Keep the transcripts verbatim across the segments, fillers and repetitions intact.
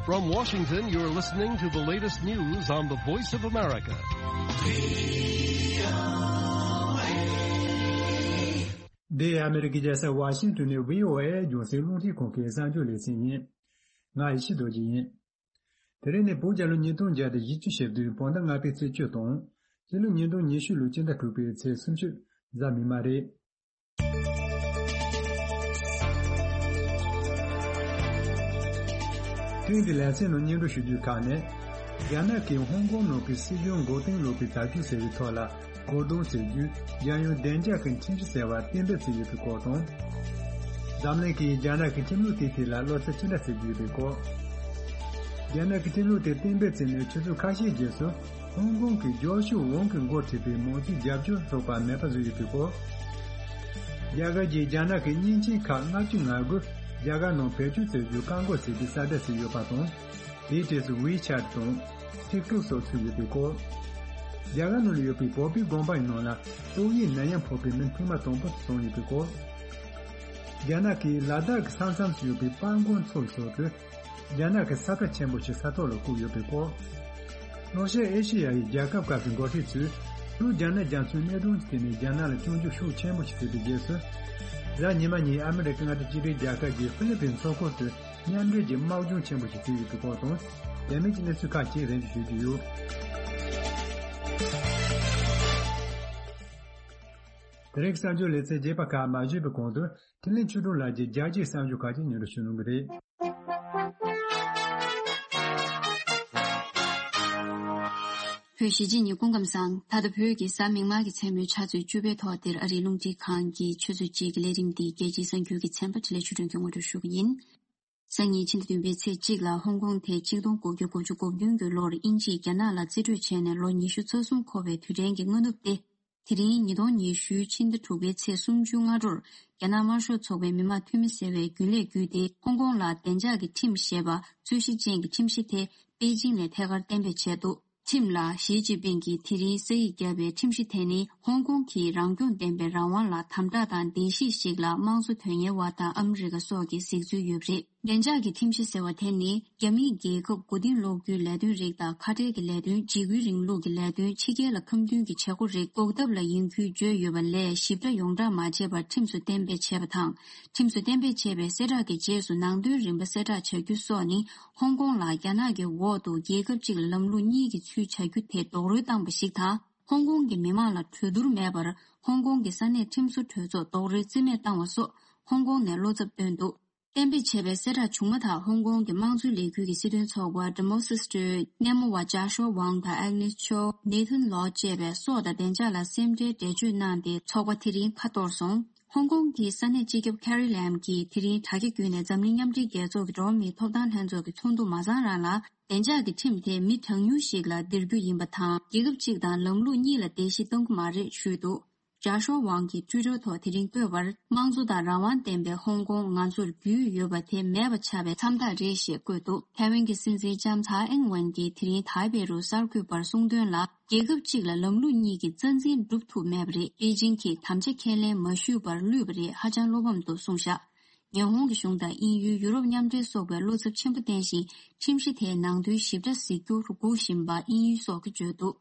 From Washington, you're listening to the latest news on the Voice of America. འདི་ཨ་མེ་རི་ཀའི་རྒྱལ་ས་ཝ་ཤིང་ཏོན་ནས་བྷི་ཨོ་ཨེ་རྒྱང་སྲིང་རླུང་འཕྲིན་ཁང་གི་གསར་འགྱུར་ལེ་ཚན་ཡིན། ང་ཡེ་ཤེས་རྡོ་རྗེ་ཡིན། དེ་རིང་ནི་བོད་རྒྱལ་ལོ་ཉིས་སྟོང་བརྒྱ་དང་བཞི་བཅུ་ཞེ་བདུན་བོད་ཟླ་ལྔ་པའི་ཚེས་བཅུ་དང་། སྤྱི་ལོ་ཉིས་སྟོང་ཉི་ཤུ་ལོའི་སྤྱི་ཟླ་དྲུག་པའི་ཚེས་སུམ་ཅུ་གཟའ་མིག་དམར་རེད། ཐེངས་འདིའི་ལེ་ཚན་ནང་སྙན་སྒྲོན་ཞུ་རྒྱུའི་ཁག་ནི། རྒྱ་ནག་གིས་ཧོང་ཀོང་ནང་གི་སྲིད་གཞུང་མགོ་རྟིང་སློག་པའི་དྲག་སྐྱེད་ཟེར་བའི་ཐོག་ལ། གོ་བརྡུང་ཟེར་རྒྱུ། རྒྱལ་ཡོངས་བདེ་འཇགས་ཀྱི་ཁྲིམས་གཞི་ཟེར་བ་གཏན་འབེབས་བྱས་ཡོད་པའི་སྐོར་དང་། འཛམ་གླིང་གིས་རྒྱ་ནག་གི་ཁྲིམས་ལུགས་དེའི་ཐད་ལ་བློ་འཚབ་ཅི་འདྲ་བྱེད་ཀྱི་ཡོད་པའི་སྐོར། རྒྱ་ནག་གི་ཁྲིམས་ལུགས་དེ་གཏན་འབེབས་བྱས་ནས་ཆུ་ཚོད་ཁ་ཤས་རྗེས་སུ། ཧོང་ཀོང་གི་ཇོ་ཤུ་ཝང་གི་འགོ་ཁྲིད་པའི་མང་གཙོའི་རྒྱབ་སྐྱོར་ཚོགས་པ་མེད་པ་བཟོས་ཡོད་པའི་སྐོར། རྒྱ་གར་གྱིས་རྒྱ་ནག་གི་མཉེན་ཆས་ཁག་ལྔ་བཅུ་ང་དགུ་རྒྱ་གར་ནང་བེད་སྤྱོད་བྱེད་རྒྱུ་བཀག་འགོག་བྱེད་རྒྱུའི་གསལ་བསྒྲགས་བྱས་ཡོད་པ་དང་། དེའི་གྲས་སུ་ཝི་ཆད་དང་། ཐིག་ཐོག་སོགས་ཚུད་ཡོད་པའི་སྐོར། རྒྱ་གར་ནང་ལ་ཡོད་པའི་བོད་པའི་དགོན་པ་ཡི་ནང་ལ་ཏོག་དབྱིབས་ནད་ཡམས་ཕོག་པའི་མི་ཐེངས་མ་དང་པོ་བྱུང་ཡོད་པའི་སྐོར། རྒྱ་ནག་གིས་ལ་དྭགས་ཀྱི་ས་མཚམས་སུ་ཡོད་པའི་པར་མགོ་མཚོ་ལ་སོགས་ཏེ། རྒྱ་ནག་གི་ས་ཁྲ་ཆེན་པོ་ཞིག་ས་ཐོག་ལ་བཀོད་ཡོད་པའི་སྐོར། ལྷོ་ཤར་ཨེ་ཤེ་ཡ་ཡི་རྒྱལ་ཁབ་ཁག་གི་འགོ་ཁྲིད་ཚོས། ལྷོ་རྒྱ་ནག་རྒྱ་མཚོའི་གནད་དོན་གྱི་ཐད་ནས་རྒྱ་ནག་ལ་སྐྱོན་བརྗོད་ཤུགས་ཆེན་པོ་ཞིག་བྱས་པའི་རྗེས་སུ། གཟའ་ཉི་མ་ཉིན་ཨ་མི་རི་ཀ་མངའ་སྡེ་གཅིག་སྒྲིལ་རྒྱལ་ཁབ་ཀྱི་ཧྥི་ལི་པིན་མཚོ་ཁུལ་དུ་མཉམ་འབྲེལ་གྱི་དམག་སྦྱོང་ཆེན་པོ་ཞིག་བྱས་ཡོད་པའི་སྐོར་དང་། རྒྱ་མིའི་གནས་ཚུལ་ཁག་ཅིག་རེ་འདུན་ཞུ་རྒྱུ་ཡོད། དེ་རིང་གསར་འགྱུར་ལེ་ཚན་རྒྱས་པ་ཁག་མ་ཞུས་པའི་གོང་དུ། འཕྲིན་ལས་ཆོས་སྒྲོན་ལགས་ཀྱིས་རྒྱལ་སྤྱིའི་གསར་འགྱུར་ཁག་ཅིག་སྙན་སྒྲོན་ཞུ་གནང་གི་རེད། བོད་གཞིས་བྱེས་གཉིས་སྐུ་ཁམས་བཟང་། ད་ལྟ་བོད་ཀྱི་གཟའ་མིག་དམར་གྱི་མཚན་མོའི་ཆུ་ཚོད་བཅུ་པའི་ཐོག་འདིར་ཨ་རིའི་རླུང་འཕྲིན་ཁང་གི་ཆུ་ཚོད་གཅིག་གི་ལས་རིམ་འདི་རྒྱལ་སྤྱིའི་གསར་འགྱུར་གྱི་ཚན་པ་འཕྲིན་ལས་ཆོས་སྒྲོན་གྱིས་ངོ་སྤྲོད་ཞུ་གི་ཡིན། སང་ཉིན་ཕྱི་ཟླ་བདུན་པའི་ཚེས་གཅིག་ལ་ཧོང་ཀོང་དེ་གཅིག་སྟོང་དགུ་བརྒྱ་དགུ་བཅུ་གོ་བདུན་གྱི་ལོར་དབྱིན་ཇིས་རྒྱ་ནག་ལ་རྩིས་སྤྲོད་བྱས་ནས་ལོ་ཉི་ཤུ་རྩ་གསུམ་འཁོར་བའི་དུས་དྲན་གྱི་སྔ་ནུབ་སྟེ། དེ་རིང་ཉིས་སྟོང་ཉི་ཤུའི་ཕྱི་ཟླ་དྲུག་པའི་ཚེས་སུམ་ཅུ་སྔ་དྲོར་རྒྱ་ནག་དམར་ཤོག་ཚོགས་པའི་མི་དམངས་འཐུས་མི་ཟེར་བའི་རྒྱུན་ལས་བརྒྱུད་དེ་ཧོང་ཀོང་ལ་བདེ་འཇགས་ཀྱི་ཁྲིམས་ཞེས་པ་རྩོད་གཞི་ཅན་གྱི་ཁྲིམས་གཞི་དེ་པེ་ཅིང་ནས་ཐད་ཀར་གཏན་འབེབས་བྱས་འདུག་ཁྲིམས་ལ་ཞི་ཅིན་ཕིང་གིས་དེ་རིང་ས་ཡིག་བརྒྱབ་པའི་ཁྲིམས་གཞི་དེ་ནི་ཧོང་ཀོང་གི་རང་སྐྱོང་ལྡན་པའི་རང་དབང་ལ་དམ་དྲག་དང་བདེན་བཞི་ཞིག་ལ་དམངས་གཙོ་དོན་གཉེར་བ་དང་ཨ་མི་རི་ཀ་སོགས་ཀྱིས་གཟིགས་ཚུལ་ཡོད་པ་རེད། བདེ་འཇགས་ཀྱི་ཁྲིམས་གཞི་ཟེར་བ་དེ་ནི་རྒྱ་མིས་རྒྱལ་ཁབ་མགོ་རྟིང་སློག་རྒྱུའི་ལས་དོན་རིགས་དང་ཁ་བྲལ་གྱི་ལས་དོན། འཇིགས་སྐུལ་རིང་ལུགས་ཀྱི་ལས་དོན། ཕྱི་རྒྱལ་ལ་ཁ་མཐུན་གྱི་བྱེད་སྒོ་རིགས་འགོག་ཐབས་ལ་ཡིན་ཁུལ་བརྗོད་ཡོད་པ་ལས་ཞིབ་ཕྲ་ཡོངས་གྲགས་མ་བྱས་པར་ཁྲིམས་སུ་གཏན་འབེབས་བྱས་པ་དང་། ཁྲིམས་སུ་གཏན་འབེབས་བྱས་པའི་གསལ་བསྒྲགས་ཀྱི་རྗེས་སུ་ནང་དོན་རིམ་པ་གསལ་བསྒྲགས་བྱ་རྒྱུ་སོགས་ནི་ཧོང་ཀོང་ལ་རྒྱ་ནག་གི་འོག་ཏུ་རྒྱལ་ཁབ་གཅིག་ལ་ལམ་ལུགས་གཉིས་ཀྱི་ཚུལ་བྱ་རྒྱུ་དེ་རྡོག་རོལ་བཏང་པ་ཞིག་དང་། ཧོང་ཀོང་གི་མི་དམངས་ལ་གྲོས་བསྡུར་མེད་པར་ཧོང་ཀོང་གི་ས་གནས་ཁྲིམས་བཟོ་གྲོས་ཚོགས་རྡོག་རོལ་རྩིས་མེད་བཏང་བ་སོགས་ཧོང་ཀོང་ནས་བློ་འཚབ་བཏོན་འདུག་གཏན་འབེབས་བྱས་པའི་གསལ་བསྒྲགས་བྱུང་མ་ཐག་ཧོང་ཀོང་གི་དམངས་གཙོའི་ལས་འགུལ་གྱི་སྲིད་དོན་ཚོགས་པ་Democracy Party སྣེ་མོ་བ་ཇཱ་ཤོ་ཝང་དང་ཨེག་ནེས་ཆོ། ནེ་ཐན་ལོ་བཅས་པས་སྲོག་དང་བདེ་འཇགས་ལ་སེམས་ཁྲལ་འགྲེལ་བརྗོད་གནང་སྟེ་ཚོགས་པ་དེ་རིང་ཁ་གཏོར་སོང་། ཧོང་ཀོང་གི་ས་གནས་སྤྱི་ཁྱབ་ཁེ་རི་ལེམ་གྱིས་དེ་རིང་དྲ་རྒྱ་བརྒྱུད་ནས་འཛམ་གླིང་མཉམ་འབྲེལ་རྒྱལ་ཚོགས་ཀྱི་འགྲོ་བ་མིའི་ཐོབ་ཐང་ལྷན་ཚོགས་ཀྱི་ཚོགས་འདུ་མ་ཚང་རང་ལ་བདེ་འཇགས་ཀྱི་ཁྲིམས་དེ་མི་གྲངས་ཉུང་ཞིག་ལ་འདིར་རྒྱུ་ཡིན་པ་དང་། རྒྱལ་ཁབ་གཅིག་དང་ལམ་ལུགས་གཉིས་ལ་བརྡལ་བཤིག་གཏོང་གི་མ་རེད་ཞུས་འདུག་ཇཱ་ཤོ་ཝང་གིས་ཊུའི་ཊར་ཐོག་དེ་རིང་བཀོད་པར། དམངས་གཙོ་དང་རང་དབང་ལྡན་པའི་ཧོང་ཀོང་ང་ཚོར་རྒྱུས་ཡོད་པ་དེ་མེད་པ་ཆགས་པའི་མཚམས་རྟགས་རེད་ཞེས་བཀོད་འདུག་ཐའེ་ཝན་གྱི་སྲིད་འཛིན་ལྕམ་ཚའེ་ཨིང་ཝེན་གྱིས་དེ་རིང་དཱའེ་པེ་རུ་གསར་འགོད་པར་གསུངས་དོན་ལ། རྒྱལ་ཁབ་གཅིག་ལ་ལམ་ལུགས་གཉིས་ཀྱི་རྩ་འཛིན་སྒྲུབ་ཐུབ་མེད་པ་རེད། པེ་ཅིང་གིས་དམ་བཅའ་ཁས་ལེན་མ་ཞུས་པར་བླུས་པ་རེད། ཧ་ཅང་བློ་ཕམ་འདུག་གསུངས་བཞག་ཉི་ཧོང་གི་གཞུང་དང་དབྱིན་ཡུལ། ཡུ་རོབ་མཉམ་འབྲེལ་སོགས་པས་བློ་འཚབ་ཆེན་པོ་བསྟན་བཞིན། ཁྲིམས་གཞི་དེའི་ནང་དོན་ཞིབ་ཕྲ་གཟིགས་རྒྱུར་སྒུག་བཞིན་པ་དབྱིན་ཡུལ་སོགས་ཀྱིས་བརྗོད་འདུག་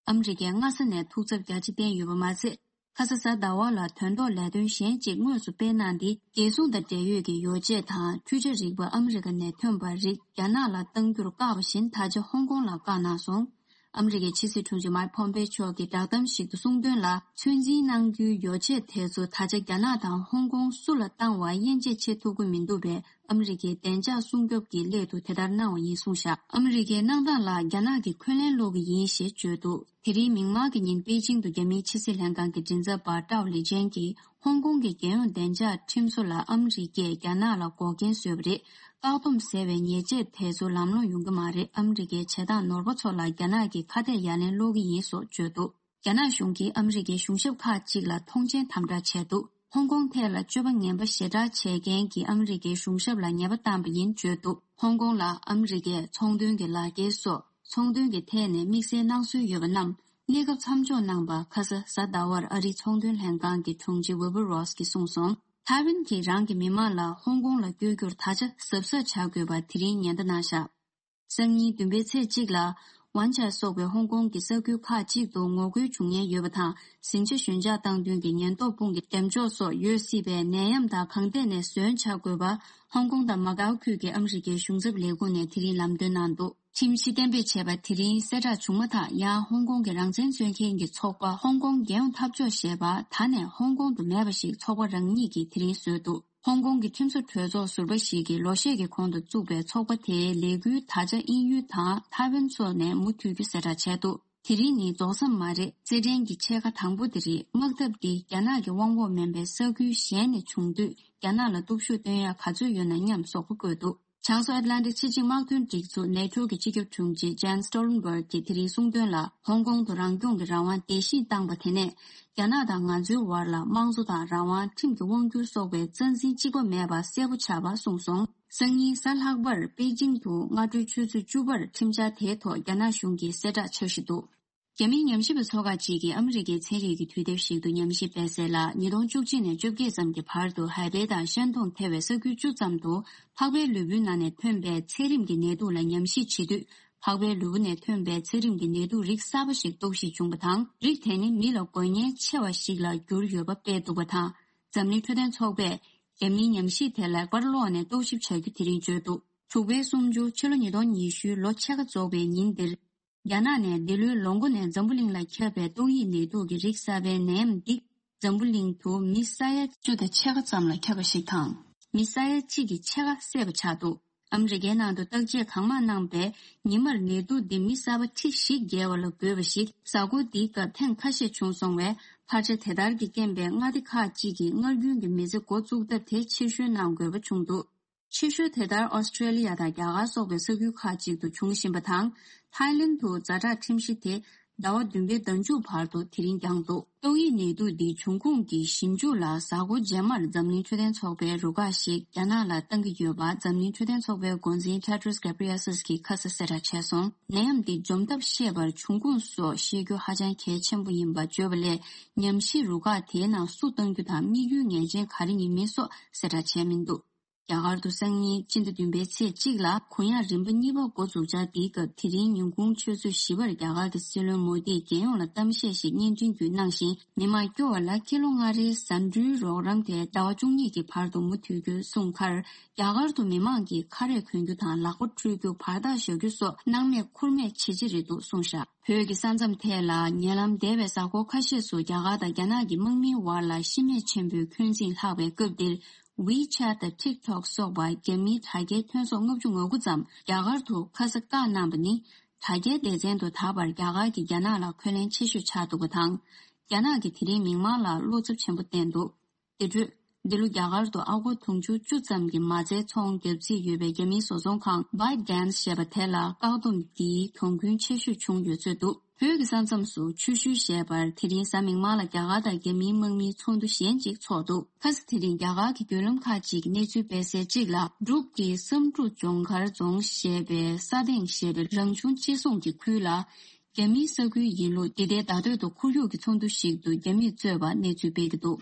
ཨ་མི་རི་ཀས་སྔ་ས་ནས་ཐུགས་འཚབ་རྒྱ་ཆེ་བསྟན་ཡོད་པ་མ་ཚད། ཁ་ས་གཟའ་ཟླ་བ་ལ་དོན་ཐོག་ལས་དོན་གཞན་གཅིག་དངོས་སུ་སྤེལ་གནང་སྟེ། རྒྱལ་སྲུང་དང་འབྲེལ་ཡོད་ཀྱི་ཡོ་བྱད་དང་འཕྲུལ་ཆས་རིག་པ་ཨ་མི་རི་ཀ་ནས་ཐོན་པ་རིགས་རྒྱ་ནག་ལ་གཏང་རྒྱུར་བཀག་པ་བཞིན། ད་ཆ་ཧོང་ཀོང་ལ་བཀག་གནང་སོང་། ཨ་མི་རི་ཀའི་ཕྱི་སྲིད་དྲུང་ཆེ་མཱིག་ཕོམ་པེ་མཆོག་གིས་བསྒྲགས་གཏམ་ཞིག་ཏུ་གསུངས་དོན་ལ། ཚོད་འཛིན་གནང་རྒྱུའི་ཡོ་བྱད་དེ་ཚོ་ད་ཆ་རྒྱ་ནག་དང་ཧོང་ཀོང་སུ་ལ་བཏང་བ་དབྱེ་འབྱེད་བྱེད་ཐུབ་ཀྱི་མི་འདུག་པས། ཨ་མི་རི་ཀའི་བདེ་འཇགས་སྲུང་སྐྱོབ་ཀྱི་སླད་དུ་དེ་ལྟར་གནང་བ་ཡིན་གསུངས་བཞག་ཨ་མི་རི་ཀའི་གནང་སྟངས་ལ་རྒྱ་ནག་གིས་འཁོན་ལན་སློག་གི་ཡིན་ཞེས་བརྗོད་འདུག་དེ་རིང་མིག་དམར་གྱི་ཉིན་པེ་ཅིང་དུ་རྒྱ་མིའི་ཕྱི་སྲིད་ལྷན་ཁང་གི་མགྲིན་ཚབ་པ་ཀྲའོ་ལི་ཅན་གྱིས། ཧོང་ཀོང་གི་རྒྱལ་ཡོངས་བདེ་འཇགས་ཁྲིམས་བཟོ་ལ་ཨ་མི་རི་ཀས་རྒྱ་ནག་ལ་འགོག་རྐྱེན་བཟོས་པ་རེད། བཀག་སྡོམ་ཟེར་བའི་ཉེས་ཆད་དེ་ཚོ་ལམ་ལྷོང་ཡོང་གི་མ་རེད། ཨ་མི་རི་ཀའི་བྱེད་སྟངས་ནོར་བ་ཚོ་ལ་རྒྱ་ནག་གིས་ཁ་གཏད་ཡ་ལན་སློག་གི་ཡིན་སོགས་བརྗོད་འདུག་རྒྱ་ནག་གཞུང་གིས་ཨ་མི་རི་ཀའི་གཞུང་ཞབས་ཁག་ཅིག་ལ་མཐོང་མཆན་དམ་དྲག་བྱས་འདུག་ཧོང་ཀོང་ཐད་ལ་སྤྱོད་པ་ངན་པ་ཞེ་དྲག་བྱས་མཁན་གྱི་ཨ་མི་རི་ཀའི་གཞུང་ཞབས་ལ་ཉེས་པ་བཏང་པ་ཡིན་བརྗོད་འདུག་ཧོང་ཀོང་ལ་ཨ་མི་རི་ཀས་ཚོང་དོན་གྱི་ལག་འཁྱེར་སོགས་ཚོང་དོན་གྱི་ཐད་ནས་དམིགས་བསལ་གནང་སྲོལ་ཡོད་པ་རྣམས་གནས་སྐབས་མཚམས་འཇོག་གནང་བ། ཁ་ས་གཟའ་ཟླ་བར་ཨ་རིའི་ཚོང་དོན་ལྷན་ཁང་གི་དྲུང་ཆེ་ཝི་བྷར་རོས་ཀྱིས་གསུངས་སོང་། ཐའེ་ཝན་གྱིས་རང་གི་མི་མང་ལ་ཧོང་ཀོང་ལ་བསྐྱོད་རྒྱུར་ད་ཆ་གཟབ་གཟབ་བྱ་དགོས་པ་དེ་རིང་ཉེན་བརྡ་གནང་བཞག་སང་ཉིན་བདུན་པའི་ཚེས་གཅིག་ལ། ཝན་ཆ་སོགས་པའི་ཧོང་ཀོང་གི་ས་ཁུལ་ཁག་ཅིག་ཏུ་ངོ་རྒོལ་བྱུང་ཉེན་ཡོད་པ་དང་། ཟིང་ཆ་ཞོད་འཇགས་བཏང་དོན་གྱི་ཉེན་རྟོག་དཔུང་གི་འགྲེམས་འཇོག་སོགས་ཡོད་སྲིད་པས། ནད་ཡམས་དང་གང་ཐད་ནས་ཟོན་བྱ་དགོས་པ། ཧོང་ཀོང་དང་མ་ཀའོ་ཁུལ་གྱི་ཨ་མི་རི་ཀའི་གཞུང་ཚབ་ལས་ཁུངས་ནས་དེ་རིང་ལམ་སྟོན་གནང་འདུག་ཁྲིམས་གཞི་གཏན་འབེབས་བྱས་པ་དེ་རིང་གསལ་བསྒྲགས་བྱུང་མ་ཐག་ཡང་ཧོང་ཀོང་གི་རང་བཙན་རྩོད་མཁན་གྱི་ཚོགས་པ་ཧོང་ཀོང་རྒྱལ་ཡོངས་འཐབ་ཕྱོགས་ཞེས་པ་ད་ནས་ཧོང་ཀོང་དུ་མེད་པ་ཞིག་ཚོགས་པ་རང་ཉིད་ཀྱིས་དེ་རིང་བཟོས་འདུག་ཧོང་ཀོང་གི་ཁྲིམས་བཟོ་གྲོས་ཚོགས་ཟུར་པ་ཞིག་གིས་ལོ་ཤས་ཀྱི་གོང་དུ་བཙུགས་པའི་ཚོགས་པ་དེའི་ལས་འགུལ་དག་ཆ་དབྱིན་ཡུལ་དང་ཐའེ་ཝན་སོགས་ནས་མུ་མཐུད་རྒྱུ་གསལ་བསྒྲགས་བྱས་འདུག་དེ་རིང་ནི་རྫོགས་མཚམས་མ་རེད། རྩེད་འགྲན་གྱི་ཕྱེད་ཀ་དང་པོ་དེ་རེད། དམག་འཐབ་འདི་རྒྱ་ནག་གི་དབང་འོག་མིན་པའི་ས་ཁུལ་གཞན་ནས་བྱུང་དུས། རྒྱ་ནག་ལ་སྟོབས་ཤུགས་སྟོན་ཡ་ག་ཚོད་ཡོད་ན་སྙམ་སོགས་པ་བཀོད་འདུག་བྱང་སོ་ཨེཊ་ལན་ཊིག་ཕྱི་ཆིངས་དམག་དོན་སྒྲིག་འཛུགས་ནེ་ཊོ་གི་སྤྱི་ཁྱབ་དྲུང་ཆེ་ཇན་སི་ཊོ་ལན་བྷར་གྱིས་དེ་རིང་གསུངས་དོན་ལ། ཧོང་ཀོང་དུ་རང་སྐྱོང་གི་རང་དབང་བརྡལ་བཤིག་བཏང་པ་དེ་ནས། རྒྱ་ནག་དང་ང་ཚོའི་བར་ལ་དམངས་གཙོ་དང་རང་དབང་། ཁྲིམས་ཀྱི་དབང་སྒྱུར་སོགས་པའི་རྩ་འཛིན་གཅིག་པ་མེད་པ་གསལ་པོ་ཆགས་པ་གསུངས་སོང་། སང་ཉིན་གཟའ་ལྷག་པར་པེ་ཅིང་དུ་སྔ་དྲོའི་ཆུ་ཚོད་བཅུ་པར་ཁྲིམས་འཆར་དེའི་ཐོག་རྒྱ་ནག་གཞུང་གིས་གསལ་བསྒྲགས་འཆར་གཞི་འདུག་རྒྱ་མིའི་ཉམས་ཞིབ་པ་ཚོ་ཁག་ཅིག་གིས་ཨ་མི་རི་ཀའི་ཚན་རིག་གི་དུས་དེབ་ཞིག་ཏུ་ཉམས་ཞིབ་སྤེལ་གསལ་ལ། ཉིས་སྟོང་བཅུ་གཅིག་ནས་བཅོ་བརྒྱད་ཙམ་གྱི་བར་དུ་ཧའེ་པེ་དང་ཤན་ཏུང་ཐེ་བའི་ས་ཁུལ་བཅུ་ཙམ་དུ་ཕག་པའི་ལུས་པོའི་ནང་ནས་ཐོན་པའི་ཚད་རིམས་ཀྱི་ནད་དུག་ལ་ཉམས་ཞིབ་བྱེད་དུས། ཕག་པའི་ལུས་པོ་ནས་ཐོན་པའི་ཚད་རིམས་ཀྱི་ནད་དུག་རིགས་གསར་པ་ཞིག་རྟོག་ཞིབ་བྱུང་བ་དང་། རིགས་དེ་ནི་མི་ལ་འགོས་ཉེན་ཆེ་བ་ཞིག་ལ་གྱུར་ཡོད་པ་སྤེལ་འདུག་པ་དང་། འཛམ་གླིང་འཕྲོད་བསྟེན་ཚོགས་པས་རྒྱ་མིའི་ཉམས་ཞིབ་དེ་ལེགས་པར་ཀློག་ནས་རྟོག་ཞིབ་བྱ་རྒྱུ་དེ་རིང་བརྗོད་འདུག་དྲུག་པའི་གསུམ་བཅུ། ཕྱི་ལོ་ཉིས་སྟོང་ཉི་ཤུའི་ལོ་ཕྱེད་ཀ་རྫོགས་པའི་ཉིན་འདིར། རྒྱ་ནག་ནས་འདི་ལོའི་ལོ་མགོ་ནས་འཛམ་བུ་གླིང་ལ་ཁྱབ་པའི་ཏོག་དབྱིབས་ནད་དུག་གི་རིགས་གསར་པའི་ནད་ཡམས་འདི། འཛམ་བུ་གླིང་དུ་མི་ས་ཡ་བཅུ་དང་ཕྱེད་ཀ་ཙམ་ལ་ཁྱབ་པ་ཞིག་དང་། མི་ས་ཡ་གཅིག་གི་ཕྱེད་ཀ་བསད་པ་ཆགས་འདུག་ཨ་མི་རི་ཀའི་ནང་དུ་བརྟག་དཔྱད་གང་མང་གནང་པས། ཉི་མར་ནད་དུག་འདི་མི་གསར་པ་ཁྲི་བཞི་བརྒལ་བ་ལ་འགོས་པ་ཞིག་གཟའ་འཁོར་འདིའི་སྐབས་ཐེངས་ཁ་ཤས་བྱུང་སོང་བས། འཕར་ཆ་དེ་ལྟར་གྱི་རྐྱེན་པས་མངའ་སྡེ་ཁག་ཅིག་གིས་སྔར་རྒྱུན་གྱི་མི་ཚེ་འགོ་བཙུགས་ཐབས་དེ་ཕྱིར་བཤོལ་གནང་དགོས་པ་བྱུང་འདུག་ཕྱི་ཤོལ་དེ་ལྟར་ཨོ་སི་ཀྲེ་ལི་ཡ་དང་རྒྱ་གར་སོགས་པའི་ས་ཁུལ་ཁག་ཅིག་ཏུ་འབྱུང་བཞིན་པ་དང་། ཐའི་ལེན་དུ་ཛ་དྲག་ཁྲིམས་གཞི་དེ་ཟླ་བ་བདུན་པའི་ཟླ་མཇུག་བར་དུ་དེ་རིང་བསྐྱངས་འདུག་ཏོག་དབྱིབས་ནད་དུག་འདིའི་འབྱུང་ཁུངས་ཀྱི་ཞིབ་འཇུག་ལ་གཟའ་འཁོར་རྗེས་མར་འཛམ་གླིང་འཕྲོད་བསྟེན་ཚོགས་པའི་རུ་ཁག་ཞིག་རྒྱ་ནག་ལ་བཏང་གི་ཡོད་པ། འཛམ་གླིང་འཕྲོད་བསྟེན་ཚོགས་པའི་འགོ་འཛིན་ཊེ་ཌྲོས་གྷེབ་རི་ཡེ་སིས་ཀྱིས་ཁ་གསལ་གསལ་བསྒྲགས་བྱས་སོང་། ནད་ཡམས་འདི་འཇོམས་ཐབས་ཤེས་པར་འབྱུང་ཁུངས་སོགས་ཤེས་རྒྱུ་ཧ་ཅང་གལ་ཆེན་པོ་ཡིན་པ་བརྗོད་པ་ལས། ཉམས་ཞིབ་རུ་ཁག་དེའི་ནང་སུ་བཏང་རྒྱུ་དང་དམིགས་ཡུལ་ངེས་ཅན་ག་རེ་ཡིན་མིན་སོགས་གསལ་བསྒྲགས་བྱས་མི་འདུག་རྒྱ་གར་དུ་སང་ཉིན་སྤྱི་ཟླ་བདུན་པའི་ཚེས་གཅིག་ལ་གུ་ཡངས་རིམ་པ་གཉིས་པ་འགོ་འཛུགས་འཆར་འདིའི་སྐབས། དེ་རིང་ཉིན་གུང་ཆུ་ཚོད་བཞི་པར་རྒྱ་གར་གྱི་སྲིད་བློན་མོ་དིས་རྒྱལ་ཡོངས་ལ་གཏམ་བཤད་ཞིག་བརྙན་འཕྲིན་བརྒྱུད་གནང་ཞིང་། མི་མང་སྐྱོ་བ་ལ་ཁྱི་ལོ་ལྔ་རེའི་ཟ་འབྲུའི་རོགས་རམ་དེ་ཟླ་བ་བཅུ་གཉིས་ཀྱི་བར་དུ་མུ་མཐུད་རྒྱུ་གསུངས་ཁར། རྒྱ་གར་དུ་མི་མང་གིས་ཁ་རས་གོན་རྒྱུ་དང་ལག་པ་འཁྲུ་རྒྱུ། བར་ཐག་བཞག་རྒྱུ་སོགས་སྣང་མེད་ཁུར་མེད་བྱེད་ཀྱི་རེད་འདུག་གསུངས་བཞག་བོད་ཀྱི་ས་མཚམས་ཐད་ལ་ཉེ་ལམ་འདས་པའི་གཟའ་འཁོར་ཁ་ཤས་སུ་རྒྱ་གར་དང་རྒྱ་ནག་གི་དམག་མིའི་དབར་ལ་ཤི་རྨས་ཆེན་པོའི་འཁོན་འཛིང་ལྷག་པའི་སྐབས་འདིར། WeChat་དང་TikTok་སོགས་པ་རྒྱ་མིའི་དྲ་རྒྱའི་ཐོན་ཟོག་ལྔ་བཅུ་ང་དགུ་ཙམ་རྒྱ་གར་དུ་ཁ་ས་བཀག་གནང་པ་ནི། དྲ་རྒྱའི་སྡེ་ཚན་དུ་ད་བར་རྒྱ་གར་གྱིས་རྒྱ་ནག་ལ་འཁོན་ལན་ཆེ་ཤོས་ཆགས་འདུག་པ་དང་། རྒྱ་ནག་གིས་དེ་རིང་མིག་དམར་ལ་བློ་འཚབ་ཆེན་པོ་བསྟན་འདུག་དེ་འཕྲོས། འདི་ལོ་རྒྱ་གར་དུ་ཨ་སྒོར་དུང་ཕྱུར་བཅུ་ཙམ་གྱི་མ་རྩའི་ཚོང་བརྒྱབ་རྩིས་ཡོད་པའི་རྒྱ་མིའི་བཟོ་ཚོང་ཁང་ByteDance་ཞེས་པ་དེ་ལ་བཀག་སྡོམ་འདིའི་གྱོང་གུན་ཆེ་ཤོས་བྱུང་ཡོད་ཚོད་འདུག་བོད་ཀྱི་ས་མཚམས་སུ་ཆུ་ཤུལ་ཞེས་པར་དེ་རིང་གཟའ་མིག་དམར་ལ་རྒྱ་གར་དང་རྒྱ་མིའི་དམག་མིའི་ཚོགས་འདུ་གཞན་ཅིག་ཚོགས་འདུག་ཁ་སང་དེ་རིང་རྒྱ་གར་གྱི་བརྒྱུད་ལམ་ཁག་ཅིག་གིས་གནས་ཚུལ་སྤེལ་གསལ་གཅིག་ལ། འབྲུག་གི་བསམ་གྲུབ་ལྗོངས་མཁར་རྫོང་ཞེས་པའི་ས་སྟེང་ཞེས་པའི་རང་བྱུང་གཅེས་སྲུང་གི་ཁུལ་ལ། རྒྱ་མིའི་ས་ཁུལ་ཡིན་ལུགས། འདི་ལྟའི་བརྡ་སྟོད་དུ་ཁོར་ཡུག་གི་ཚོགས་འདུ་ཞིག་ཏུ་རྒྱ་མིས་གཙོས་པ་གནས་ཚུལ་སྤེལ་གྱི་འདུག་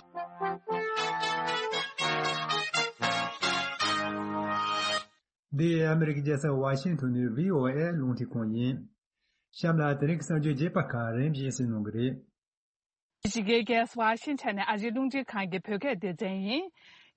འདི་ཨ་མི་རི་ཀའི་རྒྱལ་ས་ཝ་ཤིང་ཐོན་ནས་བྷི་ཨོ་ཨེ་རླུང་འཕྲིན་ཁང་ཡིན། གཤམ་ལ་དེ་རིང་གི་གསར་འགྱུར་རྒྱས་པ་ཁག་རིམ་བཞིན་གསན་གནང་གི་རེད། ཨ་མི་རི་ཀའི་རྒྱལ་ས་ཝ་ཤིང་ཊོན་ནས་ཨ་རིའི་རླུང་འཕྲིན་ཁང་གི་བོད་སྐད་སྡེ་ཚན་ཡིན།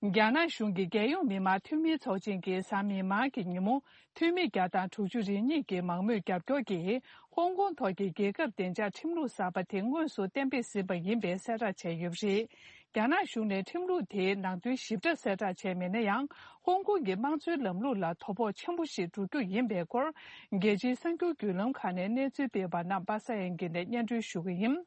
རྒྱ་ནག་གཞུང་གིས་རྒྱལ་ཡོངས་མི་དམངས་འཐུས་མིའི་ཚོགས་ཆེན་གྱི་གཟའ་མིག་དམར་གྱི་ཉིན་མོ། འཐུས་མི་བརྒྱ་དང་དྲུག་ཅུ་རེ་གཉིས་ཀྱི་མང་མོས་རྒྱབ་སྐྱོར་གྱིས། ཧོང་ཀོང་ཐོག་གི་རྒྱལ་ཁབ་བདེ་འཇགས་ཁྲིམས་ལུགས་གསར་པ་དེ་དངོས་སུ་གཏན་འབེབས་ཟིན་པ་ཡིན་པའི་གསལ་བསྒྲགས་བྱས་ཡོད་པ་རེད། རྒྱ་ནག་གཞུང་ནས་ཁྲིམས་ལུགས་དེའི་ནང་དོན་ཞིབ་ཕྲ་གསལ་བསྒྲགས་བྱས་མེད་ན་ཡང་། ཧོང་ཀོང་གི་དམངས་གཙོའི་ལམ་ལུགས་ལ་དོ་ཕོག་ཆེན་པོ་ཞིག་འགྲོ་རྒྱུ་ཡིན་པའི་སྐོར། རྒྱལ་སྤྱིའི་གསར་འགྱུར་བརྒྱུད་ལམ་ཁག་ནས་གནས་ཚུལ་སྤེལ་བ་རྣམས་པ་སངས་དབྱངས་སྐྱིད་ནས་སྙན་སྒྲོན་ཞུ་གི་ཡིན།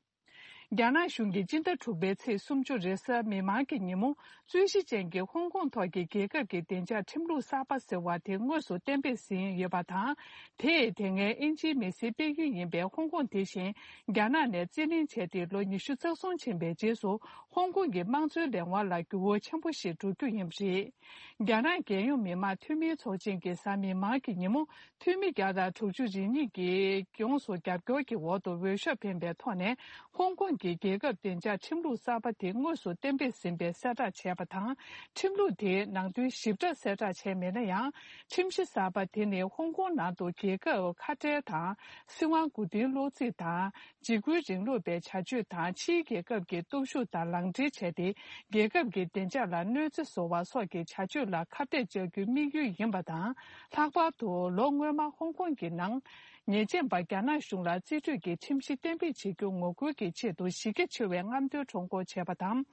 རྒྱ་ནག་གཞུང་གིས་སྤྱི་ཟླ་དྲུག་པའི་ཚེས་སུམ་ཅུ་རེས་གཟའ་མིག་དམར་གྱི་ཉིན་མོ། རྩོད་གཞི་ཅན་གྱི་ཧོང་ཀོང་ཐོག་གི་རྒྱལ་ཁབ་ཀྱི་བདེ་འཇགས་ཁྲིམས་ལུགས་གསར་པ་ཟེར་བ་དེ་དངོས་སུ་གཏན་འབེབས་ཟིན་ཡོད་པ་དང་། དེས་དེ་སྔའི་དབྱིན་ཇིའི་མི་སེར་སྤེལ་ཡུལ་ཡིན་པའི་ཧོང་ཀོང་དེ་བཞིན་རྒྱ་ནག་ནས་རྩིས་ལེན་བྱས་ཏེ་ལོ་ཉི་ཤུ་རྩ་གསུམ་ཕྱིན་པའི་རྗེས་སུ། ཧོང་ཀོང་གི་དམངས་གཙོའི་ལས་དབང་ལ་འགྱུར་བ་ཆེན་པོ་ཞིག་འགྲོ་རྒྱུ་ཡིན་པ་རེད། རྒྱ་ནག་རྒྱལ་ཡོངས་མི་དམངས་འཐུས་མིའི་ཚོགས་ཆེན་གྱི་གཟའ་མིག་དམར་གྱི་ཉིན་མོ། འཐུས་མི་བརྒྱ་དང་དྲུག་ཅུ་རེ་གཉིས་ཀྱིས་ཡོངས་སུ་རྒྱབ་སྐྱོར་གྱི་འོག་ཏུ་འོས་ཤོག་འཕེན་པའི་ཐོག་ནས། ཧོང་ཀོང་ གྱི་རྒྱལ་ཁབ་བདེ་འཇགས་ཁྲིམས་ལུགས་གསར་པ་དེ་དངོས་སུ་གཏན་འབེབས་ཟིན་པའི་གསལ་བསྒྲགས་བྱས་པ་དང་། ཁྲིམས་ལུགས་དེའི་ནང་དོན་ཞིབ་ཕྲ་གསལ་བསྒྲགས་བྱས་མེད་ན་ཡང་། ཁྲིམས་གཞི་གསར་པ་དེ་ནི་ཧོང་ཀོང་ནང་དུ་རྒྱལ་ཁབ་ཁ་བྲལ་དང་། སྲིད་དབང་མགོ་རྟིང་སློག་རྩིས་དང་། འཇིགས་སྐུལ་རིང་ལུགས་པའི་བྱ་སྤྱོད་དང་། ཕྱིའི་རྒྱལ་ཁབ་ཀྱི་སྟོབས་ཤུགས་དང་ལག་འབྲེལ་བྱས་ཏེ། རྒྱལ་ཁབ་ཀྱི་བདེ་འཇགས་ལ་གནོད་འཚེ་བཟོ་བ་སོགས་ཀྱི་བྱ་སྤྱོད་ལ་ཁ་གཏད་གཅོག་རྒྱུའི་དམིགས་ཡུལ་ཡིན་པ་དང་། ལྷག་པར་དུ་ལོ་སྔོན་མ་ཧོང་ཀོང་གི་ནང་། ཉེས་ཅན་པ་རྒྱ་ནག་གཞུང་ལ་རྩིས་སྤྲོད་ཀྱི་ཁྲིམས་གཞི་གཏན་འབེབས་བྱེད་རྒྱུ་ངོ་རྒོལ་གྱི་ཆེད་དུ་གཞི་རྒྱ་ཆེ་བའི་རྔམ་སྟོན་ཁྲོམ་སྐོར་བྱས་པ་དང་།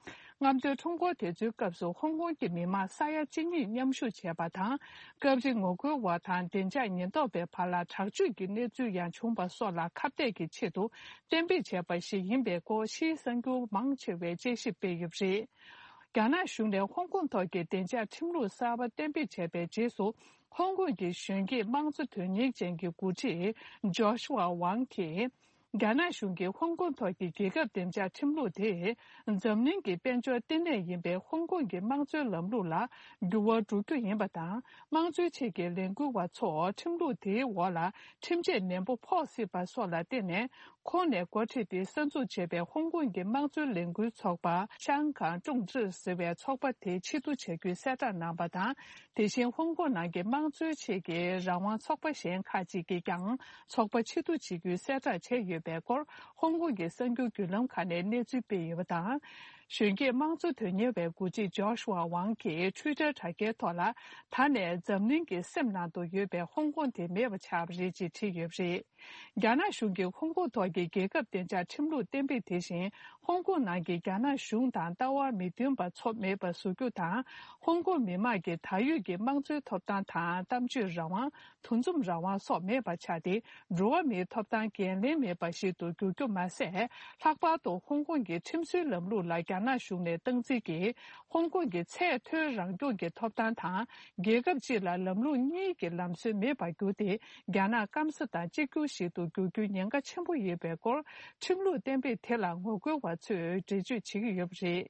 རྔམ་སྟོན་ཁྲོམ་སྐོར་དེ་ཚོའི་སྐབས་སུ་ཧོང་ཀོང་གི་མི་མང་ས་ཡ་གཅིག་གཉིས་མཉམ་ཞུགས་བྱས་པ་དང་། སྐབས་རེ་ངོ་རྒོལ་བ་དང་བདེ་འཇགས་ཉེན་རྟོག་པའི་བར་ལ་དྲག་སྤྱོད་ཀྱི་གནས་ཚུལ་ཡང་བྱུང་བ་སོགས་ལ་ཁ་གཏད་ཀྱི་ཆེད་དུ་གཏན་འབེབས་བྱས་པ་ཞིག་ཡིན་པའི་སྐོར་ཕྱིའི་གསར་འགྱུར་མང་ཆེ་བས་དཔྱད་ཞིབ་སྤེལ་ཡོད་པ་རེད། རྒྱ་ནག་གཞུང་ནས་ཧོང་ཀོང་ཐོག་གི་བདེ་འཇགས་ཁྲིམས་ལུགས་གསར་པ་གཏན་འབེབས་བྱས་པའི་རྗེས་སུ། ཧོང་ཀོང་གི་གཞོན་སྐྱེས་དམངས་གཙོ་དོན་གཉེར་ཅན་གྱི་འགོ་ཁྲིད་ཇོ་ཤུ་ཝ་ཝང་གིས། རྒྱ་ནག་གཞུང་གིས་ཧོང་ཀོང་ཐོག་གི་རྒྱལ་ཁབ་བདེ་འཇགས་ཁྲིམས་ལུགས་དེ། འཛམ་གླིང་གི་དཔལ་འབྱོར་ལྟེ་གནས་ཡིན་པའི་ཧོང་ཀོང་གི་དམངས་གཙོའི་ལམ་ལུགས་ལ་འགྱུར་བ་འགྲོ་རྒྱུ་ཡིན་པ་དང་། དམངས་གཙོའི་ཆེད་ཀྱི་ལས་འགུལ་བ་ཚོ་ཁྲིམས་ལུགས་དེའི་འོག་ལ་ཁྲིམས་ཆད་ནན་པོ་ཕོག་སྲིད་པ་སོགས་ལ་བརྟེན་ནས། ཁོང་ནས་འགོ་ཁྲིད་དེ་གསར་འཛུགས་བྱས་པའི་ཧོང་ཀོང་གི་དམངས་གཙོའི་ལས་འགུལ་ཚོགས་པ་ཤང་ཀང་ཀྲུང་ཀྲི་ཟེར་བའི་ཚོགས་པ་དེ་ཕྱིར་བསྡུ་བྱ་རྒྱུའི་གསལ་བསྒྲགས་གནང་བ་དང་། དེ་བཞིན་ཧོང་ཀོང་ནང་གི་དམངས་གཙོའི་ཆེད་ཀྱི་རང་དབང་ཚོགས་པ་གཞན་ཁག་ཅིག་གིས་ཀྱང་ཚོགས་པ་ཕྱིར་བསྡུ་བྱེད་རྒྱུའི་གསལ་བསྒྲགས་བྱས་ཡོད་པའི་སྐོར་ཧོང་ཀོང་གི་གསར་འགྱུར་བརྒྱུད་ལམ་ཁག་ནས་གནས་ཚུལ་སྤེལ་ཡོད་པ་དང་། གཞོན་སྐྱེས་དམངས་གཙོ་དོན་གཉེར་བའི་འགོ་ཁྲིད་ཇོ་ཤུ་ཝ་ཝང་གིས་ཊུའི་ཊར་དྲ་རྒྱའི་ཐོག་ལ། ད་ནས་འཛམ་གླིང་གི་སེམས་ནང་དུ་ཡོད་པའི་ཧོང་ཀོང་དེ་མེད་པ་ཆགས་པ་རེད་ཅེས་བྲིས་ཡོད་པ་རེད། རྒྱ་ནག་གཞུང་གིས་ཧོང་ཀོང་ཐོག་གི་རྒྱལ་ཁབ་བདེ་འཇགས་ཁྲིམས་ལུགས་གཏན་འབེབས་དེ་བཞིན། ཧོང་ཀོང་ནང་གི་རྒྱ་ནག་གཞུང་དང་ལྟ་བ་མི་མཐུན་པ་ཚོ་མེད་པ་བཟོ་རྒྱུ་དང་། ཧོང་ཀོང་མི་དམངས་ཀྱི་ད་ཡོད་ཀྱི་དམངས་གཙོའི་ཐོབ་ཐང་དང་། གཏམ་བརྗོད་རང་དབང་། འདུ་འཛོམས་རང་དབང་སོགས་མེད་པ་ཆགས་ཏེ། འགྲོ་བ་མིའི་ཐོབ་ཐང་འགན་ལེན་མེད་པ་ཞིག་ཏུ་འགྱུར་རྒྱུ་མ་ཟད། ལྷག་པར་དུ་ཧོང་ཀོང་གི་ཁྲིམས་སྲོལ་ལམ་ལུགས་ལ་རྒྱ་ནག་གཞུང་ནས་སྟངས་འཛིན་གྱིས། ཧོང་ཀོང་གི་ཚད་མཐོའི་རང་སྐྱོང་གི་ཐོབ་ཐང་དང་། རྒྱལ་ཁབ་གཅིག་ལ་ལམ་ལུགས་གཉིས་ཀྱི་ལམ་སྲོལ་མེད་པར་གྱུར་ཏེ། རྒྱ་ནག་སྐམ་ས་དང་གཅིག་གྱུར་ཞིག་ཏུ་འགྱུར་རྒྱུའི་ཉེན་ཁ་ཆེན་པོ་ཡོད་པའི་སྐོར། ཁྲིམས་ལུགས་གཏན་འབེབས་དེ་ལ་ངོ་རྒོལ་བ་ཚོས་འགྲེལ་བརྗོད་བྱེད་ཀྱི་ཡོད་པ་རེད།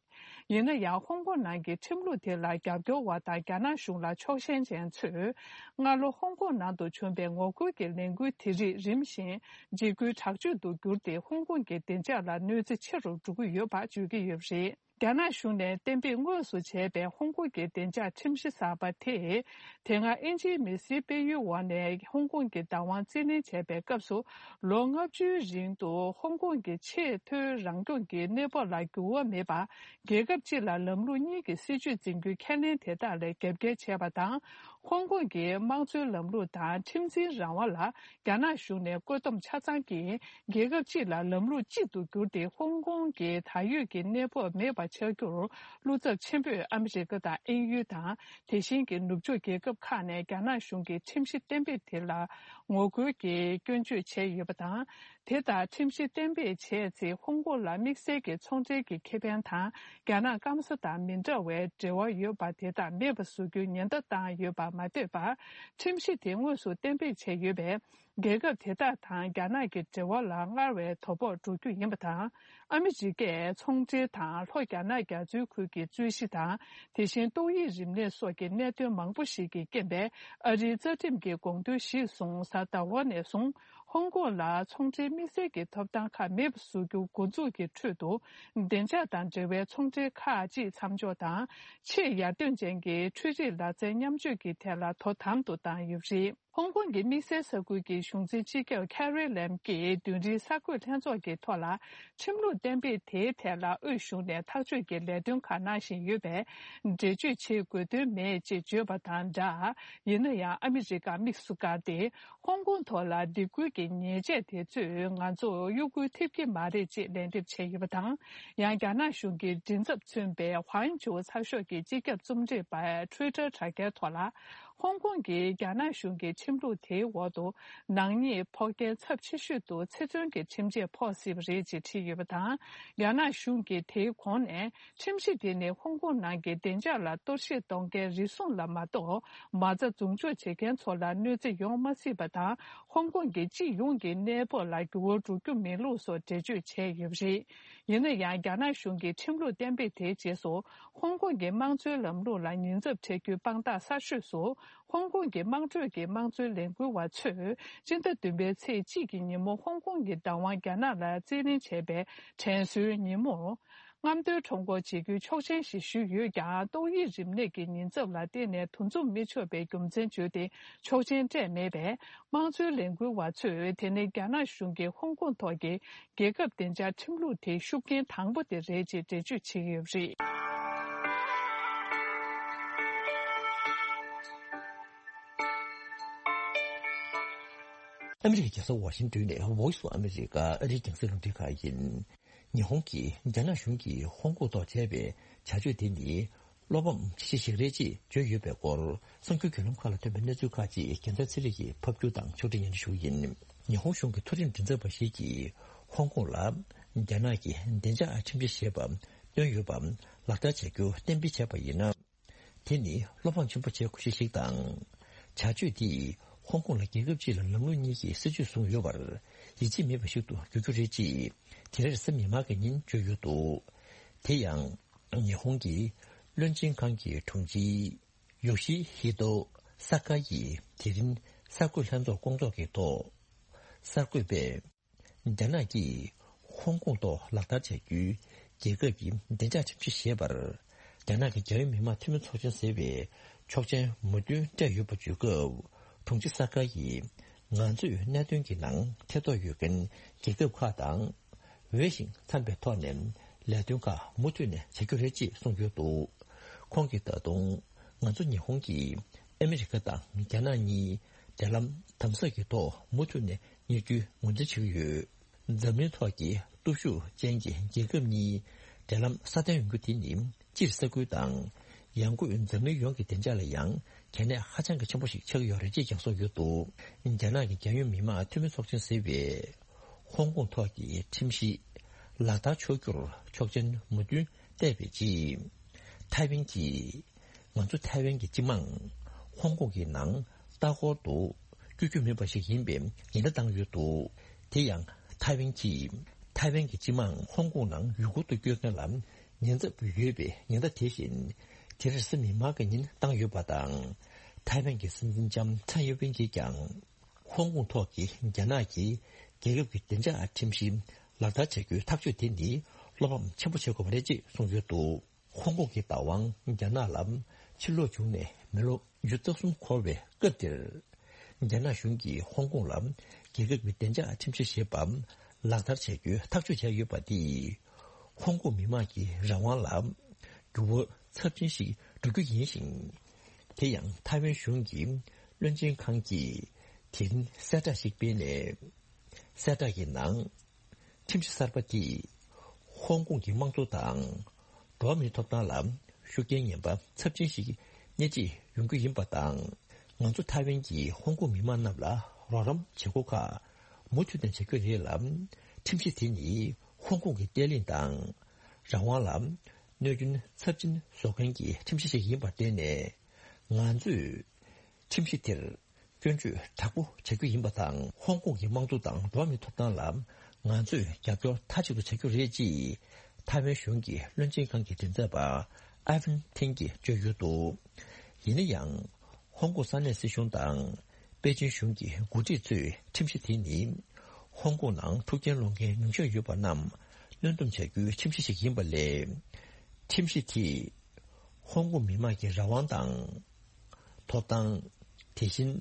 ཡིན་ན་ཡང་། ཧོང་ཀོང་ནང་གི་ཁྲིམས་ལུགས་དེ་ལ་རྒྱབ་སྐྱོར་བ་དང་རྒྱ་ནག་གཞུང་ལ་ཕྱོགས་ཞེན་ཅན་ཚོས། སྔ་ལོ་ཧོང་ཀོང་ནང་དུ་བྱུང་པའི་ངོ་རྒོལ་གྱི་ལས་འགུལ་དེ་རིགས་རིམ་བཞིན་འཇིགས་སྐུལ་དྲག་སྤྱོད་དུ་གྱུར་ཏེ། ཧོང་ཀོང་གི་བདེ་འཇགས་ལ་གནོད་འཚེ་ཆེ་རུ་འགྲོ་གི་ཡོད་པ་བརྗོད་ཀྱི་ཡོད་པ་རེད། རྒྱ་ནག་གཞུང་ནས་གཏན་འབེབས་དངོས་སུ་བྱས་པའི་ཧོང་ཀོང་གི་བདེ་འཇགས་ཁྲིམས་གཞི་གསར་པ་དེས། དེ་སྔ་ཨིན་ཇིའི་མི་སེར་སྤེལ་ཡུལ་འོག་ནས་ཧོང་ཀོང་གི་བདག་དབང་རྩིས་ལེན་བྱས་པའི་སྐབས་སུ། ལོ་ལྔ་བཅུའི་རིང་དུ་ཧོང་ཀོང་གི་ཆེས་མཐོའི་རང་སྐྱོང་གི་གནས་བབ་ལ་འགྱུར་བ་མེད་པ། རྒྱལ་ཁབ་གཅིག་ལ་ལམ་ལུགས་གཉིས་ཀྱི་སྲིད་ཇུས་འཛིན་རྒྱུའི་ཁས་ལེན་དེ་དག་ལ་རྒྱབ་འགལ་བྱས་པ་དང་། ཧོང་ཀོང་གི་དམངས་གཙོའི་ལམ་ལུགས་དང་ཁྲིམས་འཛིན་རང་དབང་ལ་རྒྱ་ནག་གཞུང་ནས་བཀོད་འདོམས་ཆ་ཚང་གིས། རྒྱལ་ཁབ་གཅིག་ལ་ལམ་ལུགས་གཅིག་ཏུ་གྱུར་ཏེ། ཧོང་ཀོང་གི་ད་ཡོད་ཀྱི་གནས་བབ་མེད་པ་ཆགས་རྒྱུར་བློ་འཚབ་ཆེན་པོས་ཨ་མི་རི་ཀ་དང་དབྱིན་ཡུལ་དང་། དེ་བཞིན་གྱི་ནུབ་ཕྱོགས་རྒྱལ་ཁབ་ཁག་ནས་རྒྱ་ནག་གཞུང་གི་ཁྲིམས་གཞི་གཏན་འབེབས་དེ་ལ་ངོ་རྒོལ་གྱིས་སྐྱོན་བརྗོད་བྱས་ཡོད་པ་དང་། དེ་ལྟར་ཁྲིམས་གཞི་གཏན་འབེབས་བྱས་ཚེ། ཧོང་ཀོང་ལ་དམིགས་བསལ་གྱི་ཚོང་འབྲེལ་གྱི་ཁེ་ཕན་དང་། རྒྱ་ནག་སྐམ་ས་དང་མི་འདྲ་བའི་འབྲེལ་བ་ཡོད་པ་དེ་དག་མེད་པ་བཟོ་རྒྱུའི་ཉེན་བརྡ་བཏང་ཡོད་པ་མ་ཟད་པར། ཁྲིམས་གཞི་དེ་དངོས་སུ་གཏན་འབེབས་བྱས་ཡོད་པས། རྒྱལ་ཁབ་དེ་དག་དང་རྒྱ་ནག་གི་འབྲེལ་བ་ལ་སྔར་བས་དོ་ཕོག་འགྲོ་རྒྱུ་ཡིན་པ་དང་། ཨ་མི་རི་ཀས་ཚོང་འབྲེལ་དང་ལྷོ་རྒྱ་ནག་རྒྱ་མཚོའི་ཁུལ་གྱི་རྩོད་གཞི་དང་། དེ་བཞིན་ཏོག་དབྱིབས་རིམས་ནད་སོགས་ཀྱི་གནད་དོན་མང་པོ་ཞིག་གི་རྐྱེན་པས། ཨ་རིའི་རྩ་ཁྲིམས་ཀྱི་དགོངས་དོན་གཞིར་བཟུང་གཟའ་ཟླ་བ་ནས་བཟུང་ཧོང་ཀོང་ལ་ཚོང་འབྲེལ་དམིགས་བསལ་གྱི་ཐོབ་ཐང་ཁག་མེད་པ་བཟོ་རྒྱུ་འགོ་འཛུགས་ཀྱི་ཁྲོད་དུ། བདེ་འཇགས་དང་འབྲེལ་བའི་ཚོང་འབྲེལ་ཁག་ཅིག་མཚམས་འཇོག་དང་། ཆེས་ཡར་ཐོན་ཅན་གྱི་འཕྲུལ་རིག་ལག་རྩལ་མཉམ་སྤྱོད་ཀྱི་ཐད་ལ་དོ་དམ་དུ་བཏང་ཡོད་པ་རེད། ཧོང་ཀོང་གི་དམིགས་བསལ་ས་ཁུལ་གྱི་གཞུང་འཛིན་སྤྱི་ཁྱབ་ཁེ་རི་ལེམ་གྱིས་མདུན་རིའི་གསར་འགོད་ལྷན་ཚོགས་ཀྱི་ཐོག་ལ། ཁྲིམས་ལུགས་གཏན་འབེབས་དེའི་ཐད་ལ་དབུས་གཞུང་ནས་ཐག་གཅོད་ཀྱི་ལས་དོན་ཁག་གནང་བཞིན་ཡོད་པས། འགྲེལ་བརྗོད་བྱེད་དགོས་དོན་མེད་ཅེས་བརྗོད་པ་དང་སྦྲགས། ཡིན་ན་ཡང་། ཨ་མི་རི་ཀ་དམིགས་སུ་བཀར་ཏེ། ཧོང་ཀོང་ཐོག་ལ་སྡིགས་སྐུལ་གྱི་ཉེས་ཆད་དེ་ཚོས་ང་ཚོར་གཡོ་འགུལ་ཐེབས་ཀྱི་མ་རེད་ཅེས་ལན་འདེབས་བྱས་ཡོད་པ་དང་། ཡང་། རྒྱ་ནག་གཞུང་གི་མགྲིན་ཚབ་མཚོན་པའི་ཧུའང་ཆུའུ་ཚགས་ཤོག་གི་སྤྱི་ཁྱབ་རྩོམ་སྒྲིག་པས་ཊུའི་ཊར་དྲ་རྒྱའི་ཐོག་ལ། ཧོང་ཀོང་གིས་རྒྱ་ནག་གཞུང་གི་ཁྲིམས་ལུགས་དེའི་འོག་ཏུ། ནག་ཉེས་ཕོག་རྐྱེན་ཚབས་ཆེ་ཤོས་དུ་ཚེ་བཙོན་གྱི་ཁྲིམས་ཆད་ཕོག་སྲིད་པ་རེད་ཅེས་བྲིས་ཡོད་པ་དང་། རྒྱ་ནག་གཞུང་གིས་དེའི་གོང་ནས། ཁྲིམས་གཞི་དེ་ནི་ཧོང་ཀོང་ནང་གི་བདེ་འཇགས་ལ་གཏོར་བཤིག་གཏོང་མཁན་རེ་ཟུང་ལ་མ་གཏོགས། མ་རྩ་འཛུགས་འཇོག་བྱེད་མཁན་ཚོ་ལ་གནོད་འཚེ་ཡོང་མ་སྲིད་པ་དང་། ཧོང་ཀོང་གི་སྤྱི་ཡོངས་ཀྱི་གནས་བབ་ལ་འགྱུར་བ་འགྲོ་རྒྱུ་མིན་ལུགས་སོགས་འགྲེལ་བརྗོད་བྱས་ཡོད་པ་རེད། ཡིན་ན་ཡང་། རྒྱ་ནག་གཞུང་གིས་ཁྲིམས་ལུགས་གཏན་འབེབས་དེའི་རྗེས་སུ། ཧོང་ཀོང་གི་དམངས་གཙོའི་ལམ་ལུགས་ལ་ཉེན་ཚབས་འཕྲད་རྒྱུའི་དཔང་རྟགས་གསར་ཤོས་སུ། ཧོང་ཀོང་གི་དམངས་ཁྲོད་ཀྱི་དམངས་གཙོའི་ལས་འགུལ་བ་ཚོས། སྤྱི་ཟླ་བདུན་པའི་ཚེས་གཅིག་གི་ཉིན་མོ། ཧོང་ཀོང་གི་བདག་དབང་རྒྱ་ནག་ལ་རྩིས་ལེན་བྱས་པའི་དྲན་གསོའི་ཉིན་མོར། རྔམ་སྟོན་ཁྲོམ་སྐོར་བྱེད་རྒྱུའི་ཆོག་མཆན་ཞིག་ཞུས་ཡོད་ཀྱང་། ཏོག་དབྱིབས་རིམས་ནད་ཀྱི་ཉེན་ཚབས་ལ་བརྟེན་ནས་འདུ་འཛོམས་མི་ཆོག་པའི་རྒྱུ་མཚན་བརྗོད་དེ། ཆོག་མཆན་སྤྲད་མེད་པས། དམངས་གཙོའི་ལས་འགུལ་བ་ཚོས་དེ་ནི་རྒྱ་ནག་གཞུང་གིས་ཧོང་ཀོང་ཐོག་གི་རྒྱལ་ཁབ་བདེ་འཇགས་ཁྲིམས་ལུགས་དེའི་ཤུགས་རྐྱེན་དང་པོ་དེ་རེད་ཅེས་འགྲེལ་བརྗོད་བྱེད་ཀྱི་ཡོད་པ་རེད། ཨ་མི་རི་ཀའི་རྒྱལ་ས་ཝ་ཤིང་ཏོན་ནས་Voice of America ཨ་རིའི་རྒྱང་སྲིང་རླུང་འཕྲིན་ཁང་ཡིན། ཉི་ཧོང་གིས་རྒྱ་ནག་གཞུང་གིས་ཧོང་ཀོང་ཐོག་བྱས་པའི་བྱ་སྤྱོད་དེ་ནི། བློ་ཕམ་ཆེ་ཤོས་ཤིག་རེད་ཅེས་བརྗོད་ཡོད་པའི་སྐོར། གསར་འགྱུར་བརྒྱུད་ལམ་ཁག་ལ་ཐོན་པའི་གནས་ཚུལ་ཁག་ཅིག་རྒྱལ་མཚན་ཚེ་རིང་གིས་ཕབ་སྒྱུར་དང་ཕྱོགས་སྒྲིག་སྙན་སྒྲོན་ཞུ་གི་ཡིན། ཉི་ཧོང་གཞུང་གི་མཐོ་རིམ་མགྲིན་ཚབ་པ་ཞིག་གིས། ཧོང་ཀོང་ལ་རྒྱ་ནག་གིས་བདེ་འཇགས་ཁྲིམས་གཞི་ཞེས་པ་བཏོན་ཡོད་པ་ལག་བསྟར་བྱ་རྒྱུ་གཏན་འབེབས་བྱས་པ་ཡིན་ན། དེ་ནི་བློ་ཕམ་ཆེན་པོ་བྱེད་དགོས་ཤེས་ཤིག་དང་། བྱ་སྤྱོད་དེས་ཧོང་ཀོང་ལ་རྒྱལ་ཁབ་ཅིག་ལ་ལམ་ལུགས་གཉིས་ཀྱི་སྲིད་ཇུས་བཟུང་ཡོད་པར་ཡིད་ཆེས་མེད་པ་ཞིག་ཏུ་འགྱུར་རྒྱུ་རེད་ཅེས་དེ་རེས་གཟའ་མིག་དམར་གྱི་ཉིན་བརྗོད་ཡོད་འདུག་དེ་ཡང་། ཉི་ཧོང་གི་བློན་ཆེན་ཁང་གི་དྲུང་ཆེ་ཡོ་ཤི་ཧི་ཏོ་ས་ཀ་ཡིས་དེ་རིང་གསར་འགོད་ལྷན་ཚོགས་སྐོང་ཚོགས་ཀྱི་ཐོག་གསར་འགོད་པས། རྒྱ་ནག་གིས་ཧོང་ཀོང་ཐོག་ལག་བསྟར་བྱ་རྒྱུའི་རྒྱལ་ཁབ་ཀྱི་བདེ་འཇགས་ཁྲིམས་གཞི་ཞེས་པར། རྒྱ་ནག་གི་རྒྱལ་ཡོངས་མི་དམངས་འཐུས་མི་ཚོགས་ཆེན་ཟེར་བའི་ཆོག་མཆན་མོས་མཐུན་སྤྲད་ཡོད་པ་བརྗོད་སྐབས། དྲུང་ཆེ་ས་ཀ་ཡིས། ང་ཚོས་གནད་དོན་གྱི་ནང་ཐེ་གཏོགས་ཡོད་མཁན་རྒྱལ་ཁབ་ཁག་དང་། འོས་ཤིང་འཚམས་པའི་ཐོག་ནས་ལས་དོན་ཁག་མུ་མཐུད་ནས་བྱ་རྒྱུ་རེད་ཅེས་གསུངས་ཡོད་འདུག་ཁོང་གིས་ད་དུང་ང་ཚོ་ཉི་ཧོང་གིས་ཨ་མི་རི་ཀ་དང་རྒྱ་ནག་གཉིས་འབྲེལ་ལམ་དམ་ཟབ་ཀྱི་ཐོག་མུ་མཐུད་ནས་གཉེར་རྒྱུའི་ངོས་འཛིན་བྱེད་ཀྱི་ཡོད། འཛམ་གླིང་ཐོག་གི་སྟོབས་ཤུགས་ཅན་གྱི་རྒྱལ་ཁབ་གཉིས་འབྲེལ་ལམ་སྲ་བརྟན་ཡོང་རྒྱུ་དེ་ནི་སྤྱིར་ས་ཁུལ་དང་ཡང་སྒོས་འཛམ་གླིང་ཡོངས་ཀྱི་བདེ་འཇགས་ལ་ཡང་གལ་གནད་ཧ་ཅང་གི་ཆེན་པོ་ཞིག་ཆགས་ཀྱི་ཡོད་རེད་ཅེས་ཀྱང་གསུངས་ཡོད་འདུག་རྒྱ་ནག་གི་རྒྱལ་ཡོངས་མི་དམངས་འཐུས་མི་ཚོགས་ཆེན་ཟེར་བས། ཧོང་ཀོང་ཐོག་གི་ཁྲིམས་གཞི་ལག་བསྟར་ཆོག་རྒྱུར་ཆོག་མཆན་མོས་མཐུན་བལྟས་པའི་རྗེས། ཐའེ་ཝན་གྱིས་ང་ཚོ་ཐའེ་ཝན་གྱི་སྤྱི་དམངས་ཧོང་ཀོང་གི་ནང་ལྟ་སྐོར་དུ་བསྐྱོད་རྒྱུ་མེད་པ་ཞིག་ཡིན་པའི་ཉེན་བརྡ་བཏང་ཡོད་འདུག་དེ་ཡང་ཐའེ་ཝན་གྱིས་ཐའེ་ཝན་གྱི་སྤྱི་དམངས་ཧོང་ཀོང་ནང་ཡུལ་སྐོར་དུ་བསྐྱོད་མཁན་ལ་ཉེན་ཚབས་ཡོད་པའི་ཉེན་བརྡ་དེ་བཞིན་དེ་རེས་གཟའ་མིག་དམར་གྱི་ཉིན་བཏང་ཡོད་པ་དང་། ཐའེ་ཝན་གྱི་སྲིད་འཛིན་ལྕམ་ཚའེ་ཡིན་ཝེན་གྱིས་ཀྱང་། ཧོང་ཀོང་ཐོག་གི་རྒྱ་ནག་གི་རྒྱལ་ཁབ་ཀྱི་བདེ་འཇགས་ཁྲིམས་གཞི་ལག་བསྟར་བྱ་རྒྱུའི་ཐག་གཅོད་དེ་ནི་བློ་ཕམ་ཆེན་པོ་བྱེད་དགོས་པ་རེད་ཅེས་གསུངས་ཡོད་འདུག་ཧོང་ཀོང་གི་བདག་དབང་རྒྱ་ནག་ལ་ཕྱིར་ལོག་བྱུང་ནས་མི་ལོ་ཉི་ཤུ་རྩ་གསུམ་འཁོར་བའི་སྐབས་འདིར། རྒྱ་ནག་གཞུང་གིས་ཧོང་ཀོང་ལ་རྒྱལ་ཁབ་ཀྱི་བདེ་འཇགས་ཁྲིམས་གཞི་ཞེས་པ་ལག་བསྟར་བྱ་རྒྱུའི་ཐག་གཅོད་བྱས་ཡོད་པ་འདིས་ཧོང་ཀོང་མི་དམངས་ཀྱི་རང་དབང་ལ་འགྱུར་བ་ཚབས་ཆེན་ཞིག་འགྲོ་རྒྱུ་ཡིན་ཞིང་། དེ་ཡང་ཐའེ་ཝན་གཞུང་གི་བློན་ཆེན་ཁང་གིས་དེ་རིང་གསལ་བསྒྲགས་ཤིག་སྤེལ་ནས། གསལ་བསྒྲགས་ཀྱི་ནང་། ཁྲིམས་གཞི་གསར་པ་དེས་ཧོང་ཀོང་གི་དམངས་གཙོ་དང་འགྲོ་བ་མིའི་ཐོབ་ཐང་ལ་ཤུགས་རྐྱེན་ངན་པ་ཚབས་ཆེན་ཞིག་སྣེ་ཁྲིད་ཡོང་རྒྱུ་ཡིན་པ་དང་། ང་ཚོ་ཐའེ་ཝན་གྱིས་ཧོང་ཀོང་མི་དམངས་རྣམས་ལ་རོགས་རམ་བྱེད་སྒོ་ཁག་མུ་མཐུད་ནས་བྱ་རྒྱུ་རེད་ལ། ཁྲིམས་གཞི་དེ་ནི་ཧོང་ཀོང་གི་བརྟན་ལྷིང་དང་རང་དབང་ལ་གནོད་སྐྱོན་ཚབས་ཆེན་བཟོ་མཁན་གྱི་ཁྲིམས་གཞི་ཞིག་ཡིན་པར་བརྟེན་ནས། ང་ཚོས་ཁྲིམས་གཞི་དེར་སྐྱོན་བརྗོད་དྲག་པོ་བྱ་རྒྱུ་ཡིན་པ་དང་། ཧོང་ཀོང་གི་དམངས་གཙོ་དང་འགྲོ་བ་མིའི་ཐོབ་ཐང་ལ་ང་ཚོས་རྒྱབ་སྐྱོར་མཐའ་གཅིག་ཏུ་བྱ་རྒྱུ་རེད་ཅེས་ཐའེ་ཝན་གཞུང་གི་བློན་ཆེན་ཁང་གི་མགྲིན་ཚབ་པ་ཨ་ཝན་ཐིང་གིས་བརྗོད་ཡོད་འདུག་ཡིན་ན་ཡང་། ཧོང་ཀོང་ས་གནས་སྲིད་གཞུང་དང་པེ་ཅིན་གཞུང་གི་འགོ་ཁྲིད་ཚོས་ཁྲིམས་གཞི་དེ་ནི་ཧོང་ཀོང་ནང་འཁྲུག་རྐྱེན་སློང་མཁན་ཉུང་ཤས་ཡོད་པ་རྣམས་གནོན་སྡོམ་བྱ་རྒྱུའི་ཁྲིམས་གཞི་ཞིག་ཡིན་པ་ལས། ཁྲིམས་གཞི་དེས་ཧོང་ཀོང་མི་དམངས་ཀྱི་རང་དབང་དང་། ཐོབ་ཐང་། དེ་བཞིན་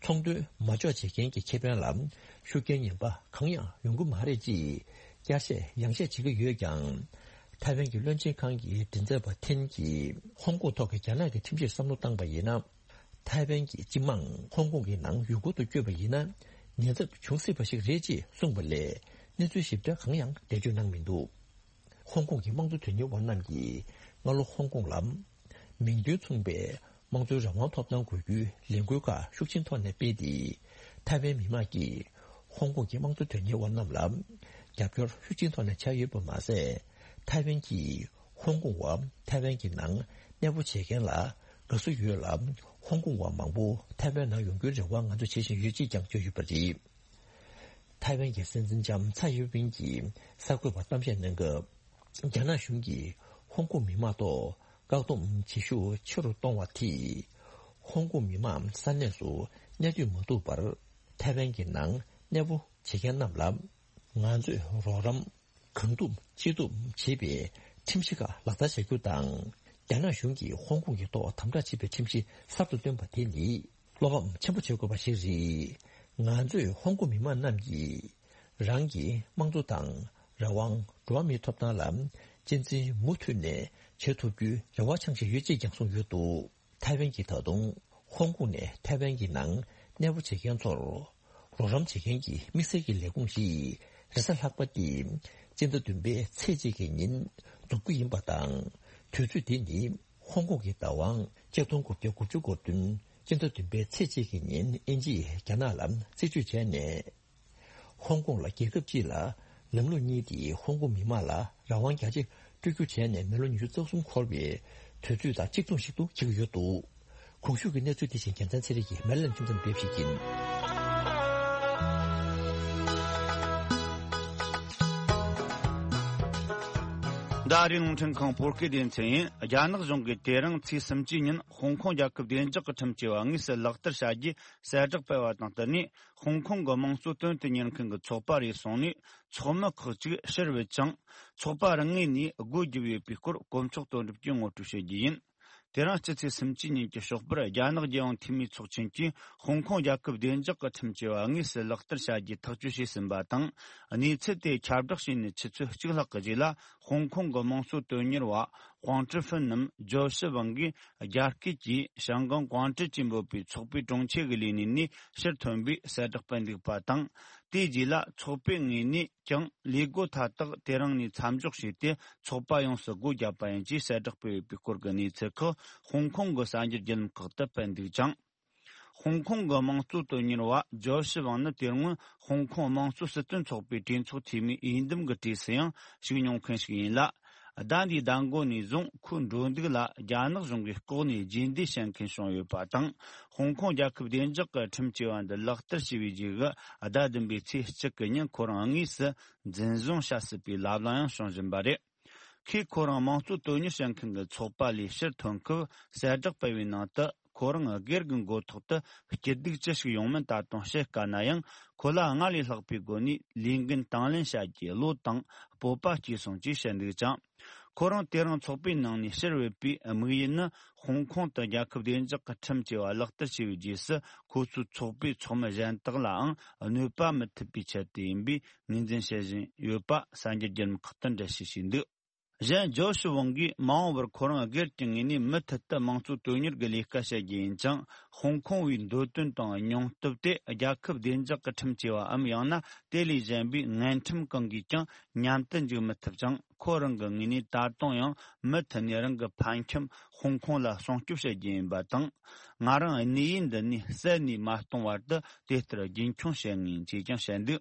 ཚོང་དོན་མ་འཇོག་བྱེད་མཁན་གྱི་ཁེ་ཕན་ལ་ཤུགས་རྐྱེན་ངན་པ་གང་ཡང་ཡོང་གི་མ་རེད་ཅེས་བསྐྱར་བཤད་ཡང་བཤད་བྱེད་ཀྱི་ཡོད་ཀྱང་། ཐའེ་ཝན་གྱི་བློན་ཆེན་ཁང་གི་མགྲིན་ཚབ་པ་ཐེན་གྱིས་ཧོང་ཀོང་ཐོག་གི་རྒྱ་ནག་གི་ཁྲིམས་གཞིར་བསམ་བློ་བཏང་པ་ཡིན་ན། ཐའེ་ཝན་གྱི་སྤྱི་དམངས་ཧོང་ཀོང་གི་ནང་ཡུལ་སྐོར་དུ་བསྐྱོད་པ་ཡིན་ན་ཉེན་ཚབས་འབྱུང་སྲིད་པ་ཞིག་རེད་ཅེས་གསུངས་པ་ལས་གནས་ཚུལ་ཞིབ་ཕྲ་གང་ཡང་འགྲེལ་བརྗོད་གནང་མི་འདུག་ཧོང་ཀོང་གི་དམངས་གཙོ་དོན་གཉེར་བ་རྣམས་ཀྱིས་སྔ་ལོ་ཧོང་ཀོང་ལ་མིང་དོན་མཚུངས་པའི་དམངས་གཙོའི་རང་དབང་ཐོབ་ཐང་དགོས་རྒྱུའི་ལས་འགུལ་ཁག་ཤུགས་ཆེན་ཐོག་ནས་སྤེལ་ཏེ། ཐའེ་ཝན་མི་དམངས་ཀྱིས་ཧོང་ཀོང་གི་དམངས་གཙོ་དོན་གཉེར་བ་རྣམས་ལ་རྒྱབ་སྐྱོར་ཤུགས་ཆེན་ཐོག་ནས་བྱས་ཡོད་པ་མ་ཟད། ཐའེ་ཝན་གྱིས་ཧོང་ཀོང་བ་ཐའེ་ཝན་གྱི་ནང་གནས་སྤོ་བྱེད་མཁན་ལ་དགའ་བསུ་ཡོད་ལ། ཧོང་ཀོང་བ་མང་པོ་ཐའེ་ཝན་ནང་ཡོང་རྒྱུའི་རེ་བ་ང་ཚོས་བྱེད་བཞིན་ཡོད་ཅེས་ཀྱང་བརྗོད་ཡོད་པ་རེད། ཐའེ་ཝན་གྱི་སྲིད་འཛིན་ལྕམ་ཚའེ་ཡོན་ཕིན་གྱིས་གསར་འགོད་པར་གཏམ་བཤད་གནང་སྐབས། རྒྱ་ནག་གཞུང་གིས་ཧོང་ཀོང་མི་མང་ཐོག་བཀག་སྡོམ་བྱེད་ཤུགས་ཆེ་རུ་གཏོང་བ་དེས། ཧོང་ཀོང་མི་མང་ས་གནས་སུ་གནས་སྡོད་མ་ཐུབ་པར། ཐའེ་ཝན་གྱི་ནང་གནས་སྤོ་བྱེད་མཁན་རྣམས་ལ། ང་ཚོས་རོགས་རམ་གང་ཐུབ་ཅི་ཐུབ་བྱེད་པའི་ཁྲིམས་གཞི་ཁག་ལག་བསྟར་བྱ་རྒྱུ་དང་། རྒྱ་ནག་གཞུང་གིས་ཧོང་ཀོང་གི་ཐོག་དམ་དྲག་བྱེད་པའི་ཁྲིམས་གཞི་གསར་དུ་བཏོན་པ་དེ་ནི། བློ་ཕམ་ཆེན་པོ་བྱེད་དགོས་པ་ཞིག་རེད། ང་ཚོས་ཧོང་ཀོང་མི་མང་རྣམས་ཀྱིས་རང་གི་དམངས་གཙོ་དང་རང་དབང་། འགྲོ་བ་མིའི་ཐོབ་ཐང་ལ་གཅེས་འཛིན་མུ་མཐུད་ནས་བྱེད་ཐུབ་རྒྱུའི་རེ་བ་འཆང་བཞིན་ཡོད་ཅེས་ཀྱང་གསུངས་ཡོད་འདུག་ཐའེ་ཝན་གྱིས་ད་དུང་ཧོང་ཀོང་ནས་ཐའེ་ཝན་གྱི་ནང་གནས་སྤོ་བྱེད་མཁན་ཚོར་རོགས་རམ་བྱེད་མཁན་གྱི་དམིགས་བསལ་གྱི་ལས་ཁུངས་ཤིག་རེས་གཟའ་ལྷག་པ་སྟེ་སྤྱི་ཟླ་བདུན་པའི་ཚེས་གཅིག་གི་ཉིན་འཛུགས་རྒྱུ་ཡིན་པ་དང་། དུས་ཚོད་དེ་ནི། ཧོང་ཀོང་གི་བདག་དབང་ཆིག་སྟོང་དགུ་བརྒྱ་དགུ་བཅུ་གོ་བདུན་སྤྱི་ཟླ་བདུན་པའི་ཚེས་གཅིག་གི་ཉིན་དབྱིན་ཇིས་རྒྱ་ནག་ལ་རྩིས་སྤྲོད་བྱས་ནས། ཧོང་ཀོང་ལ་རྒྱལ་ཁབ་སྤྱི་ལ་ལམ་ལུགས་གཉིས་ཏེ། ཧོང་ཀོང་མི་མང་ལ་རང་དབང་རྒྱ་ཆེ་སྤྲོད་རྒྱུ་བྱས་ནས་མི་ལོ་ཉི་ཤུ་རྩ་གསུམ་འཁོར་བའི་དུས་ཚོད་དང་གཅིག་མཚུངས་ཤིག་ཏུ་འཁེལ་གྱི་ཡོད་འདུག་གོང་ཞུས་ཀྱི་གནས་ཚུལ་དེ་བཞིན་རྒྱལ་མཚན་ཚེ་རིང་གིས་མེ་ལན་ཁྱིམ་ཚང་སྤེལ་ཞིག་ཡིན། ཟླ་རེའི་རླུང་འཕྲིན་ཁང་བོད་སྐད་སྡེ་ཚན་ཡིན། རྒྱ་ནག་གཞུང་གིས་དེ་རིང་ཚེས་སུམ་ཅུ་ཉིན་ཧོང་ཀོང་རྒྱལ་ཁབ་བདེ་འཇགས་ཀྱི་ཁྲིམས་བཅས་པ་དངོས་སུ་ལག་བསྟར་བྱ་རྒྱུའི་གསལ་བསྒྲགས་སྤེལ་བ་དང་བསྟུན་ནས། ཧོང་ཀོང་གི་དམངས་གཙོ་དོན་དུ་གཉེར་མཁན་གྱི་ཚོགས་པ་རེ་ཟུང་ནས་ཚོགས་མི་ཁག་ཅིག་ཕྱིར་བུད་ཅིང་། ཚོགས་པ་རང་ངོས་ནས་སྒོ་བརྒྱབ་ཡོད་པའི་སྐོར་གོ་མཆོག་དོན་གྲུབ་ཀྱིས་ངོ་སྤྲོད་བྱེད་རྒྱུ་ཡིན། དེ་རིང་སྤྱི་ཚེས་སུམ་ཅུ་ཉིན་གྱི་ཞོགས་པར་རྒྱ་ནག་རྒྱལ་ཡོངས་འཐུས་མིའི་ཚོགས་ཆེན་གྱིས་ཧོང་ཀོང་རྒྱལ་ཁབ་བདེ་འཇགས་ཀྱི་ཁྲིམས་བཅས་པ་དངོས་སུ་ལག་བསྟར་བྱ་རྒྱུའི་ཐག་གཅོད་བྱས་ཟིན་པ་དང་། གནས་ཚུལ་དེ་ཁྱབ་བསྒྲགས་བྱས་ནས་ཆུ་ཚོད་གཅིག་ལྷག་གི་རྗེས་ལ། ཧོང་ཀོང་གི་དམངས་གཙོ་དོན་གཉེར་བ་ཧུང་ཀྲི་ཧྥིན་ནམ་ཇོ་ཤི་ཝང་གིས་རྒྱ་སྐད་ཀྱིས་ཞང་ཀང་ཀོང་ཀྲི་ཅེས་འབོད་པའི་ཚོགས་པའི་དྲུང་ཆེ་གི་ལས་གནས་ནས་ཕྱིར་ཐོན་པའི་གསལ་བསྒྲགས་སྤེལ་འདུག་པ་དང་། དེའི་རྗེས་ལ་ཚོགས་པའི་ངོས་ནས་ཀྱང་ལས་བགོ་མཐའ་དག་དེ་རིང་ནས་མཚམས་འཇོག་བྱས་ཏེ། ཚོགས་པ་ཡོངས་སུ་སྒོ་བརྒྱབ་པ་ཡིན་ཅེས་གསལ་བསྒྲགས་སྤེལ་ཡོད་པའི་སྐོར་གྱི་གནས་ཚུལ་ཁག་ཧོང་ཀོང་གི་གསར་འགྱུར་བརྒྱུད་ལམ་ཁག་ཏུ་སྤེལ་འདུག་ཅིང་། ཧོང་ཀོང་གི་དམངས་གཙོ་དོན་གཉེར་བ་ཇོ་ཤི་ཝང་ནི་དེ་སྔོན་ཧོང་ཀོང་དམངས་གཙོ་སྲིད་དོན་ཚོགས་པའི་གྲོས་ཚོགས་འཐུས་མིའི་འོས་འདེམས་ཀྱི་གྲས་སུ་ཡང་ཞུགས་མྱོང་མཁན་ཞིག་ཡིན་ལ། ཟླ་འདིའི་ཟླ་མགོ་ནས་བཟུང་ཁོའི་འགྲོ་འདུག་ལ་རྒྱ་ནག་གཞུང་གིས་ལྐོག་ནས་རྗེས་འདེད་བྱེད་མཁན་བྱུང་ཡོད་པ་དང་། ཧོང་ཀོང་རྒྱལ་ཁབ་བདེ་འཇགས་ཀྱི་ཁྲིམས་བཅས་པ་འདི་ལག་བསྟར་བྱས་པའི་རྗེས་ཀྱི་ཟླ་བདུན་པའི་ཚེས་གཅིག་གི་ཉིན་ཁོ་རང་དངོས་སུ་འཛིན་བཟུང་བྱ་སྲིད་པའི་ལབ་གླེང་ཡང་བྱུང་བཞིན་པ་རེད། ཁོས་ཁོ་རང་དམངས་གཙོ་དོན་གཉེར་བྱེད་མཁན་གྱི་ཚོགས་པ་ལས་ཕྱིར་ཐོན་སྐབས་གསལ་བསྒྲགས་སྤེལ་བའི་ནང་དུ། ཁོ་རང་སྒེར་གྱི་མགོ་ཐོག་ཏུ་སྐྱིད་སྡུག་ཅི་ཞིག་ཡོང་མིན་ད་དུང་བཤད་དཀའ་ན་ཡང་། ཁོ་ལ་སྔར་ལས་ལྷག་པའི་སྒོ་ནས་ལས་འགན་དང་ལེན་བྱ་རྒྱུའི་བློ་དང་སྤོབས་པ་སྐྱེས་སོང་ཅེས་བཤད་འདུག་ཅིང་། ཁོ་རང་དེ་རིང་ཚོགས་པའི་ནང་ནས་ཕྱིར་བུད་པའི་དམིགས་ཡུལ་ནི། ཧོང་ཀོང་དུ་རྒྱལ་ཁབ་བདེ་འཇགས་ཀྱི་ཁྲིམས་བཅས་པ་ལག་བསྟར་བྱས་པའི་རྗེས་སུ། ཁོ་ཚོའི་ཚོགས་པའི་ཚོགས་མི་གཞན་དག་ལའང་གནོད་པ་མི་ཐེབས་པའི་ཆེད་དུ་ཡིན་པའི་ངོས་འཛིན་བྱེད་བཞིན་ཡོད་པ་གསར་འགྱུར་བརྒྱུད་ལམ་ཁག་ཏུ་འགྲེལ་བཤད་བྱས་འདུག་གཞན་ཇོ་ཤི་ཝང་གིས་མ་འོངས་པར་ཁོ་རང་སྒེར་གྱི་ངོས་ནས་མུ་མཐུད་དུ་དམངས་གཙོ་དོན་གཉེར་གྱི་ལས་ཀ་བྱ་རྒྱུ་ཡིན་ཅིང་། ཧོང་ཀོང་བའི་འདོད་དོན་དང་སྙིང་སྟོབས་དེ་རྒྱལ་ཁབ་བདེ་འཇགས་ཀྱི་ཁྲིམས་བཅས་པའམ། ཡང་ན་དེ་ལས་གཞན་པའི་འགན་ཁྲིམས་གང་གིས་ཀྱང་མཉམ་དུ་འཇུག་མི་ཐུབ་ཅིང་། ཁོ་རང་གི་ངོས་ནས་ད་དུང་ཡང་མུ་མཐུད་ནས་རང་གི་ཕ་ཁྱིམ་ཧོང་ཀོང་ལ་སྲུང་སྐྱོབ་བྱ་རྒྱུ་ཡིན་པ་དང་། ང་རང་གནས་ཡུལ་འདི་ནས་བསད་ནས་མ་གཏོང་བར་དུ་དེ་ལྟར་རྒྱུན་འཁྱོངས་བྱེད་ངེས་ཡིན་ཅེས་ཀྱང་བཤད་འདུག་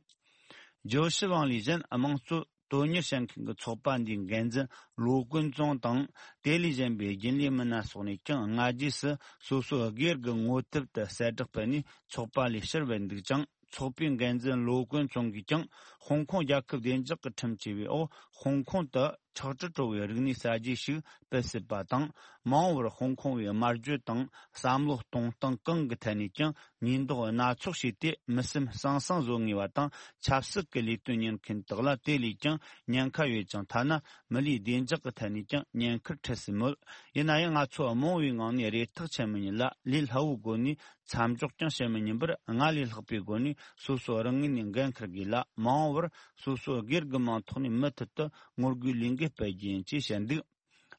ཇོ་ཤི་ཝང་ལས་གཞན་དམངས་གཙོ་དོན་གཉེར་བྱེད་མཁན་གྱི་ཚོགས་པ་འདིའི་འགན་འཛིན་ལོ་ཀུན་ཙུང་དང་། དེ་ལས་གཞན་པའི་རྒྱུན་ལས་མི་སྣ་སོགས་ནས་ཀྱང་སྔ་རྗེས་སུ་སོ་སོའི་སྒེར་གྱི་ངོ་དེབ་ཏུ་གསལ་བསྒྲགས་སྤེལ་ནས་ཚོགས་པ་ལས་ཕྱིར་བུད་འདུག་ཅིང་། ཚོགས་པའི་འགན་འཛིན་ལོ་ཀུན་ཙུང་གིས་ཀྱང་ཧོང་ཀོང་རྒྱལ་ཁབ་བདེ་འཇགས་ཀྱི་ཁྲིམས་བཅས་པའི་འོག་ཧོང་ཀོང་དུ་ཁྲག་དྲི་བྲོ་བའི་རིག་གནས་གསར་བརྗེ་ཞིག་སྤེལ་སྲིད་པ་དང་། མ་འོངས་པར་ཧོང་ཀོང་བའི་སྨྲ་བརྗོད་དང་བསམ་བློ་གཏོང་སྟངས་གང་གི་ཐད་ནས་ཀྱང་ཉེས་འདོགས་སྣ་ཚོགས་བྱས་ཏེ། མི་སེམས་ཟང་ཟིང་བཟོ་ངེས་པ་དང་། ཆབ་སྲིད་ཀྱི་ལས་དོན་གཉེར་མཁན་དག་ལ་དེ་ལས་ཀྱང་ཉེན་ཁ་ཡོད་ཅིང་། ཐ་ན་མི་ལུས་བདེ་འཇགས་ཀྱི་ཐད་ནས་ཀྱང་ཉེན་ཁར་འཁྲིད་སྲིད་མོད། ཡིན་ན་ཡང་ང་ཚོ་རྨོངས་པའི་ངང་ནས་རེ་ཐག་ཆད་མི་ཉན་ལ། ལས་སླ་བོའི་སྒོ་ནས་མཚམས་འཇོག་ཀྱང་བྱེད་མི་ཉན་པར། སྔར་ལས་ལྷག་པའི་སྒོ་ནས་སོ་སོ་རང་ངོས་ནས་འགན་འཁུར་དགོས་ལ། མ་འོངས་པར་སོ་སོ་སྒེར་གྱི་མིང་ཐོག་ནས་མུ་མཐུད་དུ་ངོ་རྒོལ་ལས་འགུལ་སྤེལ་རྒྱུ་ཡིན་ཅེས་བཤད་འདུག་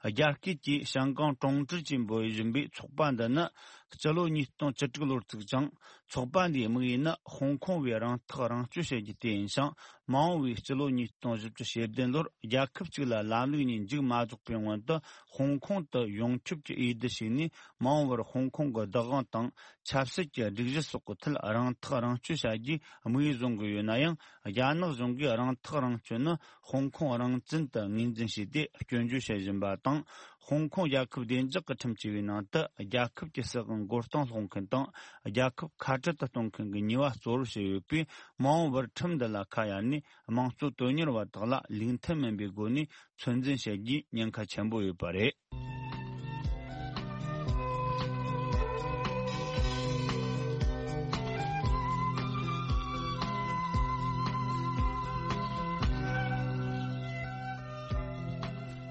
རྒྱ་སྐད་ཀྱིས་ཞང་ཀང་ཀྲུང་ཀྲི་ཅེས་འབོད་བཞིན་པའི་ཚོགས་པ་འདི་ནི་སྤྱི་ལོ་ཉིས་སྟོང་བཅུ་དྲུག་ལོར་བཙུགས་ཅིང་། ཚོགས་པ་འདིའི་དམིགས་ཡུལ་ནི་ཧོང་ཀོང་བའི་རང་ཐག་རང་གཅོད་བྱེད་རྒྱུ་དེ་ཡིན་ཞིང་། མ་འོངས་པའི་སྤྱི་ལོ་ཉིས་སྟོང་བཞི་བཅུ་ཞེ་བདུན་ལོར་རྒྱལ་ཁབ་གཅིག་ལ་ལམ་ལུགས་གཉིས་མཇུག་མ་རྫོགས་པའི་སྔོན་དུ། ཧོང་ཀོང་དུ་ཡོངས་ཁྱབ་ཀྱི་འོས་བསྡུ་བྱས་ནས། མ་འོངས་པར་ཧོང་ཀོང་གི་བདག་དབང་དང་ཆབ་སྲིད་ཀྱི་སྒྲིག་གཞི་སོགས་ཀྱི་ཐད་རང་ཐག་རང་གཅོད་བྱ་རྒྱུའི་དམིགས་ཡུལ་བཟུང་གི་ཡོད་ན་ཡང་། རྒྱ་ནག་གཞུང་གིས་རང་ཐག་རང་གཅོད་ནི་ཧོང་ཀོང་རང་བཙན་དུ་ངོས་འཛིན་བྱས་ཏེ། སྐྱོན་བརྗོད་བྱེད་བཞིན་པ་དང་། ཧོང་ཀོང་རྒྱལ་ཁབ་བདེ་འཇགས་ཀྱི་ཁྲིམས་བཅས་པའི་ནང་དུ་རྒྱལ་ཁབ་ཀྱི་སྲིད་དབང་ མགོ་རྟིང་སློག་མཁན་དང་། རྒྱལ་ཁབ་ཁ་བྲལ་དུ་གཏོང་མཁན་གྱི་ནུས་པ་གཙོ་བོར་བྱས་ཡོད་པས། མ་འོངས་པར་ཁྲིམས་འདི་ལ་ཁ་གཡར་ནས། དམངས་གཙོ་དོན་གཉེར་བ་དག་ལ་ལུགས་མཐུན་མིན་པའི་སྒོ་ནས་ཚོད་འཛིན་བྱེད་རྒྱུའི་ཉེན་ཁ་ཆེན་པོ་ཡོད་པ་རེད།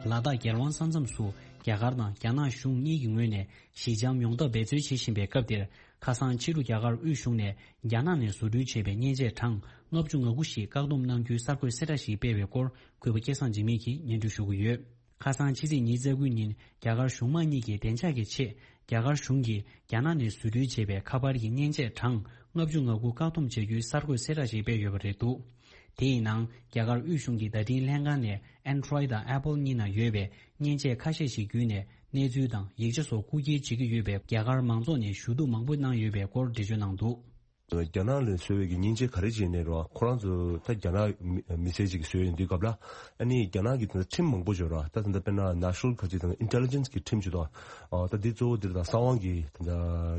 ལ་དྭགས་རྒྱལ་དབང་ས་མཚམས་སུ་རྒྱ་གར་དང་རྒྱ་ནག་གཞུང་གཉིས་ཀྱི་ངོས་ནས་ཞི་འཇམ་ཡོང་ཐབས་འབད་རྩོལ་བྱེད་བཞིན་པའི་སྐབས་འདིར། ཁ་སང་ཕྱི་དྲོ་རྒྱ་གར་དབུས་གཞུང་ནས་རྒྱ་ནག་ནས་བཟོ་སྐྲུན་བྱས་པའི་མཉེན་ཆས་གྲངས་ལྔ་བཅུ་ང་དགུ་ཞིག་བཀག་སྡོམ་གནང་རྒྱུའི་གསར་འགོད་གསལ་བསྒྲགས་ཤིག་སྤེལ་བའི་སྐོར། གུས་པ་སྐལ་བཟང་འཇིགས་མེད་ཀྱིས་སྙན་སྒྲོན་ཞུ་གི་ཡོད། ཁ་སང་ཕྱི་ཚེས་ཉི་ཤུ་རྩ་དགུ་ཉིན་རྒྱ་གར་གཞུང་མང་གཉིས་ཀྱི་བདེ་འཇགས་ཀྱི་ཆེད། རྒྱ་གར་གཞུང་གིས་རྒྱ་ནག་ནས་བཟོ་སྐྲུན་བྱས་པའི་ཁ་པར་གྱི་མཉེན་ཆས་གྲངས་ལྔ་བཅུ་ང་དགུ་བཀག་སྡོམ་བྱ་རྒྱུའི་གསར་འགོད་གསལ་བསྒྲགས་ཤིག་སྤེལ་ཡོད་པ་རེད་འདུག་དེའི་ནང་རྒྱ་གར་དབུས་གཞུང་གི་བརྡ་འཕྲིན་ལྷན་ཁང་ནས་Android་དང་Apple་གཉིས་ནང་ཡོད་པའི་མཉེན་ཆས་ཁ་ཤས་ཤིག་བརྒྱུད་ནས་གནས་ཚུལ་དང་ཡིག་ཆ་སོགས་རྐུ་འཁྱེར་བྱེད་ཀྱི་ཡོད་པའི་རྒྱ་གར་མང་ཚོགས་ནས་ཞུ་གཏུག་མང་པོ་གནང་ཡོད་པའི་སྐོར་འགྲེལ་བརྗོད་གནང་འདུག་རྒྱ་ནག་ལ་བཟོས་པའི་གི་མཉེན་ཆས་ག་རེ་བྱས་ནས་རོ། ཁོ་རང་ཚོ་ད་རྒྱ་ནག་མི་མི་སེར་ཅིག་བཟོས་ཡོང་དུས་སྐབས་ལ། ཨ་ནི་རྒྱ་ནག་གི་ད་ཁྲིམས་མང་པོ་ཡོད་རོ། ད་ད་ལྟ་དཔེར་ན་National་ག་ཅིག་དང་Intelligence་གི་ཁྲིམས་ཅིག་དང་། ཨ་ད་འདི་གཙོ་བོ་འདིར་དང་གསང་བའི་གི་ད་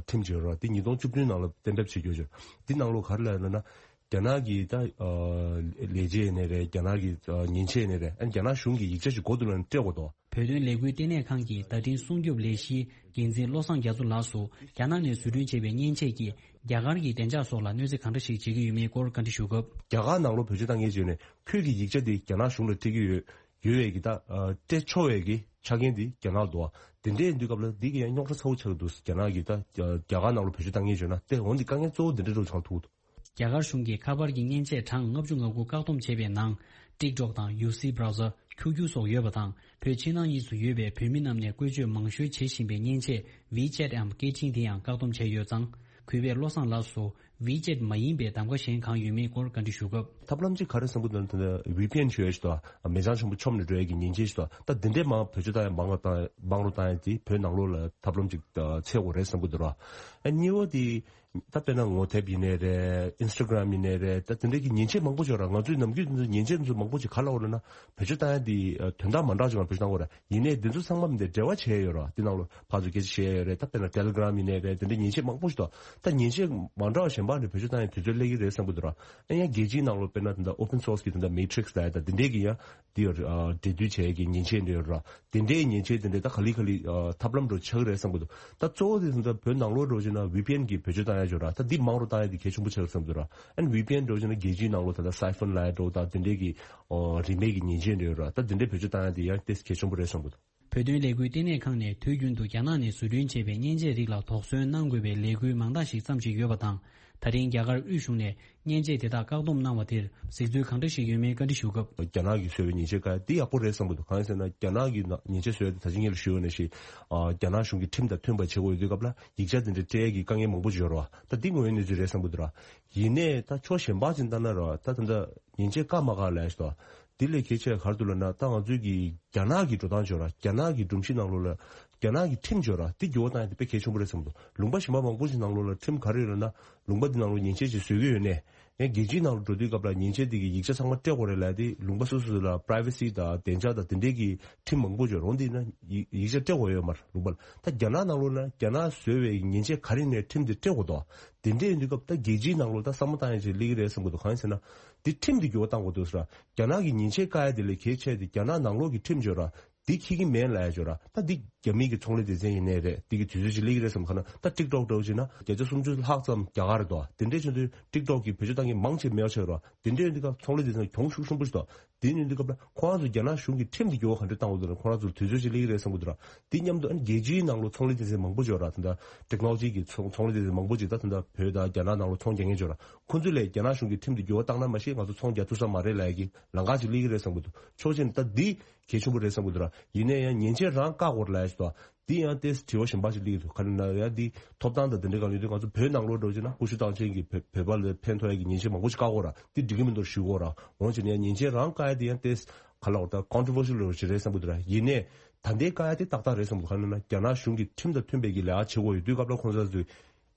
ཁྲིམས་ཅིག་ཡོད་རོ། འདི་ཉིས་སྟོང་བཅུ་བདུན་ནང་ལ་གཏན་འབེབས་བྱེད་རྒྱུ་ཡོད། འདི་ནང་ལོགས་ག་རེ་ལབ་ཡོད་ལབ་ན། རྒྱ་ནག་གི་ད་ཨ་ལས་བྱེད་ཡིན་ནའི་རེད། རྒྱ་ནག་གི་ཨ་མཉེན་ཆས་ཡིན་ནའི་རེད། ཨ་ནི་རྒྱ་ནག་གཞུང་གི་ཡིག་ཆ་ཞིག་གོ་དུས་ལ་སྤྲད་དགོས་དོ། བོད་དོན་ལས་འགུལ་ལྟེ་གནས་ཁང་གི་བརྡ་འཕྲིན་སྲུང་སྐྱོབ་ལས་གཞིའི་འགན་འཛིན་བློ་བཟང་རྒྱ་མཚོ་ལགས་སུ་རྒྱ་ནག་ནས་བཟོ་སྐྲུན་བྱས་པའི་མཉེན་ཆས་ཀྱིས་རྒྱ་གར་གྱི་བདེ་འཇགས་སོགས་ལ་གནོད་འཚེ་གང་འདྲ་ཞིག་བྱེད་ཀྱི་ཡོད་མེད་སྐོར་བཀའ་འདྲི་ཞུ་སྐབས། རྒྱ་གར་ནང་ལོགས་བེད་སྤྱོད་བཏང་མཁན་ཅིག་ཡོད་ནས་ཁོས་ཀྱི་ཡིག་ཆ་དེ་རྒྱ་ནག་གཞུང་ལ་སྤྲད་ཀྱི་ཡོད་ཡོད་པའི་གི་ད་ཨ་སྤྲད་ཆོག་པའི་གི་ཆ་རྐྱེན་དེ་རྒྱ་ནག་ལ་འདུག་བ། དེ་འདྲའི་དུས་སྐབས་ལ་འདི་གི་ཡང་རྙོག་དྲ་ཚ་བོ་ཆགས་འདུག་རྒྱ་ནག་གི་ད་རྒྱ་གར་ནང་ལོགས་བེད་སྤྱོད་བཏང་མཁན་ཅིག་ཡོད་ན་དེ་འོན་ཏེ་དཀའ་ངལ་གཙོ་བོ་འདི་འདྲ་འགྲོ་ཆགས་ཐུག་འདུག་རྒྱ་གར་གཞུང་གིས་ཁ་པར་གྱི་མཉེན་ཆས་གྲངས་ལྔ་བཅུ་ང་དགུ་བཀག་སྡོམ་བྱས་པའི་ནང་། TikTok་དང་ཡུ་སི་བྷ་རའུ་ཛར། ཁྱུ་ཁྱུ་སོགས་ཡོད་པ་དང་། བོད་ཕྱི་ནང་གཉིས་སུ་ཡོད་པའི་བོད་མི་རྣམས་ནས་བཀོལ་སྤྱོད་མང་ཤོས་བྱེད་བཞིན་པའི་མཉེན་ཆས་WeChat་འམ་སྐད་འཕྲིན་དེ་ཡང་བཀག་སྡོམ་བྱས་ཡོད་ཙང་། གུས་པས་བློ་བཟང་ལགས་སུ་WeChat་མ་ཡིན་པའི་གདམ་ག་གཞན་གང་ཡོད་མེད་སྐོར་བཀའ་འདྲི་ཞུ་སྐབས། ཐབས་ལམ་གཅིག་ག་རེ་བསམ་གྱི་འདུག་ན། ད་ལྟ་ཝི་པི་ཨེན་ཞུ་ཡ་ཞིག་དང་མི་ཚང་ཆེན་པོ་ཆོབ་ནས་འགྲོ་ཡ་གི་མཉེན་ཆས་ཞིག་དང་། ད་འདི་འདྲའི་མང་བེད་སྤྱོད་བཏང་ཡ་མང་རུ་བཏང་མང་རུ་བཏང་ཡ་དེ་བོད་ནང་ལོགས་ལ་ཐབས་ལམ་གཅིག་འཚོལ་དགོས་རེད་བསམ་གྱི་འདུག་ར། ཨ་གཉིས་པ་དེ། ད་དཔེར་ན་ངོ་དེབ་ཡིན་ནའི་རེད། Instagram་ཡིན་ནའི་རེད། ད་དེ་འདྲའི་གི་མཉེན་ཆས་མང་པོ་ཅིག་ཡོད་ར། ང་ཚོའི་ནམ་རྒྱུན་དེ་ཚོ་མཉེན་ཆས་དེ་ཚོ་མང་པོ་ཅིག་ག་ལ་འོ་ལབ་ན་བེད་སྤྱོད་བཏང་ཡ་དེ་དོན་དག་མ་འདྲ་ཅིག་ལ་བེད་སྤྱོད་བཏང་དགོས་ར། ཡིན་ནའི་དེ་ཚོ་ཚང་མ་མི་འདྲ་འབྲེལ་བ་བྱས་ཡོད་ར། དེ་ནང་ལོ་ཕར་ཚུར་སྐད་ཆ་བཤད་ཡ་ཡོད་རེད། ད་དཔེར་ན་Telegram་ཡིན་ནའི་རེད། དེ་འདྲའི་མཉེན་ཆས་མང་པོ་ཞིག་འདུག་ད་མཉེན་ཆས་མ་འདྲ་བ་གཞན་པ་ནས་བེད་སྤྱོད་བཏང་ཡ་དུས་ཚོད་སླེབས་ཀྱི་རེད་བསམ་གྱི་འདུག་ར། ཨ་ཡང་རྒྱལ་སྤྱིའི་ནང་ལོ་དཔེར་ན་དེ་འདྲ་open source་གི་དེ་འདྲ་Matrix་ལབ་ཡ་ད་དེ་འདྲའི་གི་ཡ་དེ་ཡོད་ར། འབྲེལ་མཐུད་བྱས་ཡ་གི་མཉེན་ཆས་འདྲ་ཡོད་ར། དེ་འདྲའི་མཉེན་ཆས་དེ་འདྲའི་ད་ག་ལེ་ག་ལེ་ཨ་ཐབས་ལམ་འདྲ་ཆགས་ཀྱི་རེད་བསམ་གྱི་འདུག་ད་གཙོ་བོ་དེ་ད་ལྟ་བོད་ནང་ལོགས་འདྲ་བྱས་ན་ཝི་པི་ཨེན་གྱི་བེད་སྤྱོད་བཏང་ཡ་ཅིག་ཡོད་ར། ད་འདི་མང་རུ་བཏང་ཡ་དེ་གལ་ཆེན་པོ་ཆགས་བསམ་གྱི་འདུག་ར། ཨ་ནི་ཝི་པི་ཨེན་འདྲ་བྱས་ན་རྒྱལ་སྤྱིའི་ནང་ལོགས་ད་ལྟ་Siphon་ལབ་ཡ་འདྲ་ད་དེ་འདྲའི་གི་ཨོ་རིན་མེད་ཀྱི་མཉེན་ཆས་འདྲ་ཡོད་ར། ད་དེ་འདྲའི་བེད་སྤྱོད་བཏང་ཡ་དེ་ཡང་ཏོག་ཙམ་གལ་ཆེན་པོ་རེད་བསམ་གྱི་འདུག་བོད་དོན་ལས་འགུལ་ལྟེ་གནས་ཁང་ནས་དུས་རྒྱུན་དུ་རྒྱ་ནག་ནས་བཟོ་སྐྲུན་བྱས་པའི་མཉེན་ཆས་རིགས་ལ་དོགས་ཟོན་གནང་དགོས་པའི་ལས་འགུལ་མང་དག་ཞིག་བརྩམས་བཞིན་ཡོད་པ་དང་། ད་རིང་རྒྱ་གར་དབུས་གཞུང་ནས་མཉེན་ཆས་དེ་དག་བཀག་སྡོམ་གནང་བ་དེར་གཟིགས་ཚུལ་གང་འདྲ་ཞིག་ཡོད་མེད་བཀའ་འདྲི་ཞུ་སྐབས། རྒྱ་ནག་གིས་བཟོས་པའི་མཉེན་ཆས་ཀ་འདི་ཡག་པོ་རེད་བསམ་གྱི་འདུག་གང་ཡིན་ཟེར་ན་རྒྱ་ནག་གིས་མཉེན་ཆས་བཟོས་ཏེ་ད་ཅི་སྔོན་ལ་ཞུས་ཡོད་ནང་བཞིན། རྒྱ་ནག་གཞུང་གི་ཁྲིམས་དང་མཐུན་པ་བྱེད་དགོས་ཡོད་དུས་སྐབས་ལ་ཡིག་ཆ་དེ་འདྲ་སྤྲད་ཡས་ཀྱི་དཀའ་ངལ་མང་པོ་ཅིག་ཡོད་རེད་བ། ད་འདི་དངོས་ཡོད་གནས་ཚུལ་རེད་བསམ་གྱི་འདུག་ར། ཡིན་ནའི་ད་ཕྱོགས་གཞན་པ་ཅིག་ལྟ་ན་ར་ད་ད་ལྟ་མཉེན་ཆས་བཀག་མ་བཀག་ལབ་ཡ་ཞིག་འདུག་འདི་ལས་གལ་ཆེ་བ་ག་རེ་འདུག་ལབ་ན། ད་ང་ཚོའི་གི་རྒྱ་ནག་གི་འགྲོ་སྟངས་ཅིག་ཡོད་ར། རྒྱ་ནག་གི་སྒྲོམ་གཞི་ནང་ལོགས་ལ་རྒྱ་ནག་གི་ཁྲིམས་ཅིག་ཡོད་ར། འདི་འགྱུར་བ་བཏང་ཡ་དེ་དཔེ་གལ་ཆེན་པོ་རེད་བསམ་འདུག་ལུང་པ་གཞན་པ་མང་པོ་ཞིག་ནང་ལོགས་ལ་ཁྲིམས་ག་རེ་ཡོད་ལབ་ན། ལུང་པ་འདི་ནང་ལོགས་མཉེན་ཆས་ཅིག་བཟོ་གི་ཡོད་ནའི། ཡང་རྒྱལ་སྤྱིའི་ནང་ལ་འགྲོ་དུས་སྐབས་ལ་མཉེན་ཆས་དེ་གི་ཡིག་ཆ་ཚང་མ་སྤྲད་དགོས་རེད་ལབ་ཡ་དེ་ལུང་པ་སོ་སོ་ལ་privacy་དང་བདེ་འཇགས་དང་དེ་འདྲའི་གི་ཁྲིམས་མང་པོ་ཅིག་ཡོད་ར། འོན་ཏེ་ཡིན་ན་ཡིག་ཡིག་ཆ་སྤྲད་དགོས་ཡོད་མ་རེད་ལུང་པ་ལ། ད་རྒྱ་ནག་ནང་ལོགས་ལ་རྒྱ་ནག་བཟོས་པའི་མཉེན་ཆས་ག་རེ་ཡིན་ནའི་ཁྲིམས་དེ་སྤྲད་དགོས་འདུག་དེ་འདྲ་ཡིན་དུས་སྐབས་ད་རྒྱལ་སྤྱིའི་ནང་ལོགས་ད་བསམ་བློ་བཏང་ཡ་ཅིག་སླེབས་ཀྱི་རེད་བསམ་གྱི་འདུག་གང་ཡིན་ཟེར་ན། འདི་ཁྲིམས་འདི་འགྱུར་བ་བཏང་དགོས་འདུག་ཟེར། རྒྱ་ནག་གི་མཉེན་ཆས་བཀག་ཡ་དེ་ལས་གལ་ཆེ་དེ་རྒྱ་ནག་ནང་ལོགས་ཀྱི་ཁྲིམས་ཅིག་ཡོད་ར། འདི་འཁྱེར་གྱི་མེད་ལབ་ཡ་ཅིག་ཡོད་ར། ད་འདི་རྒྱ་མི་གི་ཚོང་ལས་སྡེ་ཚན་ཡིན་ནའི་རེད། འདི་གི་དུས་ཚོད་ཅིག་སླེབས་ཀྱི་རེད་བསམ་གྱི། ག་ན་ད་TikTok་འདྲ་བོ་བྱས་ན་བརྒྱ་ཆ་སུམ་ཅུ་ལྷག་ཙམ་རྒྱ་གར་རེད་དོ། དེ་འདྲ་བྱས་དུས་TikTok་གི་བེད་སྤྱོད་བཏང་མཁན་མང་ཆེ་མེད་པ་ཆགས་ཡོད་ར། དེ་འདྲ་ཡིན་དུས་སྐབས་ཚོང་ལས་སྡེ་ཚན་གྱོང་ཤུགས་ཆེན་པོ་ཞིག་འདུག་དེ་ཡིན་དུས་སྐབས་ལ་ཁོ་རང་ཚོ་རྒྱ་ནག་གཞུང་གིས་ཁྲིམས་འདི་འགྱུར་བ་ག་འདྲ་བཏང་དགོས་འདུག་ན་ཁོ་རང་ཚོར་དུས་ཚོད་ཅིག་སླེབས་ཀྱི་རེད་བསམ་གྱི་འདུག་ར། དེ་མཉམ་དུ་ཨ་ནི་རྒྱལ་སྤྱིའི་ནང་ལོགས་ཚོང་ལས་སྡེ་ཚན་མང་པོ་ཅིག་ཡོད་ར། ད་ལྟ་technology་གི་ཚོང་ཚོང་ལས་སྡེ་ཚན་མང་པོ་ཅིག་ད་ད་ལྟ་བོད་དང་རྒྱ་ནག་ནང་ལོགས་ཚོང་རྒྱག་མཁན་ཅིག་ཡོད་ར། ཁོ་ཚོ་ལས་རྒྱ་ནག་གཞུང་གིས་ཁྲིམས་འདི་འགྱུར་བ་བཏང་ན་མ་གཞི་ང་ཚོ་ཚོང་རྒྱག་ཐུབ་ས་མ་རེད་ལབ་ཡ་གི་ལམ་ཁ་ཅིག་སླེབས་ཀྱི་རེད་བསམ་གྱི་འདུག་ཕྱོགས་གཅིག་ནས་ད་འདི་གལ་ཆེན་པོ་རེད་བསམ་གྱི་འདུག་ར། ཡིན་ན་ཡང་མཉེན་ཆས་རང་བཀག་དགོས་རེད་ལབ་ཡ་ཞིག་འདུག་འདི་ཡང་ཏོག་ཙམ་དྲི་བ་གཞན་པ་ཞིག་སླེབས་ཀྱི་འདུག་ག་རེ་ལབ་ན་ཡང་འདི་ཐོབ་ཐང་དང་དེ་འདྲའི་སྒང་ལ་ཡོད་དུས་ང་ཚོ་བོད་ནང་ལོགས་འདྲ་བོ་བྱས་ན་ཀུ་ཤུ་རྟགས་ཅན་གྱི་བོད་བོད་པ་ལ་ཕན་ཐོགས་ཡ་གི་མཉེན་ཆས་མང་པོ་ཞིག་བཀག་དགོས་ར། འདི་འགྲིག་གི་མི་འདུག་ཞུ་དགོས་ར། འོན་ཀྱང་ཡང་མཉེན་ཆས་རང་བཀག་ཡ་དེ་ཡང་ཏོག་ཙམ་ག་ལབ་དགོས་རེད། ད་controversial་འདྲ་བོ་ཞིག་རེད་བསམ་གྱི་འདུག་ར། ཡིན་ནའི་ད་ལྟའི་བཀག་ཡ་དེ་ཏག་ཏག་རེད་བསམ་གྱི་འདུག་ག་རེ་ལབ་ན་རྒྱ་ནག་གཞུང་གིས་ཁྲིམས་དང་མཐུན་པའི་གི་ལས་ཀ་བྱེད་དགོས་ཡོད་དུས་སྐབས་ལ་ཁོང་ཚོ་ཚོས་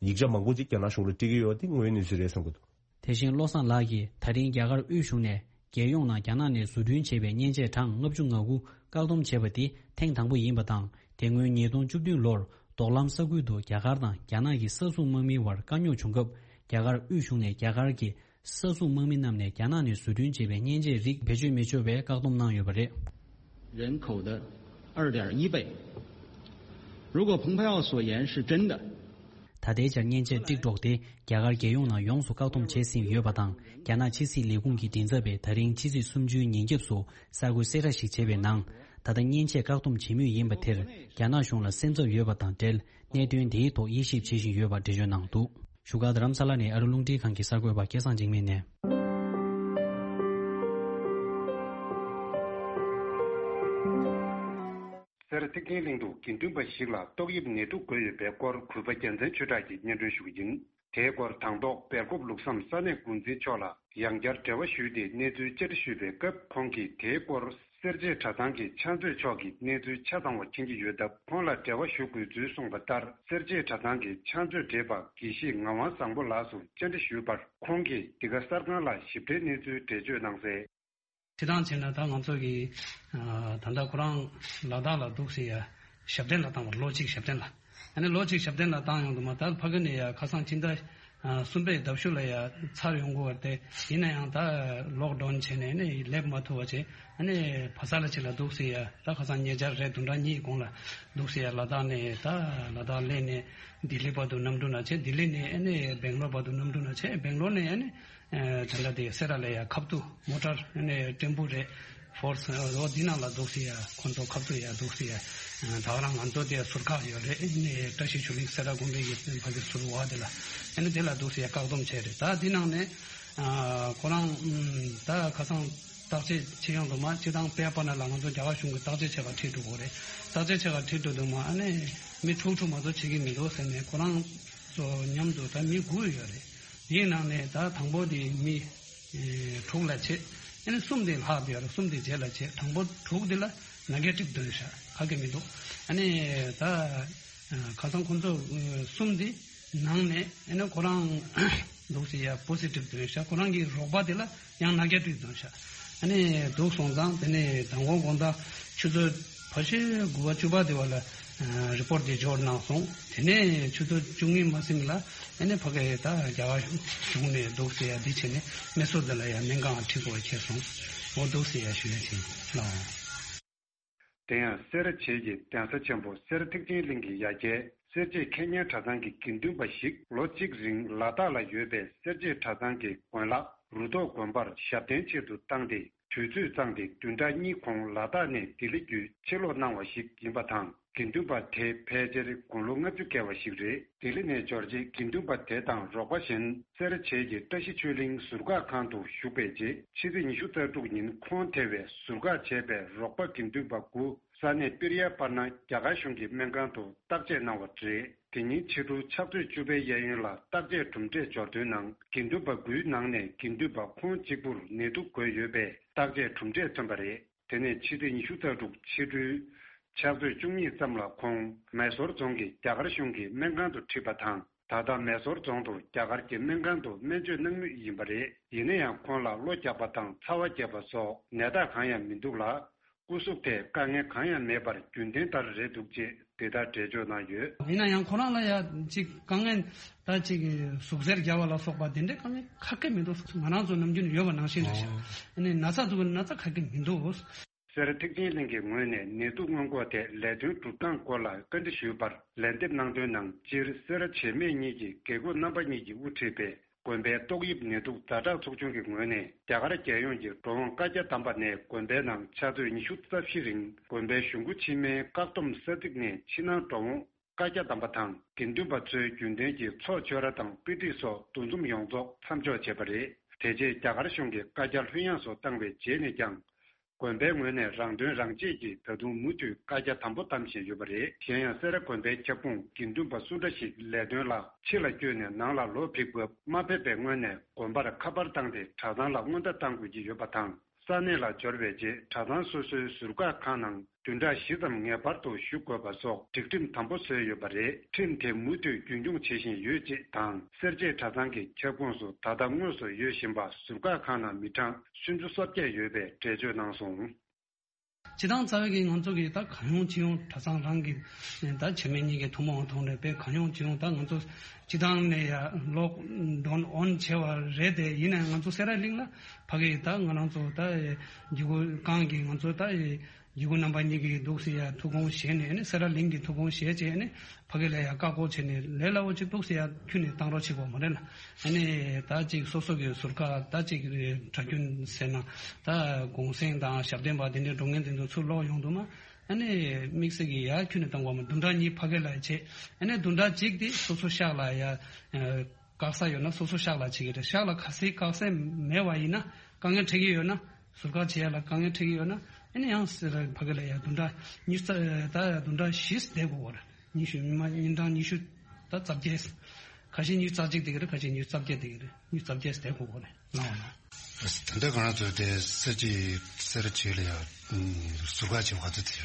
ཡིག་ཆ་མང་པོ་ཅིག་རྒྱ་ནག་གཞུང་ལ་སྤྲད་ཀྱི་ཡོད་པ་དེ་དངོས་ཡོད་གནས་ཚུལ་རེད་བསམ་གྱི་འདུག་དེ་བཞིན་བློ་བཟང་ལགས་ཀྱིས་ད་རིང་རྒྱ་གར་དབུས་གཞུང་ནས་རྒྱལ་ཡོངས་ནང་རྒྱ་ནག་ནས་བཟོ་སྐྲུན་བྱས་པའི་མཉེན་ཆས་གྲངས་ལྔ་བཅུ་ང་དགུ་བཀག་སྡོམ་བྱས་པ་དེ་ཐེངས་དང་པོ་ཡིན་པ་དང་། དེ་སྔོན་ཉིས་སྟོང་བཅུ་བདུན་ལོར་ མདོ་ལམ་ས་ཁུལ་དུ་རྒྱ་གར་དང་རྒྱ་ནག་གི་ས་སྲུང་དམག་མིའི་བར་དཀའ་རྙོག་བྱུང་སྐབས། རྒྱ་གར་དབུས་གཞུང་ནས་རྒྱ་གར་གྱི་ས་སྲུང་དམག་མི་རྣམས་ནས་རྒྱ་ནག་ནས་བཟོ་སྐྲུན་བྱས་པའི་མཉེན་ཆས་རིགས་བེད་སྤྱོད་མི་ཆོག་པའི་བཀག་སྡོམ་གནང་ཡོད་པ་རེད། 人口的二点一倍。如果蓬佩奥所言是真的， ད་ལྟའི་ཆར་མཉེན་ཆས་དཀྲིག་སྒྲོག་དེ་རྒྱ་གར་རྒྱལ་ཡོངས་ནང་ཡོངས་སུ་བཀག་སྡོམ་བྱས་ཟིན་ཡོད་པ་དང་། རྒྱ་ནག་ཕྱི་སྲིད་ལས་ཁུངས་ཀྱི་མགྲིན་ཚབ་པས་ད་རིང་ཕྱི་ཚེས་སུམ་ཅུའི་ཉིན་རྒྱབ་སུ་གསར་འགོད་གསལ་བསྒྲགས་ཤིག་བྱས་པའི་ནང་། ད་ལྟ་མཉེན་ཆས་བཀག་སྡོམ་བྱེད་མུས་ཡིན་པ་དེར་རྒྱ་ནག་གཞུང་ལ་སེམས་འཚབ་ཡོད་པ་དང་འབྲེལ། གནད་དོན་དེའི་ཐོག་དབྱེ་ཞིབ་བྱེད་བཞིན་ཡོད་པ་འགྲེལ་བརྗོད་གནང་འདུག་བཞུགས་སྒར་རྡ་རམ་ས་ལ་ནས་ཨ་རི་རླུང་འཕྲིན་ཁང་གི་གསར་འགོད་པ་སྐལ་བཟང་འཇིགས་མེད་ནས། སེ་ར་ཐེག་ཆེན་གླིང་དུ་དགེ་འདུན་པ་ཞིག་ལ་ཏོག་དབྱིབས་ནད་དུག་འགོས་ཡོད་པའི་སྐོར་གུས་པ་རྒྱལ་མཚན་ཆོས་གྲགས་ཀྱིས་སྙན་སྒྲོན་ཞུ་གི་ཡིན། དེའི་སྐོར་དང་ཐོག་སྦེལ་ཀོབ་ལུགས་བསམ་ས་གནས་འགོ་འཛིན་མཆོག་ལ་ཡང་བསྐྱར་འབྲེལ་བ་ཞུས་ཏེ་གནས་ཚུལ་བཅར་འདྲི་ཞུས་པའི་སྐབས། ཁོང་གིས་དེའི་སྐོར་སེར་བྱེས་གྲྭ་ཚང་གི་ཕྱག་མཛོད་མཆོག་གིས་གནས་ཚུལ་ཆ་ཚང་བ་མཁྱེན་གྱི་ཡོད་སྟབས། ཁོང་ལ་འབྲེལ་བ་ཞུ་དགོས་ཚུལ་གསུངས་པ་ལྟར། སེར་བྱེས་གྲྭ་ཚང་གི་ཕྱག་མཛོད་བགྲེས་པ་དགེ་བཤེས་ངག་དབང་བཟང་པོ་ལགས་སུ་བཅར་འདྲི་ཞུས་པར། ཁོང་གིས་འདི་ག་གསར་ཁང་ལ་ཞིབ་ཕྲའི་གནས་ཚུལ་འགྲེལ་བརྗོད་གནང་གསལ། སྤྱིར་བཏང་བྱས་ན་ད་ང་ཚོ་གི་ད་ལྟ་ཁོ་རང་ལ་དྭགས་ལ་འདུག་སེ་ཡ་ཞབས་བརྟན་ལ་བཏང་བར་ལོ་གཅིག་ཞབས་བརྟན་ལ། ཨ་ནི་ལོ་གཅིག་ཞབས་བརྟན་ལ་བཏང་ཡོང་དུས་མ་ད་ཕ་གི་ནས་ཡ་ཁ་སང་ཕྱི་ཟླ་གསུམ་པའི་ཟླ་གཞུག་ལ་ཡ་ཚར་ཡོང་གི་ཡོད་རེད་དེ། ཡིན་ན་ཡང་ད་ལོག་ཌའོན་བྱས་ནས་ནི་སླེབས་མ་ཐུབ་པ་བྱས། ཨ་ནི་ཕ་ས་ལ་ཕྱི་ལ་འདུག་སེ་ཡ་ད་ཁ་སང་ཉེ་ཆར་རེད་བདུན་ཕྲག་གཉིས་གོང་ལ་འདུག་སེ་ཡ་ལ་དྭགས་ནས་ད་ལ་དྭགས་སླེབས་ནས་ལྡི་ལི་བར་དུ་གནམ་གྲུ་ནང་བྱས། ལྡི་ལི་ནས་ཨ་ནི་སྦེང་ལོར་བར་དུ་གནམ་གྲུ་ནང་བྱས། སྦེང་ལོར་ནས་ཨ་ནི། ད་ལྟ་དེ་སེ་ར་ལ་ཡ་ཁབ་ཏུ་མོ་ཊར་ནས་ཊེམ་པོ་རེད། ཕོར་སི་འོ་འདི་ནང་ལ་འདུག་སེ་ཡ་ཁོང་ཚོ་ཁབ་ཏུ་ཡ་འདུག་སེ་ཡ། ད་ག་རང་ང་ཚོ་དེ་ཟུར་ཁག་ཡོད་རེད། ནས་བཀྲ་ཤིས་ཆོས་གླིང་སེ་ར་དགོན་པའི་ཡི་ཕ་གི་ཟུར་བ་དེ་ལ་ཨ་ནི་དེ་ལ་འདུག་སེ་ཡ་བཀག་སྡོམ་བྱས་རེད། ད་འདི་ནང་ནས་ཁོ་རང་ད་ཁ་སང་བརྟག་དཔྱད་བྱེད་ཡོང་དུས་མ་སྤྱི་བཏང་པེ་པ་ན་ལ་ང་ཚོ་རྒྱ་གར་གཞུང་གི་བརྟག་དཔྱད་བྱེད་པར་ཁྲིད་འགྲོ་དགོས་རེད། བརྟག་དཔྱད་བྱེད་པར་ཁྲིད་འགྲོ་དུས་མ་ཨ་ནི་མི་དྲུག་དྲུག་མ་གཏོགས་བྱེད་ཀྱི་མི་འདུག་ཟེར་ནས་ཁོ་རང་ཚོ་མཉམ་དུ་ད་མི་དགུ་ཡོད་རེད། དེའི་ནང་ནས་ད་དང་པོ་དེ་མི་དྲུག་ལ་བྱེད། ཨ་ནི་གསུམ་དེ་ལྷག་དེ་ཡོད་རེད། གསུམ་དེ་རྗེས་ལ་བྱེད། དང་པོ་དྲུག་དེ་ལ་ནེ་གེ་ཊིབ་བཏོན་ཤག་ཁ་གི་མི་འདུག་ཨ་ནི་ད་ཁ་སང་ཁོང་ཚོ་གསུམ་དེ་ནང་ནས་ཨ་ནི་ཁོ་རང་འདུག་སེ་ཡ་པོ་སི་ཊིབ་བཏོན་ཤག་ཁོ་རང་གི་རོགས་པ་དེ་ལ་ཡང་ནེ་གེ་ཊིབ་བཏོན་ཤག་ཨ་ནི་འདུག་སོང་ཙང་དེ་ནས་མདང་དགོང་དགོང་དག་ཆུ་ཚོད་ཕལ་ཆེར་དགུ་པ་བཅུ་པ་དེ་བ་ལ་རི་པོར་ཊི་དེ་འབྱོར་གནང་སོང་། དེ་ནས་ཆུ་ཚོད་བཅུ་གཉིས་མ་ཟིན་ལ་ཨ་ནི་ཕ་གི་ད་རྒྱ་གར་གཞུང་ནས་འདུག་སེ་ཡ་འདི་བྱས་ནས་མེ་སོར་དེ་ལ་ཡ་སྨན་ཁང་ཁྲིད་དགོས་ཁེལ་སོང་། འོ་འདུག་སེ་ཡ་ཞུ་ཡ་ཆེན་ལགས། དེ་ཡང་སེ་ར་བྱེས་ཀྱི་གདན་ས་ཆེན་པོ་སེ་ར་ཐེག་ཆེན་གླིང་གི་ཡ་གྱལ་སེར་བྱེས་ཁེ་ཉན་གྲྭ་ཚང་གི་དགེ་འདུན་པ་ཞིག་ལོ་གཅིག་རིང་ལ་དྭགས་ལ་ཡོད་པའི་སེར་བྱེས་གྲྭ་ཚང་གི་དགོན་ལག་རུ་ཐོག་དགོན་པར་ཞབས་བརྟན་ཆེད་དུ་བཏང་སྟེ། དུས་ཚོད་བཙལ་ཏེ་བདུན་ཕྲག་གཉིས་གོང་ལ་དྭགས་ནས་ལྡི་ལི་བརྒྱུད་ཕྱིར་ལོག་གནང་བ་ཞིག་ཡིན་པ་དང་། དགེ་འདུན་པ་དེ་ཕལ་ཆེར་དགུང་ལོ་ལྔ་བཅུ་བརྒལ་བ་ཞིག་རེད། ལྡི་ལི་ནས་འབྱོར་རྗེས་དགེ་འདུན་པ་དེ་དང་རོགས་པ་གཞན་སེ་ར་བྱེས་ཀྱི་བཀྲ་ཤིས་ཆོས་གླིང་ཟུར་བཀག་ཁང་དུ་བཞུགས་པའི་རྗེས། ཕྱི་ཚེས་ཉི་ཤུ་རྩ་དྲུག་ཉིན་ཁོང་དེ་བས་ཟུར་བཀག་བྱས་པའི་རོགས་པ་དགེ་འདུན་པ་དགུ་ས་གནས་པིར་ཡ་པར་ན་རྒྱ་གར་གཞུང་གི་སྨན་ཁང་དུ་བརྟག་དཔྱད་གནང་བ་རེད། དེ་ཉིན་ཕྱི་དྲོ་ཕྱག་ཚོད་བཅུ་པའི་གཡས་གཡོན་ལ་བརྟག་དཔྱད་གྲུབ་འབྲས་འབྱོར་དོན་ནང་། དགེ་འདུན་པ་དགུའི་ནང་ནས་དགེ་འདུན་པ་ཁོང་གཅིག་པུར་ནད་དུག་འགོས་ཡོད་པའི་བརྟག་དཔྱད་གྲུབ་འབྲས་ཐོན་པ་རེད། དེ་ནས་ཕྱི་ཚེས་ཉི་ཤུ་རྩ་དྲུག་ཕྱི་དྲོའི་ཕྱག་ཚོད་བཅུ་གཉིས་ཙམ་ལ་ཁོང་མེ་སོར་རྫོང་གི་རྒྱ་གར་གཞུང་གི་སྨན་ཁང་དུ་ཁྲིད་པ་དང་། ད་ལྟ་མེ་སོར་རྫོང་དུ་རྒྱ་གར་གྱི་སྨན་ཁང་དུ་སྨན་བཅོས་གནང་མུས་ཡིན་པ་རེད། ཡིན་ན་ཡང་ཁོང་ལ་གློ་རྒྱག་པ་དང་ཚ་བ་རྒྱག་པ་སོགས་ནད་རྟགས་གང་ཡང་མི་འདུག་ལ། སྐུ་གཟུགས་ཐད་དཀའ་ངལ་གང་ཡང་མེད་པར་རྒྱུན་ལྡན་ལྟར་རེད་འདུག་ཅེས་འདི་ལྟར་འགྲེལ་བརྗོད་གནང་ཡོད། ཡིན་ན་ཡང་ཁོ་རང་ལ་ཡ་ཅིག་དཀའ་ངལ་ད་ཅིག་ཟུག་གཟེར་རྒྱག་པ་ལ་སོགས་པ་དེ་འདྲའི་དཀའ་ངལ་ཁ་སྐད་མི་འདུག་ང་རང་ཚོ་ནམ་རྒྱུན་ཡོད་པ་ནང་བཞིན་རེད་ཤག་ཨ་ནི་ན་ཚ་འདུག་ན་ཚ་ཁ་སྐད་མི་འདུག་སེ་ར་ཐེག་ཆེན་གླིང་གི་ངོས་ནས་ནད་དུག་སྔོན་འགོག་ཐད་ལས་དོན་སྒྲུབ་སྟངས་སྐོར་ལ་བཀའ་འདྲི་ཞུས་པར། ལན་འདེབས་གནང་དོན་ནང་། སྤྱིར་སེ་ར་བྱེས་སྨད་གཉིས་ཀྱི་དགེ་བསྐོས་རྣམ་པ་གཉིས་ཀྱིས་དབུ་ཁྲིད་པའི་དགོན་པའི་ཏོག་དབྱིབས་ནད་དུག་ཛ་དྲག་ཚོགས་ཆུང་གི་ངོས་ནས། རྒྱ་གར་རྒྱལ་ཡོངས་ཀྱི་འགྲོ་འོང་བཀའ་རྒྱ་བསྡམས་པ་ནས་དགོན་པའི་ནང་ཕྱག་ཚོད་ཉི་ཤུ་རྩ་བཞི་རིང་དགོན་པའི་གཞུང་སྒོ་ཕྱི་མའི་བཀག་སྡོམ་ས་ཚིགས་ནས་ཕྱི་ནང་འགྲོ་འོང་བཀའ་རྒྱ་བསྡམས་པ་དང་། དགེ་འདུན་པ་ཚོའི་རྒྱུན་ལྡན་གྱི་ཚོགས་ཆོས་ར་དང་དཔེ་ཁྲིད་སོགས་འདུ་འཛོམས་ཡོངས་རྫོགས་མཚམས་འཇོག་བྱས་པ་རེད། དེ་རྗེས་རྒྱ་གར་གཞུང་གིས་བཀའ་རྒྱ་ལྷོད་ཡངས་སུ་བཏང་བའི་རྗེས་ནས་ཀྱང་། དགོན་པའི་ངོས་ནས་རང་དོན་རང་གཅེས་ཀྱིས་ད་དུང་མུ་མཐུད་བཀའ་རྒྱ་དམ་པོ་བསྡམ་བཞིན་ཡོད་པ་རེད། གཞན་ཡང་སེ་ར་དགོན་པའི་ཁྱབ་ཁོངས་དགེ་འདུན་པ་སུ་འདྲ་ཞིག་ལས་དོན་ལ་ཕྱི་ལ་བསྐྱོད་ནས་ནང་ལ་ལོག་ཕེབས་སྐབས། མ་ཕེབས་པའི་སྔོན་ནས་དགོན་པར་ཁ་པར་བཏང་སྟེ་གྲྭ་ཚང་ལ་སྔོན་བརྡ་བཏང་དགོས་ཀྱི་ཡོད་པ་དང་། ས་གནས་ལ་འབྱོར་བའི་རྗེས་གྲྭ་ཚང་སོ་སོའི་ཟུར་བཀག་ཁང་ནང་བདུན་ཕྲག་བཞི་ཙམ་ངེས་པར་དུ་བཞུགས་དགོས་པ་སོགས་སྒྲིག་ཁྲིམས་དམ་པོ་བཟོས་ཡོད་པ་རེད། ཁྲིམས་དེ་མུ་མཐུད་རྒྱུན་འཁྱོངས་བྱེད་བཞིན་ཡོད་ཅེས་དང་། སེར་བྱེས་གྲྭ་ཚང་གི་ཁྱབ་ཁོངས་སུ་ད་ལྟ་དངོས་སུ་ཡོད་བཞིན་པ་ཟུར་བཀག་ཁང་ནང་མི་གྲངས་སུམ་ཅུ་སོ་བརྒྱད་ཡོད་པའི་འགྲེལ་བརྗོད་གནང་སོང་། སྤྱི་བཏང་རྩ་བའི་གི་ང་ཚོ་གི་ད་གང་ཡོང་ཅི་ཡོང་གྲྭ་ཚང་རང་གི་ད་བྱེས་སྨད་གཉིས་ཀྱི་ཐུན་མོང་ཐོག་ནས་དཔེ་གང་ཡོང་ཅི་ཡོང་ད་ང་ཚོ་སྤྱི་བཏང་ནས་ཡ་ལོག་ཌའོན་ཨོན་བྱས་པ་རེད་དེ། ཡིན་ནའི་ང་ཚོ་སེ་ར་གླིང་ལ་ཕ་གི་ད་ང་རང་ཚོ་ད་འཇུ་གུ་ཁང་གི་ང་ཚོ་ད་འཇུ་གུ་རྣམ་པ་གཉིས་ཀྱི་འདུག་སེ་ཡ་ཐུགས་དགོངས་བཞེས་ནས་ནི་སེ་ར་གླིང་གི་ཐུགས་དགོངས་བཞེས་བྱས་ནས་ཕ་གི་ལ་ཡ་བཀའ་བསྒོ་བྱས་ནས་ལས་སླ་བོ་ཅིག་འདུག་སེ་ཡ་ཁྱོན་ནས་བཏང་རོགས་བྱེད་དགོས་མ་རེད་ལ། ཨ་ནི་ད་ཅིག་སོ་སོ་གི་ཟུར་བཀག་ད་ཅིག་གྲྭ་རྒྱུན་ཟེར་ན་ད་གུང་སེང་དང་ཞབས་བརྟན་པ་དེ་འདྲའི་འགྲོ་མཁན་དེ་ཚོ་ཚུར་ལོག་ཡོང་དུས་མ། ཨ་ནི་དམིགས་བསལ་གྱི་ཡ་ཁྱོན་ནས་བཏང་དགོས་མ། བདུན་ཕྲག་གཉིས་ཕ་གི་ལ་བྱེད། ཨ་ནི་བདུན་ཕྲག་གཅིག་དེ་སོ་སོ་ཤག་ལ་ཡ་བཀག་ས་ཡོད་ན་སོ་སོ་ཤག་ལ་བྱེད་ཀྱི་རེད། ཤག་ལ་ག་ཚད་བཀག་ས་མེད་པ་ཡིན་ན་དཀའ་ངལ་འཕྲད་ཀྱི་ཡོད་ན། ཟུར་བཀག་བྱེད་ཡ་ལ་དཀའ་ངལ་འཕྲད་ཀྱི་ཡོད་ན། ཨ་ནི་ཡང་སེ་ར་ཕ་གི་ལ་ཡ་བདུན་ཕྲག་ཉི་ཤུ་རྩ་ད་ཡ་བདུན་ཕྲག་བཞི་བསྡད་དགོས་པ་རེད། ཉི་ཤུ་ཉི་མ་ཉིན་གྲངས་ཉི་ཤུ་ད་རྩ་བརྒྱད། ཁ་ཤས་ཉི་ཤུ་རྩ་གཅིག་བསྡད་ཀྱི་རེད། ཁ་ཤས་ཉི་ཤུ་རྩ་བརྒྱད་བསྡད་ཀྱི་རེད། ཉི་ཤུ་རྩ་བརྒྱད་བསྡད་དགོས་པ་རེད། ལའོ་ན། ད་ལྟ་ང་རང་ཚོ་དེ་སེ་ར་བྱེས་སེ་ར་བྱེས་ལ་ཡ་ཟུར་བཀག་བྱེད་པ་ག་ཚོད་ཚེ་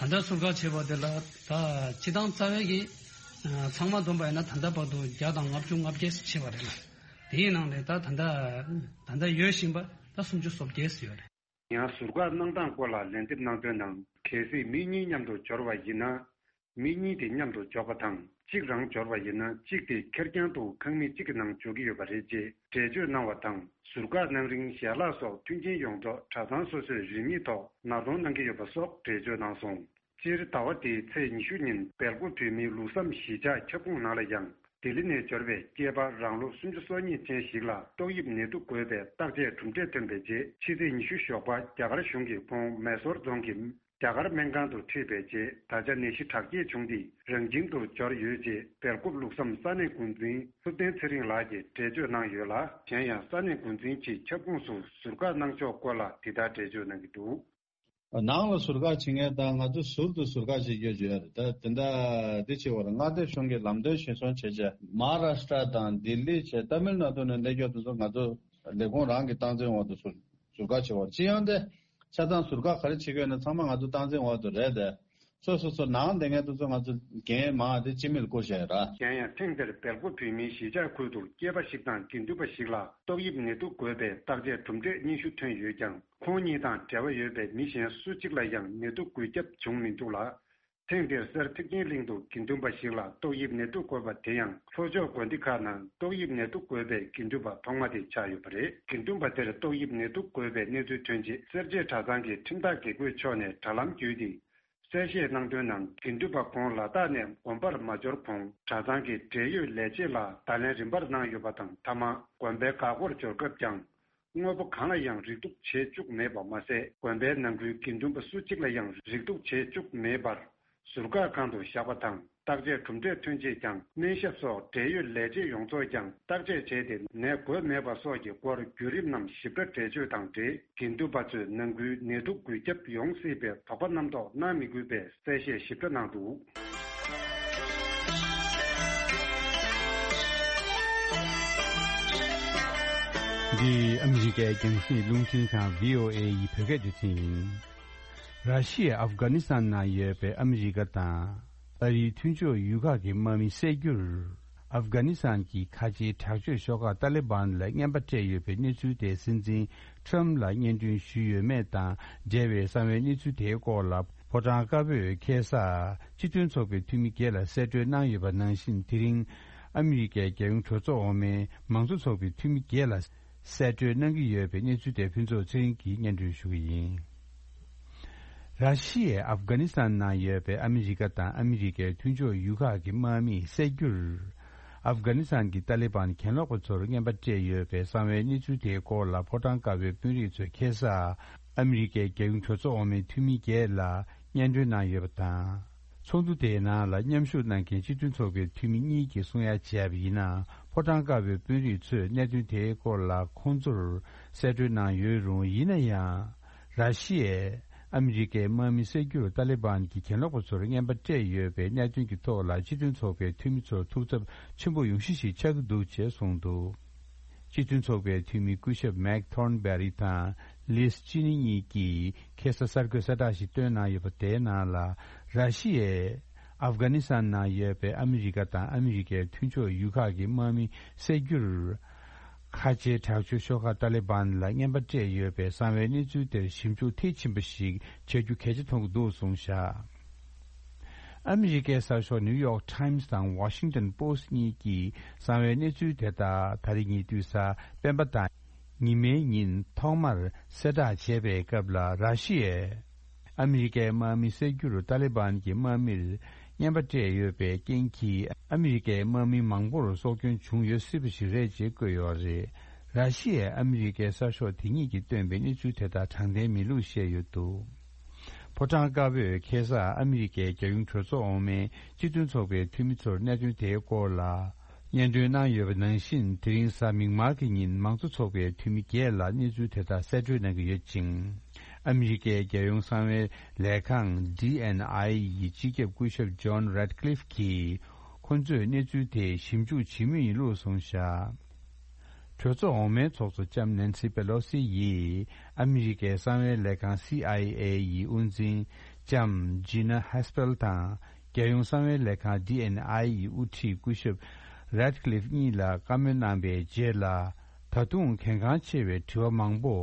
རེད། ད་ལྟ་ཟུར་བཀག་བྱས་པ་དེ་ལ་ད་སྤྱི་བཏང་རྩ་བའི་གི་ཚང་མ་བསྡོམས་པ་ཡིན་ན་ད་ལྟ་བར་དུ་བརྒྱ་དང་ལྔ་བཅུ་ང་བརྒྱད་ཙམ་བྱས་པ་རེད་ལ། དེའི་ནང་ནས་ད་ད་ལྟ་ད་ལྟ་ཡོད་བཞིན་པ་ད་སུམ་ཅུ་སོ་བརྒྱད་ཙམ་ཡོད་རེད། ཡང་ཟུར་བཀག་གནང་སྟངས་སྐོར་ལ་ལན་འདེབས་གནང་དོན་ནང་གལ་སྲིད་མི་གཉིས་མཉམ་དུ་འབྱོར་བ་ཡིན་ན། མི་གཉིས་དེ་མཉམ་དུ་འཇོག་པ་དང་གཅིག་རང་འབྱོར་བ་ཡིན་ན་གཅིག་དེ་ཁེར་རྐྱང་དུ་ཁང་མིག་གཅིག་གི་ནང་འཇོག་གི་ཡོད་པ་རེད་ཅེས་འགྲེལ་བརྗོད་གནང་བ་དང་། ཟུར་བཀག་གནང་རིང་ཞལ་ལག་སོགས་མཐུན་རྐྱེན་ཡོངས་རྫོགས་གྲྭ་ཚང་སོ་སོས་རིན་མེད་ཐོག་ནར་གཏོང་གནང་གི་ཡོད་པ་སོགས་འགྲེལ་བརྗོད་གནང་སོང་། སྤྱིར་ཟླ་བ་འདིའི་ཚེས་ཉི་ཤུ་ཉིན་སྦེལ་ཀོབ་བོད་མིའི་ལུགས་བསམ་གཞིས་ཆགས་ཁྱབ་ཁོངས་ནང་ལ་ཡང་ལྡི་ལི་ནས་འབྱོར་བའི་སྐྱེས་པ་རང་ལོ་སུམ་ཅུ་སོ་གཉིས་ཅན་ཞིག་ལ་ཏོག་དབྱིབས་ནད་དུག་འགོས་པའི་བརྟག་དཔྱད་གྲུབ་འབྲས་ཐོན་པའི་རྗེས་ཕྱི་ཚེས་ཉི་ཤུ་ཞོགས་པ་རྒྱ་གར་གཞུང་གིས་ཁོང་མེ་སོར་རྫོང་གི་རྒྱ་གར་སྨན་ཁང་དུ་ཁྲིད་པའི་རྗེས་ད་ཆ་ནད་གཞི་དྲག་སྐྱེད་བྱུང་སྟེ་རང་ཁྱིམ་དུ་འབྱོར་ཡོད་ཅེས་སྦེལ་ཀོབ་ལུགས་བསམ་ས་གནས་འགོ་འཛིན་ཐུབ་བསྟན་ཚེ་རིང་ལགས་ཀྱིས་འགྲེལ་བརྗོད་གནང་ཡོད་ལ། གཞན་ཡང་ས་གནས་འགོ་འཛིན་གྱིས་ཁྱབ་ཁོངས་སུ་ཟུར་བཀག་གནང་ཕྱོགས་སྐོར་ལ་འདི་ལྟར་འགྲེལ་བརྗོད་གནང་གི་འདུག། ནང་ལ་ཟུར་བཀག་བྱེད་མཁན་དང་ང་ཚོ་ཟུར་དུ་ཟུར་བཀག་བྱེད་རྒྱུ་ཡོད་རེད། ད་དེ་འདྲ་འདི་བྱེད་པར་མངའ་སྡེ་གཞུང་གི་ལམ་སྟོན་གཞིར་བཟུང་བྱས་རྗེས་མ་ཧཱ་རཱ་ཤི་ཏྲ་དང་ལྡི་ལི་བྱས་ཏ་མིལ་ནཱ་ཌུ་ནས་སླེབས་མཁན་དེ་ཚོ་ང་ཚོ་ལས་ཁུངས་རང་གི་སྟངས་འཛིན་འོག་ཏུ་ཟུར་ཟུར་བཀག་བྱེད་པར་སྤྱི་ཡོངས་དེ་ཆ་ཚང་ཟུར་བཀག་ག་རེ་བྱེད་དགོས་ན་ཚང་མ་ང་ཚོ་སྟངས་འཛིན་འོག་ཏུ་རེད་དེ། སོ་སོ་སོ་ནང་བསྡད་མཁན་དེ་ཚོ་ང་ཚོ་འགན་མང་དེ་སྤྱི་མིར་བསྐུར་བཞག་ཡོད་ར། གཞན་ཡང་ཐེངས་འདིར་སྦེལ་ཀོབ་བོད་མིའི་གཞིས་ཆགས་ཁུལ་དུ་སྐྱེས་པ་ཞིག་དང་དགེ་འདུན་པ་ཞིག་ལ་ཏོག་དབྱིབས་ནད་དུག་འགོས་པའི་བརྟག་དཔྱད་གྲུབ་འབྲས་སྙན་ཞུ་ཐོན་ཡོད་ཀྱང་། ཁོང་གཉིས་དང་འབྲེལ་བ་ཡོད་པའི་མི་གཞན་སུ་གཅིག་ལ་ཡང་ནད་དུག་འགོས་ཁྱབ་བྱུང་མི་འདུག་ལ། ཐེངས་འདིར་སེར་ཐེག་ཆེན་གླིང་དུ་དགེ་འདུན་པ་ཞིག་ལ་ཏོག་དབྱིབས་ནད་དུག་འགོས་པ་དེ་ཡང་ལྷོ་ཕྱོགས་དགོན་སྡེ་ཁག་ནང་ཏོག་དབྱིབས་ནད་དུག་འགོས་པའི་དགེ་འདུན་པ་ཐོག་མ་དེ་ཆགས་ཡོད་པ་རེད། དགེ་འདུན་པ་དེར་ཏོག་དབྱིབས་ནད་དུག་འགོས་པའི་གནས་ཚུལ་ཐོན་རྗེས་སེར་བྱེས་གྲྭ་ཚང་གི་ཁྲིམས་བདག་དགེ་བསྐོས་མཆོག་ནས་དྲ་ལམ་བརྒྱུད་དེ་གསལ་བཤད་གནང་དོན་ནང་། དགེ་འདུན་པ་ཁོང་ལ་དྭགས་ནས་དགོན་པར་མ་འབྱོར་གོང་གྲྭ་ཚང་གི་འབྲེལ་ཡོད་ལས་བྱེད་ལ་བརྡ་ལན་རིམ་པར་གནང་ཡོད་པ་དང་། མཐའ་མ་དགོན་པའི་འགག་སྒོར་འབྱོར་སྐབས་ཀྱང་། དངོས་པོ་གང་ལ་ཡང་རིགས་གཏུག་བྱེད་བཅུག་མེད་པ་མ་ཟད། དགོན་པའི་ནང་ཁུལ་དགེ་འདུན་པ་སུ་གཅིག་ལ་ཡང་རིགས་གཏུག་བྱེད་བཅུག་མེད་པར། ཟུར་བཀག་ཁང་དུ་བཞག་པ་དང་། བརྟག་དཔྱད་གྲུབ་འབྲས་ཐོན་རྗེས་ཀྱང་སྨན་ཞབས་སོགས་འབྲེལ་ཡོད་ལས་བྱེད་ཡོངས་རྫོགས་ཀྱང་བརྟག་དཔྱད་བྱས་ཏེ་ནད་འགོས་མེད་པ་སོགས་ཀྱི་སྐོར་བརྒྱུད་རིམ་རྣམས་ཞིབ་ཕྲ་འགྲེལ་བརྗོད་དང་འབྲེལ། དགེ་འདུན་པ་ཚོས་ནང་ཁུལ་ནད་དུག་འགོས་ཁྱབ་ཡོང་སྲིད་པའི་དོགས་པ་རྣམ་རྟོག་གནང་མི་དགོས་པའི་གསལ་བཤད་ཞིབ་ཕྲ་གནང་འདུག། འདི་ཨ་མི་རི་ཀའི་རྒྱང་སྲིང་རླུང་འཕྲིན་ཁང་བྷི་ཨོ་ཨེ་ཡི་བོད་སྐད་སྡེ་ཚན་ཡིན། ར་ཤི་ཡས་ཨབ་གྷ་ནི་སི་ཐན་ནང་ཡོད་པའི་ཨ་མི་རི་ཀ་དང་ཨ་རིའི་མཐུན་ཕྱོགས་ཡུལ་ཁག་གི་དམག་མི་བསད་རྒྱུར། ཨབ་གྷ་ནི་སི་ཐན་གྱི་ཁ་ཆེའི་དྲག་སྤྱོད་ཤོག་ཁག་ཏཱ་ལི་བན་ལ་རྔན་པ་སྤྲད་ཡོད་པའི་གནས་ཚུལ་དེ་སྲིད་འཛིན་ཁྲམ་ལ་སྙན་སྒྲོན་ཞུས་ཡོད་མེད་དང་འབྲེལ་བའི་གསང་བའི་གནས་ཚུལ་དེའི་སྐོར་ལ་ཕོ་བྲང་དཀར་པོས་ཁ་སང་སྤྱི་མཐུན་ཚོགས་པའི་འཐུས་མི་བརྒྱད་ལ་གསལ་སྤྲོད་གནང་ཡོད་པ་ནང་བཞིན། དེ་རིང་ཨ་མི་རི་ཀའི་རྒྱལ་ཡོངས་གྲོས་ཚོགས་འོག་མའི་མང་གཙོ་ཚོགས་པའི་འཐུས་མི་བརྒྱད་ལ་གསལ་སྤྲོད་གནང་གི་ཡོད་པའི་གནས་ཚུལ་དེ་ཕུན་ཚོགས་ཚེ་རིང་གིས་སྙན་སྒྲོན་ཞུ་གི་ཡིན། ར་ཤི་ཡས་ཨབ་གྷ་ནི་སི་ཐན་ནང་ཡོད་པའི་ཨ་མི་རི་ཀ་དང་ཨ་མི་རི་ཀའི་མཐུན་ཕྱོགས་ཡུལ་ཁག་གི་དམག་མིས་བསད་རྒྱུར། ཨབ་གྷ་ནི་སི་ཐན་གྱི་ཏཱ་ལི་བན་གྱེན་ལོག་པ་ཚོར་རྔན་པ་སྤྲད་ཡོད་པའི་གསང་བའི་གནས་ཚུལ་དེའི་སྐོར་ལ་ཕོ་བྲང་དཀར་པོའི་དཔོན་རིགས་ཚོས་ཁ་སང་ཨ་མི་རི་ཀའི་རྒྱལ་ཡོངས་གྲོས་ཚོགས་འོག་མའི་འཐུས་མི་བརྒྱད་ལ་སྙན་སྒྲོན་གནང་ཡོད་པ་དང་། ཚོགས་འདུ་དེའི་ནང་ལ་མཉམ་ཞུགས་གནང་མཁན་སྤྱི་མཐུན་ཚོགས་པའི་འཐུས་མི་གཉིས་ཀྱིས་གསུང་ཡ་བྱས་པ་ཡིན་ན། ཕོ་བྲང་དཀར་པོའི་དཔོན་རིགས་ཚོས་གནད་དོན་དེའི་སྐོར་ལ་ཁོང་ཚོར་གསལ་སྤྲོད་གནང་ཡོད་རུང་། ཡིན་ན་ཡང་། ར་ཤི་ཡས་ཨ་མི་རི་ཀའི་དམག་མི་བསད་རྒྱུར་ཏཱ་ལི་བན་གྱིས་གྱེན་ལོག་པ་ཚོར་རྔན་པ་སྤྲད་ཡོད་པའི་གནད་དོན་གྱི་ཐོག་ལ་སྤྱི་མཐུན་ཚོགས་པའི་འཐུས་མི་ཚོར་ཐུགས་འཚབ་ཆེན་པོ་ཡོང་གཞི་ཞིག་ཆགས་ཀྱི་འདུག་ཅེས་གསུངས་འདུག། སྤྱི་མཐུན་ཚོགས་པའི་འཐུས་མི་སྐུ་ཞབས་མེག་ཐོརན་བེ་རི་དང་ལིས་ཅི་ནི་གཉིས་ཀྱིས་ཁ་སང་གསར་འགོད་གསལ་བསྒྲགས་ཤིག་བཏོན་གནང་ཡོད་པ་དེའི་ནང་ལ། ར་ཤི་ཡས་ཨབ་གྷ་ནི་སི་ཐན་ནང་ཡོད་པའི་ཨ་མི་རི་ཀ་དང་ཨ་མི་རི་ཀའི་མཐུན་ཕྱོགས་ཡུལ་ཁག་གི་དམག་མི་བསད་རྒྱུར། ཁ་ཆེའི་དྲག་སྤྱོད་ཤོག་ཁག་ཏཱ་ལི་བན་ལ་རྔན་པ་སྤྲད་ཡོད་པའི་གསང་བའི་གནས་ཚུལ་དེར་ཞིབ་འཇུག་མཐིལ་ཕྱིན་པ་ཞིག་བྱ་རྒྱུ་གལ་ཆེ་མཐོང་གི་འདུག་གསུངས་བཞག་ཨ་མི་རི་ཀའི་གསར་ཤོག་ནིའུ་ཡོག་ཊའིམ་སི་དང་ཝ་ཤིང་ཊོན་པོ་སི་ཊི་གཉིས་ཀྱིས་གསང་བའི་གནས་ཚུལ་དེ་དག་ད་རེས་ཉེ་དུས་གཟའ་སྤེན་པ་དང་ཉི་མའི་ཉིན་ཐོག་མར་གསལ་བསྒྲགས་བྱས་པའི་སྐབས་ལ། ར་ཤི་ཡས་ཨ་མི་རི་ཀའི་དམག་མི་བསད་རྒྱུར་ཏཱ་ལི་བན་གྱི་དམག་མིར་རྔན་པ་སྤྲད་ཡོད་པའི་རྐྱེན་གྱིས། ཨ་མི་རི་ཀའི་དམག་མི་མང་པོར་སྲོག་སྐྱོན་བྱུང་ཡོད་སྲིད་པ་ཞིག་རེད་ཅེས་བཀོད་ཡོད་རེད། ར་ཤི་ཡས་ཨ་མི་རི་ཀའི་གསར་ཤོག་དེ་གཉིས་ཀྱིས་བཏོན་པའི་གནས་ཚུལ་དེ་དག་དྲང་བདེན་མིན་ལུགས་བཤད་ཡོད་འདུག་ཕོ་བྲང་དཀར་པོས་ཁ་སང་ཨ་མི་རི་ཀའི་རྒྱལ་ཡོངས་གྲོས་ཚོགས་འོག་མའི་སྤྱི་མཐུན་ཚོགས་པའི་འཐུས་མི་ཚོར་གནད་དོན་དེའི་སྐོར་ལ་སྙན་སྒྲོན་གནང་ཡོད་པ་ནང་བཞིན། དེ་རིང་གཟའ་མིག་དམར་གྱི་ཉིན་མང་གཙོ་ཚོགས་པའི་འཐུས་མི་བརྒྱད་ལ་གནས་ཚུལ་དེ་དག་གསལ་བཀྲོལ་གནང་གི་ཡོད་ཅིང་། ཨ་མི་རི་ཀའི་རྒྱལ་ཡོངས་གསང་བའི་ལས་ཁང་ཌི་ཨེན་ཨའི་ཡི་སྤྱི་ཁྱབ་སྐུ་ཞབས་ཇོན་རེད་ཀླིཕ་གྱིས། ཁོ་ཚོས་གནས་ཚུལ་དེ་ཞིབ་འཇུག་བྱེད་མུས་ཡིན་ལུགས་གསུངས་བཞག་གྲོས་ཚོགས་འོག་མའི་ཚོགས་གཙོ་ལྕམ་ནན་སི་པེ་ལོ་སི་ཡིས་ཨ་མི་རི་ཀའི་གསང་བའི་ལས་ཁང་སི་ཨའི་ཨེ་ཡི་དབུ་འཛིན་ལྕམ་ཇི་ན་ཧེ་སྤེལ་དང་། རྒྱལ་ཡོངས་གསང་བའི་ལས་ཁང་ཌི་ཨེན་ཨའི་ཡི་དབུ་ཁྲིད་སྐུ་ཞབས་རེད་ཀླིཕ་གཉིས་ལ་བཀའ་མོལ་གནང་པའི་རྗེས་ལ། ད་དུང་གལ་འགངས་ཆེ་བའི་དྲི་བ་མང་པོ་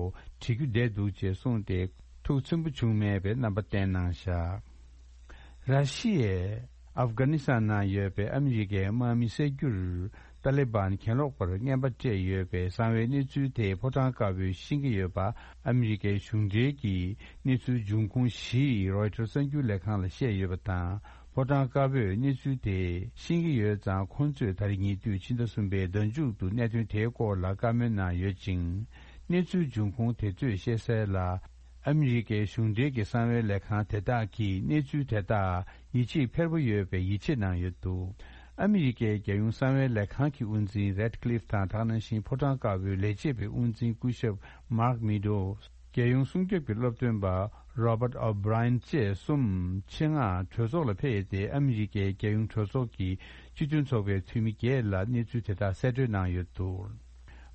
དྲི་རྒྱུ་བསྡད་འདུག་ཅེས་གསུངས་ཏེ། ཐུགས་ཚིམ་པོ་བྱུང་མེད་པའི་རྣམ་པ་བསྟན་གནང་བཞག་ར་ཤི་ཡས་ཨབ་གྷ་ནི་སི་ཐན་ནང་ཡོད་པའི་ཨ་མི་རི་ཀའི་དམག་མི་བསད་རྒྱུར་ཏཱ་ལི་བན་གྱེན་ལོག་པར་རྔན་པ་སྤྲད་ཡོད་པའི་གསང་བའི་གནས་ཚུལ་དེ་ཕོ་བྲང་དཀར་པོས་ཤེས་ཀྱི་ཡོད་པ། ཨ་མི་རི་ཀའི་གཞུང་འབྲེལ་གྱི་གནས་ཚུལ་འབྱུང་ཁུངས་བཞིས་རོའི་ཊར་གསར་འགྱུར་ལས་ཁང་ལ་བཤད་ཡོད་པ་དང་། ཕོ་བྲང་དཀར་པོས་གནས་ཚུལ་དེ་ཤེས་ཀྱི་ཡོད་ཙང་། ཁོང་ཚོས་ད་རེས་ཉེ་དུས་ཕྱི་ཟླ་གསུམ་པའི་ཟླ་མཇུག་ཏུ་གནད་དོན་དེའི་སྐོར་ལ་བཀའ་མོལ་གནང་ཡོད་ཅིང་། གནས་ཚུལ་འབྱུང་ཁུངས་དེ་ཚོས་བཤད་གསལ་ལ། ཨ་མི་རི་ཀའི་གཞུང་འབྲེལ་གྱི་གསང་བའི་ལས་ཁང་དེ་དག་གིས་གནས་ཚུལ་དེ་དག་ཡིད་ཆེས་འཕེར་པོ་ཡོད་པའི་ཡིད་ཆེས་གནང་ཡོད་འདུག་ཨ་མི་རི་ཀའི་རྒྱལ་ཡོངས་གསང་བའི་ལས་ཁང་གི་དབུ་འཛིན་རེད་ཀླིཕ་དང་། དེ་ནང་བཞིན་ཕོ་བྲང་དཀར་པོའི་ལས་བྱེད་པའི་དབུ་འཛིན་སྐུ་ཞབས་མཱག་མི་ཌོ། རྒྱལ་ཡོངས་སྲུང་སྐྱོབ་ཀྱི་སློབ་སྟོན་པ་རོ་བརྟ་ཨོ་བྷི་རའི་ཡན་བཅས་གསུམ་ཆེད་མངགས་གྲོས་ཚོགས་ལ་ཕེབས་ཏེ། ཨ་མི་རི་ཀའི་རྒྱལ་ཡོངས་གྲོས་ཚོགས་ཀྱི་སྤྱི་མཐུན་ཚོགས་པའི་འཐུས་མི་བརྒྱད་ལ་གནས་ཚུལ་དེ་དག་གསལ་བཀྲོལ་གནང་ཡོད་འདུག་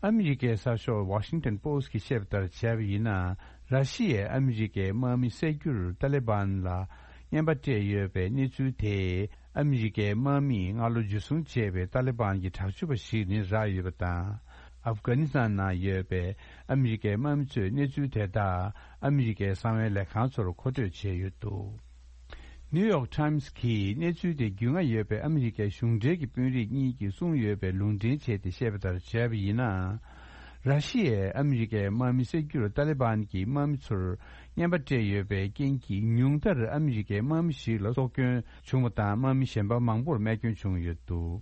ཨ་མི་རི་ཀའི་གསར་ཤོག་ཝ་ཤིང་ཊོན་པོ་སི་ཊི་གིས་བཤད་པ་ལྟར་བྱས་པ་ཡིན་ན། ར་ཤི་ཡས་ཨ་མི་རི་ཀའི་དམག་མི་བསད་རྒྱུར་ཏཱ་ལི་བན་ལ་རྔན་པ་སྤྲད་ཡོད་པའི་གནས་ཚུལ་དེས། ཨ་མི་རི་ཀའི་དམག་མིས་སྔ་ལོ་འཇུ་བཟུང་བྱས་པའི་ཏཱ་ལི་བན་གྱི་དྲག་སྤྱོད་པ་ཞིག་ནི་རག་ཡོད་པ་དང་། ཨབ་གྷ་ནི་སི་ཐན་ནང་ཡོད་པའི་ཨ་མི་རི་ཀའི་དམག་མི་ཚོས་གནས་ཚུལ་དེ་དག་ཨ་མི་རི་ཀའི་གསང་བའི་ལས་ཁང་ཚོར་མཁོ་སྤྲོད་བྱས་ཡོད་འདུག་ནིའུ་ཡོག་ཊའིམ་སི་གིས་གནས་ཚུལ་དེ་རྒྱུས་མངའ་ཡོད་པའི་ཨ་མི་རི་ཀའི་གཞུང་འབྲེལ་གྱི་དཔོན་རིགས་གཉིས་ཀྱིས་གསུངས་ཡོད་པའི་ལུང་འདྲེན་བྱས་ཏེ་བཤད་པ་ལྟར་བྱས་པ་ཡིན་ན། ར་ཤི་ཡས་ཨ་མི་རི་ཀའི་དམག་མི་བསད་རྒྱུར་ཏཱ་ལི་བན་གྱི་དམག་མི་ཚོར་རྔན་པ་སྤྲད་ཡོད་པའི་རྐྱེན་གྱིས། ཉུང་མཐར་ཨ་མི་རི་ཀའི་དམག་མི་ཞིག་ལ་སྲོག་སྐྱོན་བྱུང་བ་དང་། དམག་མི་གཞན་པ་མང་པོར་རྨས་སྐྱོན་བྱུང་ཡོད་འདུག་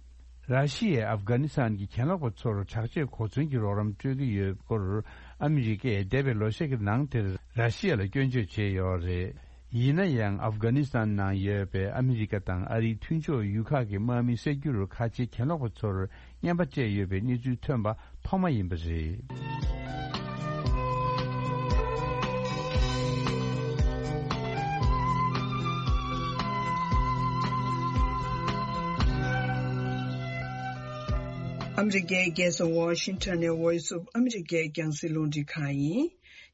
ར་ཤི་ཡས་ཨབ་གྷ་ནི་སི་ཐན་གྱི་གྱེན་ལོག་པ་ཚོར་དྲག་སྐྱེད་གོ་མཚོན་གྱི་རོགས་རམ་སྤྲོད་ཀྱི་ཡོད་སྐོར། ཨ་མི་རི་ཀས་འདས་པའི་ལོ་ཤས་ཀྱི་ནང་དེར་ར་ཤི་ཡ་ལ་སྐྱོན་བརྗོད་བྱས་ཡོད་རེད། ཡིན་ན་ཡང་། ཨབ་གྷ་ནི་སི་ཐན་ནང་ཡོད་པའི་ཨ་མི་རི་ཀ་དང་ཨ་རིའི་མཐུན་ཕྱོགས་ཡུལ་ཁག་གི་དམག་མི་བསད་རྒྱུར་ཁ་ཆེའི་གྱེན་ལོག་པ་ཚོར་རྔན་པ་སྤྲད་ཡོད་པའི་གནས་ཚུལ་ཐོན་པ་ཐོག་མ་ཡིན་པ་རེད། ཨ་མི་རི་ཀའི་རྒྱལ་ས་ཝ་ཤིང་ཊོན་ནས་Voice of America རྒྱང་སྲིང་རླུང་འཕྲིན་ཁང་ཡིན།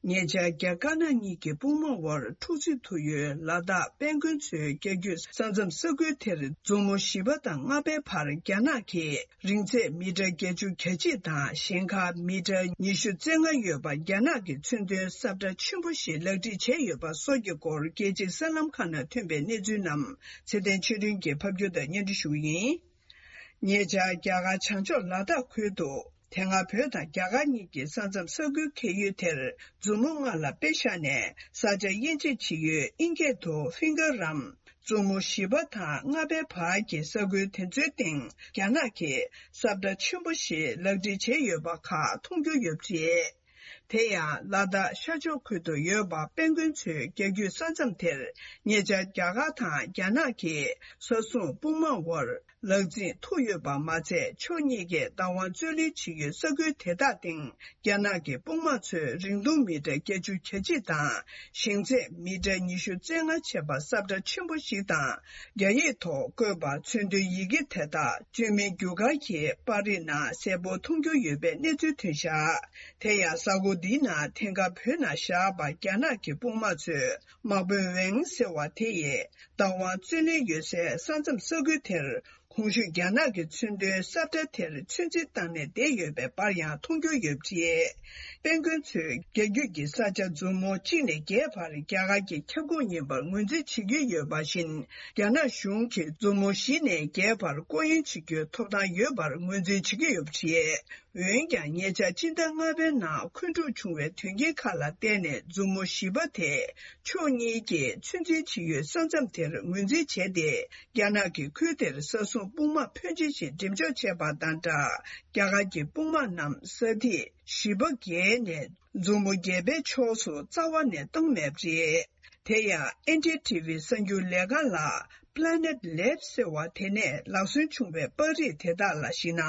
ཉེ་ཆར་རྒྱ་དཀར་ནག་གཉིས་ཀྱི་དཔུང་དམག་དབར་འཁྲུག་རྩོད་ཐུག་ཡུལ་ལ་དྭགས་དཔལ་མགོན་མཚོའི་རྒྱ་རྒྱུད་ས་མཚམས་ས་ཁུལ་དེར་མཛུབ་མོ་བཞི་པ་དང་ལྔ་པའི་བར་རྒྱ་ནག་གིས་རིང་ཚད་མི་ཊར་བརྒྱད་ཅུ་གྱ་གཅིག་དང་ཞེང་ཁ་མི་ཊར་ཉི་ཤུ་རྩ་ལྔ་ཡོད་པ་རྒྱ་ནག་གི་མཚོན་དོན་ས་ཁྲ་ཆེན་པོ་ཞིག་ལག་བྲིས་བྱས་ཡོད་པ་སོགས་ཀྱི་སྐོར་རྒྱལ་སྤྱིའི་གསར་ལམ་ཁག་ནང་ཐོན་པའི་གནས་ཚུལ་རྣམས་ཚེ་བརྟན་ཆོས་སྒྲོན་གྱིས་ཕབ་སྒྱུར་དང་སྙན་སྒྲོན་ཞུ་གི་ཡིན། ཉེ་ཆར་རྒྱ་གར་བྱང་ཕྱོགས་ལ་དྭགས་ཁུལ་དུ་དེ་སྔ་བོད་དང་རྒྱ་གར་གཉིས་ཀྱི་ས་མཚམས་ས་ཁུལ་འཁེལ་ཡུལ་དེར་མཛུབ་མོ་ལྔ་ལ་དཔེ་བཞག་ནས་ས་ཆ་དབྱེ་འབྱེད་བྱེད་ཡུལ་ཨིན་སྐད་དུ་ཕིང་གར་རམ་མཛུབ་མོ་བཞི་པ་དང་ལྔ་པའི་བར་གྱི་ས་ཁུལ་དེ་ཚོའི་སྟེང་རྒྱ་ནག་གིས་ས་ཁྲ་ཆེན་པོ་ཞིག་ལག་བྲིས་བྱས་ཡོད་པ་ཁག་མཐོང་རྒྱུ་ཡོད་པ་རེད། དེ་ཡང་ལ་དྭགས་ཤར་ཕྱོགས་ཁུལ་དུ་ཡོད་པ་དཔལ་མགོན་མཚོའི་རྒྱ་རྒྱུད་ས་མཚམས་དེར་ཉེ་ཆར་རྒྱ་གར་དང་རྒྱ་ནག་གི་ས་སྲུང་དཔུང་དམག་དབར་ལག་འཛིང་ཐུག་ཡོད་པ་མ་ཚད། ཕྱོགས་གཉིས་ཀས་བདག་དབང་རྩོད་ལེན་བྱེད་ཡུལ་ས་ཁུལ་དེ་དག་སྟེང་རྒྱ་ནག་གི་དཔུང་དམག་ཚོས་རིང་ཐུང་མི་ཊར་བརྒྱད་ཅུ་གྱ་གཅིག་དང་ཞེང་ཚད་མི་ཊར་ཉི་ཤུ་རྩ་ལྔ་བྱས་པ་ས་ཁྲ་ཆེན་པོ་ཞིག་དང་། རྒྱ་ཡིག་ཐོག་བཀོད་པ་མཚོན་དོན་ཡི་གེ་དེ་དག་བཅོས་མིན་རྒྱུ་སྐར་གྱི་པར་རིས་ནང་གསལ་པོ་མཐོང་རྒྱུ་ཡོད་པའི་གནས་ཚུལ་ཐོན་བཞག་དེ་ཡང་གཟའ་འཁོར་འདིའི་ནང་ཐེངས་འགའ་བོད་ནང་བཞག་པ་རྒྱ་ནག་གི་དཔུང་དམག་ཚོས་དམག་དཔོན་ཝེང་ཟེར་བ་དེ་ཡིས་བདག་དབང་རྩོད་ལེན་ཡོད་སའི་ས་མཚམས་ས་ཁུལ་དེར་ གོང་ཞུས་རྒྱ་ནག་གི་མཚོན་དོན་ས་ཁྲ་དེར་ཚོད་འཛིན་བཏང་ནས་བསྡད་ཡོད་པའི་པར་ཡང་མཐོང་རྒྱུ་ཡོད་པ་རེད། དཔལ་མགོན་ཚོས་རྒྱ་རྒྱུད་ཀྱི་ས་ཆ་མཛུབ་མོ་གཅིག་ནས་བརྒྱད་བར་རྒྱ་གར་གྱི་ཁྱབ་ཁོངས་ཡིན་པར་ངོས་འཛིན་བྱེད་ཀྱི་ཡོད་པ་བཞིན། རྒྱ་ནག་གཞུང་གིས་མཛུབ་མོ་བཞི་ནས་བརྒྱད་བར་སྐོར་གཡེང་བྱེད་རྒྱུའི་ཐོབ་ཐང་ཡོད་པར་ངོས་འཛིན་བྱེད་ཀྱི་ཡོད་པ་རེད། འོན་ཀྱང་། ཉེ་ཆར་སྤྱི་ཟླ་ལྔ་པའི་ནང་འཁོན་འཁྲུག་བྱུང་བའི་དོན་རྐྱེན་ཁག་ལ་བརྟེན་ནས། མཛུབ་མོ་བཞི་པ་དེ་ཕྱོགས་གཉིས་ཀྱིས་ཚོད་འཛིན་བྱེད་ཡུལ་ས་མཚམས་དེར་ངོས་འཛིན་བྱས་ཏེ། རྒྱ་ནག་གིས་ཁུལ་དེར་ས་སྲུང་དཔུང་དམག་ཕོན་ཆེ་ཞིག་འགྲེམས་འཇོག་བྱས་པ་དང་སྦྲགས། རྒྱ་གར་གྱི་དཔུང་དམག་རྣམས་ས་ཐིག་བཞི་པ་བརྒལ་ནས། མཛུབ་མོ་བརྒྱད་པའི་ཕྱོགས་སུ་རྩ་བ་ནས་བཏང་མེད་པ་རེད། དེ་ཡང་། ཨེན་ཌི་ཊི་ཝི་གསར་འགྱུར་ལས་ཁང་ལ། Planet Labs ཟེར་བ་དེ་ནས་ལག་སོན་བྱུང་བའི་པར་རིས་དེ་དག་ལ་གཞིགས་ན།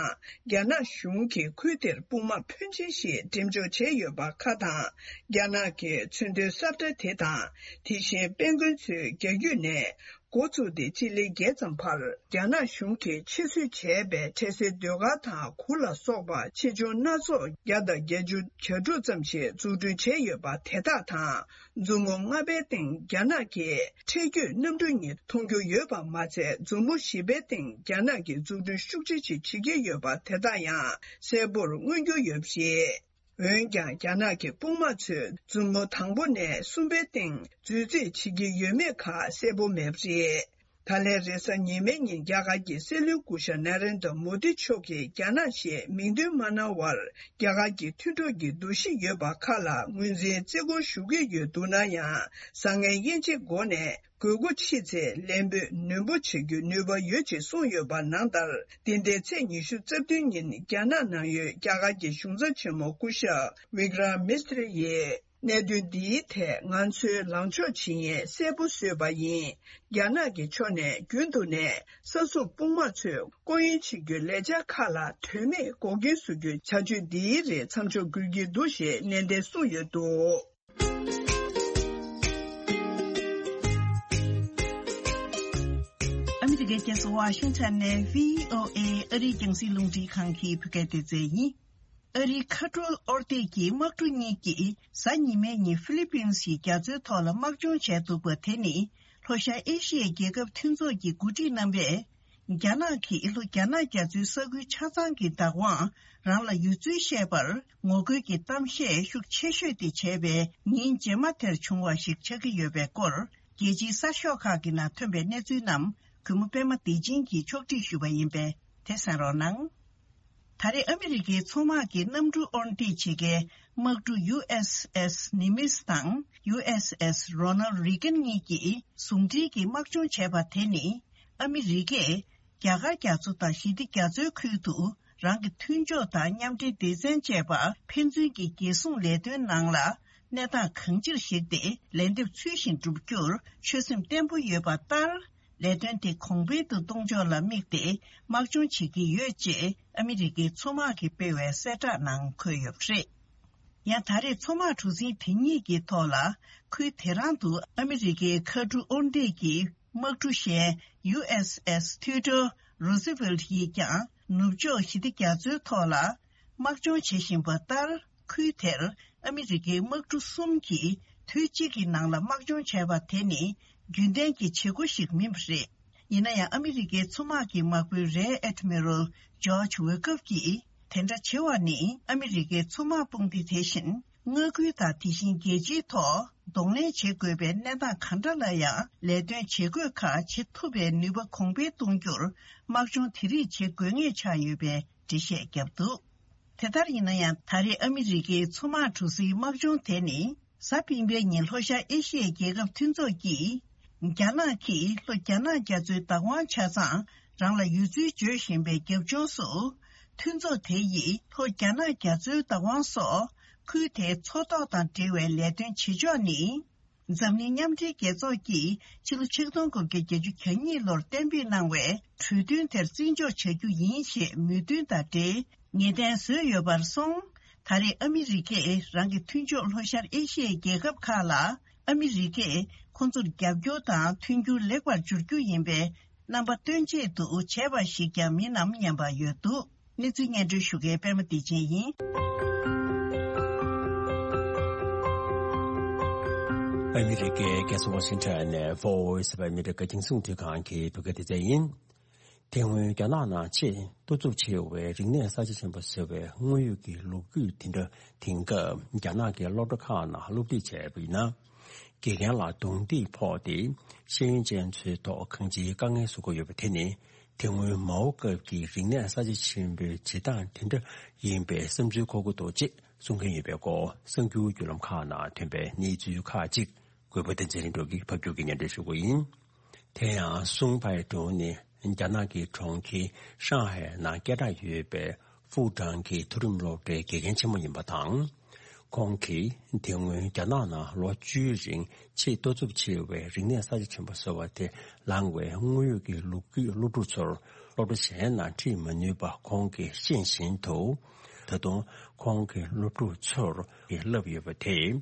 རྒྱ་ནག་གཞུང་གིས་ཁུལ་དེར་དཔུང་དམག་ཕོན་ཆེ་ཞིག་འགྲེམས་འཇོག་བྱས་ཡོད་པ་ཁག་དང་། རྒྱ་ནག་གི་མཚོན་དོན་ས་ཁྲ་དེ་དང་། དེ་བཞིན་དཔལ་མགོན་ཚོས་རྒྱ་རྒྱུད་ནས་འགོ་བཙུགས་ཏེ་སྤྱི་ལེ་བརྒྱད་ཙམ་བར། རྒྱ་ནག་གཞུང་གིས་ཆེད་བཟོས་བྱས་པའི་འཕྲལ་སེལ་ཟློས་གར་དང་གུར་ལ་སོགས་པ་ཆེ་ཆུང་སྣ་ཚོགས་བརྒྱ་དང་བརྒྱད་ཅུ་གྱ་དྲུག་ཙམ་ཞིག་འཛུགས་སྐྲུན་བྱས་ཡོད་པ་དེ་དག་དང་། མཛུབ་མོ་ལྔ་པའི་སྟེང་རྒྱ་ནག་གི་འཕྲེད་བརྒྱུད་གནམ་གྲུ་གཉིས་མཐོང་རྒྱུ་ཡོད་པ་མ་ཚད། མཛུབ་མོ་བཞི་པའི་སྟེང་རྒྱ་ནག་གིས་འཛུགས་སྐྲུན་ཤུགས་ཆེ་ཞིག་བྱེད་ཀྱི་ཡོད་པ་དེ་དག་ཡང་གསལ་པོར་མངོན་རྒྱུ་ཡོད་པ་རེད། འོན་ཀྱང་། རྒྱ་ནག་གི་དཔུང་དམག་ཚོས་མཛུབ་མོ་དང་པོ་ནས་གསུམ་པའི་སྟེང་འཛུལ་རྩིས་བྱེད་ཀྱི་ཡོད་མེད་ཁག་གསལ་པོ་མེད་པ་རེད། ད་ལན་རེས་གཟའ་ཉི་མའི་ཉིན་རྒྱ་གར་གྱི་སྲིད་བློན་སྐུ་ཞབས་ན་རེན་དྲ་མོ་དི་མཆོག་གིས་རྒྱ་ནག་ཞེས་མིང་འདོན་མ་གནང་བར། རྒྱ་གར་གྱི་མཐུན་གྲོགས་ཀྱི་འདུ་ཤེས་ཡོད་པ་ཁག་ལ་ངོས་འཛིན་བརྩི་བཀུར་ཞུ་གི་ཡོད་འདུག་ན་ཡང་། བཟང་ངན་དབྱེ་འབྱེད་སྒོ་ནས་དགོས་མཁོ་ཆེ་ཚེ་ལན་འབོད་ནན་པོ་བྱེད་རྒྱུའི་ནུས་པ་ཡོད་ཅེས་གསུངས་ཡོད་པ་ནང་ལྟར། འདི་ཟླའི་ཚེས་ཉི་ཤུ་རྩ་བདུན་ཉིན་རྒྱ་ནག་ནང་ཡོད་རྒྱ་གར་གྱི་གཞུང་ཚབ་ཆེན་མོ་སྐུ་ཞབས་Vikram Misri ཡིས། གནད་དོན་འདིའི་ཐད་ང་ཚོའི་ལངས་ཕྱོགས་ཇི་ཡིན་གསལ་པོ་བཟོས་པ་ཡིན། རྒྱ་ནག་གི་ཕྱོགས་ནས་རྒྱུན་དུ་ནས་ས་སྲུང་དཔུང་དམག་ཚོས་སྐོར་གཡེང་བྱེད་རྒྱུའི་ལས་འཆར་ཁག་ལ་དོན་མེད་འགོག་རྐྱེན་བཟོ་རྒྱུའི་བྱ་སྤྱོད་འདིའི་རིགས་མཚམས་འཇོག་དགོས་ཀྱི་འདུག་ཞེས་ནན་ཏན་གསུངས་ཡོད་འདུག། ཨ་མི་རི་ཀའི་རྒྱལ་ས་ཝ་ཤིང་ཊོན་ནས་བྷི་ཨོ་ཨེ་ཨ་རིའི་རྒྱང་སྲིང་རླུང་འཕྲིན་ཁང་གི་བོད་སྐད་སྡེ་ཚན་ཡིན། ཨ་རིའི་མཁའ་འགྲུལ་ཨོ་སྡེ་གི་དམག་གྲུ་གཉིས་ཀྱིས་གཟའ་ཉི་མའི་ཉིན་ཧྥི་ལི་པིན་སི་རྒྱ་མཚོའི་ཐོག་ལ་དམག་སྦྱོང་བྱས་འདུག་པ་དེ་ནི་ལྷོ་ཤར་ཨེ་ཤི་ཡའི་རྒྱལ་ཁབ་མཐུན་ཚོགས་ཀྱི་འགོ་ཁྲིད་རྣམ་པས་རྒྱ་ནག་གིས་ལྷོ་རྒྱ་ནག་རྒྱ་མཚོའི་ས་ཁུལ་ཆ་ཚང་གི་བདག་དབང་རང་ལ་ཡོད་ཚུལ་བཤད་པར་ངོ་རྒོལ་གྱི་གཏམ་བཤད་ཤུགས་ཆེ་ཤོས་དེ་བྱས་པའི་ཉིན་རྗེས་མ་དེར་བྱུང་བ་ཞིག་ཆགས་ཀྱི་ཡོད་པའི་སྐོར་རྒྱལ་སྤྱིའི་གསར་ཤོག་ཁག་གི་ནང་ཐོན་པའི་གནས་ཚུལ་རྣམས་གུས་མོ་པད་མ་བདེ་ཆེན་གྱིས་ཕྱོགས་སྒྲིག་ཞུས་པ་ཡིན་པས་དེ་གསན་རོགས་གནང་། ད་རེས་ཨ་མི་རི་ཀའི་མཚོ་དམག་གི་གནམ་གྲུ་དབོར་འདེད་བྱེད་མཁན་དམག་གྲུ་ཡུ་ཨེས་ཨེས་ནི་མིས་དང་ཡུ་ཨེས་ཨེས་རོ་ནལ་རི་གན་གཉིས་ཀྱིས་ཟུང་འབྲེལ་གྱིས་དམག་སྦྱོང་བྱས་པ་དེ་ནི་ཨ་མི་རི་ཀས་རྒྱ་གར་རྒྱ་མཚོ་དང་ཞི་བདེ་རྒྱ་མཚོའི་ཁུལ་དུ་རང་གི་མཐུན་ཕྱོགས་དང་མཉམ་འབྲེལ་སྡེ་ཚན་བཅས་པ་ཕན་ཚུན་གྱི་རྒྱལ་སྲུང་ལས་དོན་ནང་ལ་གནས་སྟངས་གང་ཅིར་གཞིགས་ཏེ་ལན་འདེབས་ཚུལ་བཞིན་བསྒྲུབ་རྒྱུར་ཆོད་སེམས་བརྟན་པོ་ཡོད་པ་ལྟར། ལས་དོན་དེ་གོང་འཕེལ་དུ་གཏོང་ཕྱོགས་ལ་དམིགས་ཏེ་དམག་སྦྱོང་བྱེད་ཀྱི་ཡོད་ཅེས་ཨ་མི་རི་ཀའི་མཚོ་དམག་གིས་སྤེལ་བའི་གསལ་བསྒྲགས་ནང་འཁོད་ཡོད་པ་རེད། ཡང་ད་རེས་མཚོ་དམག་གྲུ་གཟིངས་དེ་གཉིས་ཀྱི་ཐོག་ལ་ཁུལ་དེ་རང་དུ་ཨ་མི་རི་ཀའི་མཁའ་གྲུ་དབོར་འདེད་ཀྱི་དམག་གྲུ་གཞན་ཡུ་ཨེས་ཨེས་ཐིའུ་ཌོར་རོ་སི་ཝེལ་ཡིས་ཀྱང་ནུབ་ཕྱོགས་ཞི་བདེ་རྒྱ་མཚོའི་ཐོག་ལ། དམག་སྦྱོང་བྱེད་བཞིན་པ་ལྟར། ཁུལ་དེར་ཨ་མི་རི་ཀའི་དམག་གྲུ་གསུམ་གྱིས་དུས་གཅིག་གི་ནང་ལ་དམག་སྦྱོང་བྱས་པ་དེ་ནི་རྒྱུན་ལྡན་གྱི་བྱེད་སྒོ་ཞིག་མིན་པ་རེད། ཡིན་ན་ཡང་། ཨ་མི་རི་ཀའི་མཚོ་དམག་གི་དམག་དཔོན་རེར་ཨེ་ཌི་མི་རལ་ཇོརྗ་ཝེ་ཀབ་ཀྱིས། དེ་འདྲ་བྱེད་པ་ནི་ཨ་མི་རི་ཀའི་མཚོ་དམག་དཔུང་སྡེ་དེ་བཞིན་མངའ་ཁུལ་དང་དེ་བཞིན་རྒྱལ་སྤྱིའི་ཐོག་གདོང་ལེན་བྱེད་དགོས་པའི་གནས་སྟངས་ག་འདྲ་ལ་ཡང་ལས་དོན་བྱེད་དགོས་ཁག་བྱེད་ཐུབ་པའི་ནུས་པ་གོང་འཕེལ་གཏོང་རྒྱུར་དམག་སྦྱོང་དེ་རིགས་བྱེད་དགོས་ངེས་ཆགས་ཡོད་པའི་འགྲེལ་བཤད་བརྒྱབ་འདུག། དེ་ལྟར་ཡིན་ན་ཡང་། ད་རེས་ཨ་མི་རི་ཀའི་མཚོ་དམག་གྲུ་གཟིངས་དམག་སྦྱོང་དེ་ནི་གཟའ་སྤེན་པའི་ཉིན་ལྷོ་ཤར་ཨེ་ཤི་ཡའི་རྒྱལ་ཁབ་མཐུན་ཚོགས་ཀྱིས། རྒྱ་ནག་གིས་ལྷོ་རྒྱ་ནག་རྒྱ་མཚོའི་བདག་དབང་ཆ་ཚང་རང་ལ་ཡོད་ཚུལ་བརྗོད་བཞིན་པའི་རྒྱབ་ལྗོངས་སུ། མཐུན་ཚོགས་དེ་ཡིས་ལྷོ་རྒྱ་ནག་རྒྱ་མཚོའི་བདག་དབང་སོགས་ཁུལ་དེའི་མཚོ་ཐོག་དང་འབྲེལ་བའི་ལས་དོན་བྱེད་ཕྱོགས་ནི། འཛམ་གླིང་མཉམ་འབྲེལ་རྒྱལ་ཚོགས་ཀྱིས་ཕྱི་ལོ་ཆིག་སྟོང་དགུ་བརྒྱ་བརྒྱད་ཅུ་གྱ་གཉིས་ལོར་གཏན་འབེབས་གནང་བའི་གྲོས་མཐུན་དེར་བརྩི་འཇོག་བྱ་རྒྱུ་ཡིན་ཞེས་མོས་མཐུན་དང་འབྲེལ་ངེས་གཏན་བཟོས་ཡོད་པར་སོང་། ད་རེས་ཨ་མི་རི་ཀས་རང་གི་མཐུན་ཕྱོགས་ལྷོ་ཤར་ཨེ་ཤི་ཡའི་རྒྱལ་ཁབ་ཁག་ལ་ཨ་མི་རི་ཀས་ཁོང་ཚོར་རྒྱབ་སྐྱོར་དང་མཐུན་འགྱུར་ལེགས་པར་འབྱོར་རྒྱུ་ཡིན་པའི་རྣམ་པ་སྟོན་ཆེད་དུ་བྱས་པ་ཞིག་ཀྱང་མིན་ནམ་སྙམ་པ་ཡོད་འདུག། གནས་ཚུལ་སྙན་སྒྲོན་ཞུ་མཁན་པད་མ་བདེ་ཆེན་ཡིན། ཨ་མི་རི་ཀའི་རྒྱལ་ས་ཝ་ཤིང་ཊོན་ནས་Voice of America རྒྱང་སྲིང་རླུང་འཕྲིན་ཁང་གི་བོད་སྐད་སྡེ་ཚན་ཡིན། དེ་སྔོན་རྒྱ་ནག་ནང་ཆེས་ལྟོ་ཚུགས་ཆེ་བའི་རིག་གནས་གསར་བརྗེ་ཆེན་པོ་ཟེར་བའི་དངོས་ཡོད་ཀྱི་ལོ་རྒྱུས་དེ་འདྲ་དེང་སྐབས་རྒྱ་ནག་གི་སློབ་གྲྭ་ཁག་ནང་སློབ་ཁྲིད་བྱས་པ་ཡིན་ན། དགེ་རྒན་ལ་རྡུང་རྡེག་ཕོག་སྟེ་ཤེས་ཡོན་ཅན་ཚོའི་ཐོག་གང་ཅིའི་དཀའ་ངལ་བཟོ་གི་ཡོད་པ་དེ་ནི། དེ་སྔོན་མའོ་སྐབས་ཀྱི་རིག་གནས་གསར་བརྗེ་ཆེན་པོའི་བྱེད་སྟངས་དེ་འདྲ་ཡིན་པའི་བསམ་ཚུལ་འཁོར་གྱི་འདུག་ཅེས་གསུང་མཁན་ཡོད་པའི་སྐོར་གསར་འགྱུར་བརྒྱུད་ལམ་ཁག་ནང་ཐོན་པའི་གནས་ཚུལ་ཁག་ཅིག་གུས་པ་བསྟན་འཛིན་ལྷུན་གྲུབ་ཀྱིས་ཕབ་སྒྱུར་གྱིས་སྙན་སྒྲོན་ཞུ་གི་ཡིན། དེ་ཡང་སུང་ཕའེ་ཀྲུའུ་ནི་རྒྱ་ནག་གི་གྲོང་ཁྱེར་ཧྲང་ཧའེ་ནང་སྐད་གྲགས་ཡོད་པའི་ཧྥུའུ་ཀྲང་གི་མཐོ་རིམ་སློབ་གྲྭའི་དགེ་རྒན་ཆེན་མོ་ཡིན་པ་དང་། ཁོང་གིས་དེ་སྔོན་རྒྱ་ནག་ནང་ལོ་བཅུའི་རིང་ཆེས་ལྟོ་ཚུགས་ཆེ་བའི་རིག་གནས་གསར་བརྗེ་ཆེན་པོ་ཟེར་བ་དེ་བླངས་བའི་དངོས་ཡོད་ཀྱི་ལོ་རྒྱུས་སློབ་ཕྲུག་ཚོར་སློབ་གྲྭ་གཞན་ནང་ཁྲིད་མ་ནུས་པ་ཁོང་གིས་ཤེས་བཞིན་དུ། ད་དུང་ཁོང་གི་སློབ་ཕྲུག་ཚོར་བསླབས་ཡོད་པ་དེས།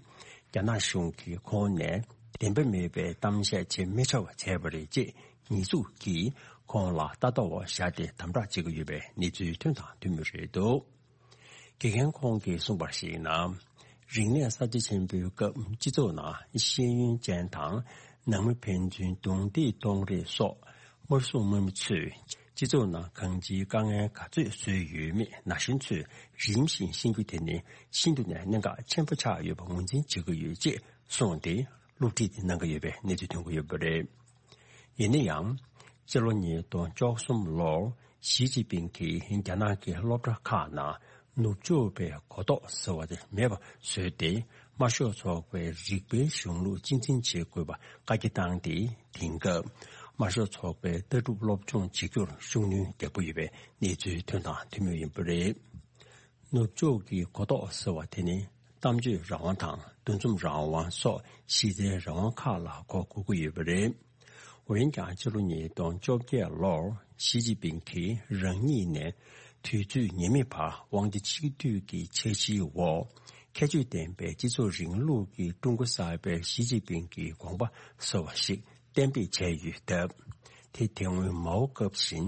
རྒྱ་ནག་གཞུང་གིས་ཁོང་ནས་བདེན་པ་མེད་པའི་གཏམ་བཤད་བྱེད་མི་བྱ་བ་བྱས་པ་རེད་ཅེས་ཉེས་འཛུགས་ཀྱིས་ཁོང་ལ་ལྟ་རྟོག་བྱས་ཏེ་དམ་དྲག་བྱེད་ཀྱི་ཡོད་པའི་གནས་ཚུལ་ཐོན་དང་ཐོན་མུས་རེད་འདུག་དགེ་རྒན་ཁོང་གིས་གསུངས་པར་གཞིགས་ན། རིག་གནས་གསར་བརྗེ་ཆེན་པོའི་སྐབས་སྤྱི་ཚོགས་ནང་ཤེས་ཡོན་ཅན་དང་ནང་མི་ཕན་ཚུན་རྡུང་རྡེག་གཏོང་རེས་སོགས་དམར་སྲུང་དམག་མི་ཚོས་སྤྱི་ཚོགས་ནང་གང་ཅིའི་དཀའ་ངལ་ག་ཚོད་བཟོས་ཡོད་མེད་ན་གཞོན་ཚོས་རིམ་བཞིན་ཤེས་རྒྱུ་དེ་ནི་ཤིན་ཏུ་ནས་གནད་འགག་ཆེན་པོ་ཆགས་ཡོད་པ་ངོས་འཛིན་བྱེད་ཀྱི་ཡོད་ཅེས་གསུངས་ཏེ། སློབ་ཁྲིད་དེ་གནང་གི་ཡོད་པའི་གནས་ཚུལ་ཐོན་གྱི་ཡོད་པ་རེད། ཡིན་ན་ཡང་། སྤྱི་ལོ་ཉིས་སྟོང་བཅུ་གསུམ་ལོར་ཞི་ཅིན་ཕིང་གིས་རྒྱ་ནག་གི་སློབ་གྲྭ་ཁག་ནང་ནུབ་ཕྱོགས་པའི་གོ་རྟོགས་ཟེར་བ་དེ་མེད་པ་བཟོས་ཏེ། དམར་ཤོག་ཚོགས་པའི་རིག་པའི་གཞུང་ལུགས་གཅེས་འཛིན་བྱེད་དགོས་པ་བཀའ་རྒྱ་བཏང་སྟེ། དེང་སྐབས་དམར་ཤོག་ཚོགས་པའི་ལྟ་གྲུབ་སློབ་སྦྱོང་བྱེད་རྒྱུར་ཤུགས་སྣོན་རྒྱག་གི་ཡོད་པའི་གནས་ཚུལ་ཐོན་དང་ཐོན་མུས་ཡིན་པ་རེད། ནུབ་ཕྱོགས་ཀྱི་གོ་རྟོགས་ཟེར་བ་དེ་ནི་གཏམ་བརྗོད་རང་དབང་དང་འདུ་འཛོམས་རང་དབང་སོགས་གཞི་རྩའི་རང་དབང་ཁག་ལ་གོ་དགོས་ཀྱི་ཡོད་པ་རེད། འོན་ཀྱང་ཕྱི་ལོ་ཉིས་སྟོང་བཅོ་བརྒྱད་ལོར་ཞི་ཅིན་ཕིང་གིས་རང་ཉིད་ནས་དུས་ཚོད་ངེས་མེད་བར་དབང་ཆ་གཅིག་སྡུད་ཀྱི་འཆར་གཞིའི་འོག་ཁྱད་ཆོས་ལྡན་པའི་སྤྱི་ཚོགས་རིང་ལུགས་ཀྱི་ཀྲུང་གོ་གསར་པའི་ཞི་ཅིན་ཕིང་གི་དགོངས་པ་ཟེར་བ་ཞིག་གཏན་འབེབས་བྱས་ཡོད་སྟབས། དེ་དེ་སྔོན་མའོ་སྐབས་བཞིན་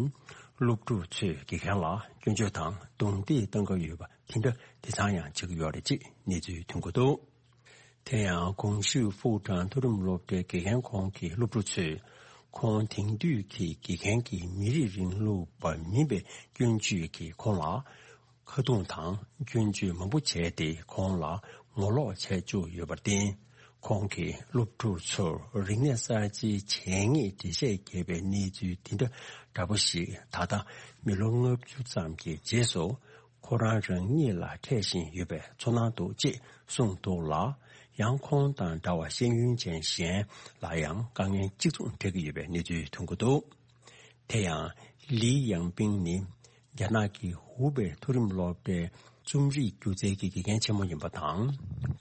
སློབ་ཕྲུག་ཚོས་དགེ་རྒན་ལ་སྐྱོན་བརྗོད་དང་རྡུང་རྡེག་གཏང་གི་ཡོད་པ་དེ་འདྲ་དེ་ཚང་ཡང་བྱེད་ཀྱི་ཡོད་རེད་ཅེས་གནས་ཚུལ་ཐོན་གྱི་འདུག་དེ་ཡང་གོང་ཞུས་ཧྥུའུ་ཀྲང་མཐོ་རིམ་སློབ་གྲྭའི་དགེ་རྒན་ཁོང་གི་སློབ་ཕྲུག་ཚོས་ཁོང་དེང་དུས་ཀྱི་དགེ་རྒན་གྱི་མི་རིགས་རིང་ལུགས་པ་མིན་པའི་སྐྱོན་བརྗོད་ཀྱིས་ཁོང་ལ། ཁ་རྡུང་དང་སྐྱོན་བརྗོད་མང་པོ་བྱས་ཏེ་ཁོང་ལ་ངོ་ལོག་བྱས་བཅུག་ཡོད་པར་བརྟེན། ཁོང་གིས་སློབ་ཕྲུག་ཚོར་རིག་གནས་གསར་བརྗེའི་བྱས་ཉེས་འགྲེལ་བཤད་བརྒྱབ་པའི་གནས་ཚུལ་དེ་འདྲ་འདྲ་པོ་ཞིག་ད་ལྟ་མི་ལོ་ལྔ་བཅུ་ཙམ་གྱི་རྗེས་སུ་ཁོ་རང་རང་ཉིད་ལ་འཕྲད་བཞིན་ཡོད་པའི་ཚོར་སྣང་འདུག་ཅེས་གསུངས་འདུག་ལ། ཡང་ཁོང་དང་འདྲ་བ་ཤེས་ཡོན་ཅན་གཞན་ལ་ཡང་དཀའ་ངལ་གཅིག་མཚུངས་འཕྲད་ཀྱི་ཡོད་པའི་གནས་ཚུལ་ཐོན་གྱི་འདུག་དེ་ཡང་། ལི་ཡང་པིང་ནི་རྒྱ་ནག་གི་ཧུའུ་པེ་མཐོ་རིམ་སློབ་གྲྭའི་རྩོམ་རིག་སྒྱུ་རྩལ་གྱི་དགེ་རྒན་ཆེན་མོ་ཡིན་པ་དང་།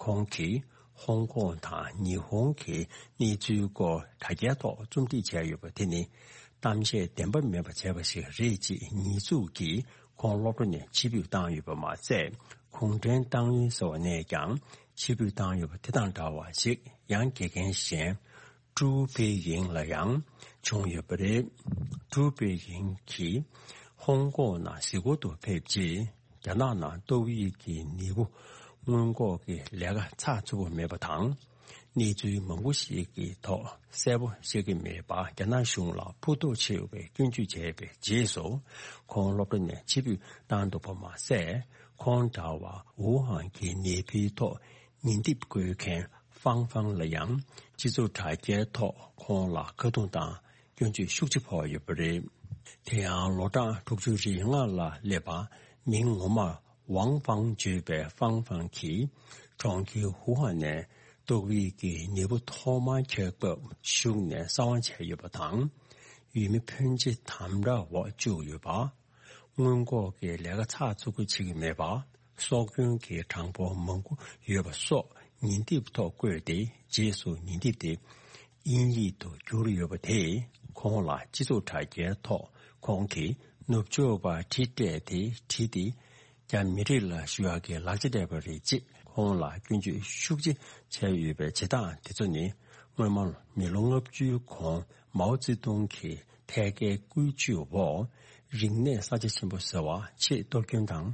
ཁོང་གིས་ཧོང་ཀོང་དང་ཉི་ཧོང་གི་གནས་ཚུལ་སྐོར་དྲ་རྒྱའི་ཐོག་རྩོམ་སྒྲིག་བྱས་ཡོད་པ་དེ་ནི་གཏམ་བཤད་བདེན་པ་མེད་པ་བྱས་པ་ཞིག་རེད་ཅེས་ཉེས་འཛུགས་ཀྱིས་ཁོང་སློབ་གྲྭ་ནས་ཕྱིར་འབུད་བཏང་ཡོད་པ་མ་ཟད། གུང་ཁྲན་ཏང་ཡོན་ཟེར་བ་ནས་ཀྱང་ཕྱིར་འབུད་བཏང་ཡོད་པ་དེ་དང་འདྲ་བ་ཞིག་ཡང་དགེ་རྒན་གཞན། ཀྲུའུ་པེ་ཡིང་ལ་ཡང་བྱུང་ཡོད་པ་རེད། ཀྲུའུ་པེ་ཡིང་གིས་ཧོང་ཀོང་ནང་གཟིགས་སྐོར་དུ་ཕེབས་རྗེས། རྒྱ་ནག་ནང་ཏོག་དབྱིབས་ཀྱི་ནད་འབུ་སྔོན་འགོག་གི་ལས་ཀ་ཚགས་ཚུད་པོ་མེད་པ་དང་། གནས་ཚུལ་མང་པོ་ཞིག་གི་ཐོག་གསལ་པོ་ཤེས་ཀྱི་མེད་པར་རྒྱ་ནག་གཞུང་ལ་ཕུགས་རྡོག་ཆེ་བའི་སྐྱོན་བརྗོད་བྱས་པའི་རྗེས་སུ། ཁོང་སློབ་གྲྭ་ནས་ཕྱིར་འབུད་བཏང་འདུག་པ་མ་ཟད། ཁོང་འདྲ་བར་ཝུ་ཧན་གྱི་ནད་འབུའི་ཐོག་ཉེས་འདེབས་བཀོད་མཁན་ཧྥང་ཧྥང་ལ་ཡང་སྤྱི་ཚོགས་དྲ་རྒྱའི་ཐོག་ཁོང་ལ་ཁ་རྡུང་དང་སྐྱོན་བརྗོད་ཤུགས་ཆེ་ཕོག་ཡོད་པ་རེད། དེ་ཡང་ལོ་གྲངས་དྲུག་ཅུ་རེ་ལྔ་ལ་སླེབས་པ་མིང་ངོ་མར་ཝང་ཧྥང་བརྗོད་པའི་ཧྥང་ཧྥང་གིས་གྲོང་ཁྱེར་ཧུའུ་ཧན་ནས་ཏོག་དབྱིབས་ཀྱི་ནད་འབུ་ཐོག་མར་ཁྱབ་སྐབས་ཞུགས་ནས་གསང་བ་བྱས་ཡོད་པ་དང་། ཡུལ་མི་ཕོན་ཆེ་དམ་དྲག་འོག་བཅུག་ཡོད་པ། སྔོན་འགོག་གི་ལས་ཀ་ཚགས་ཚུད་པོ་བྱེད་ཀྱི་མེད་པ། སྲོག་སྐྱོན་གྱི་གྲངས་འབོར་མང་པོ་ཡོད་པ་སོགས་ཉེས་འདེབས་ཐོག་བཀོད་དེ། རྗེས་སུ་ཉེས་འདེབས་དེ་དབྱིན་ཡིག་ཏུ་བསྒྱུར་ཡོད་པ་དེས་ཁོང་ལ་སྤྱི་ཚོགས་དྲ་རྒྱའི་ཐོག་ཁོང་གིས་ནུབ་ཕྱོགས་པ་དྲི་སྤྲད་དེ་བྲིས་ཏེ། རྒྱ་མི་རིགས་ལ་ཞུ་ཡག་གི་ལག་ཆ་སྤྲད་པ་རེད་ཅེས་ཁོང་ལ་སྐྱོན་བརྗོད་ཤུགས་ཆེ་བྱས་ཡོད་པའི་བྱེད་སྟངས་དེ་ཚོ་ནི། སྔོན་མ་མི་ལོ་ལྔ་བཅུའི་གོང་མའོ་ཙེ་ཏུང་གི་ཐད་ཀའི་བཀོད་ཇུས་འོག་རིག་གནས་གསར་བརྗེ་ཆེན་པོ་ཟེར་བ་ཆེས་གཏོར་སྐྱོན་དང་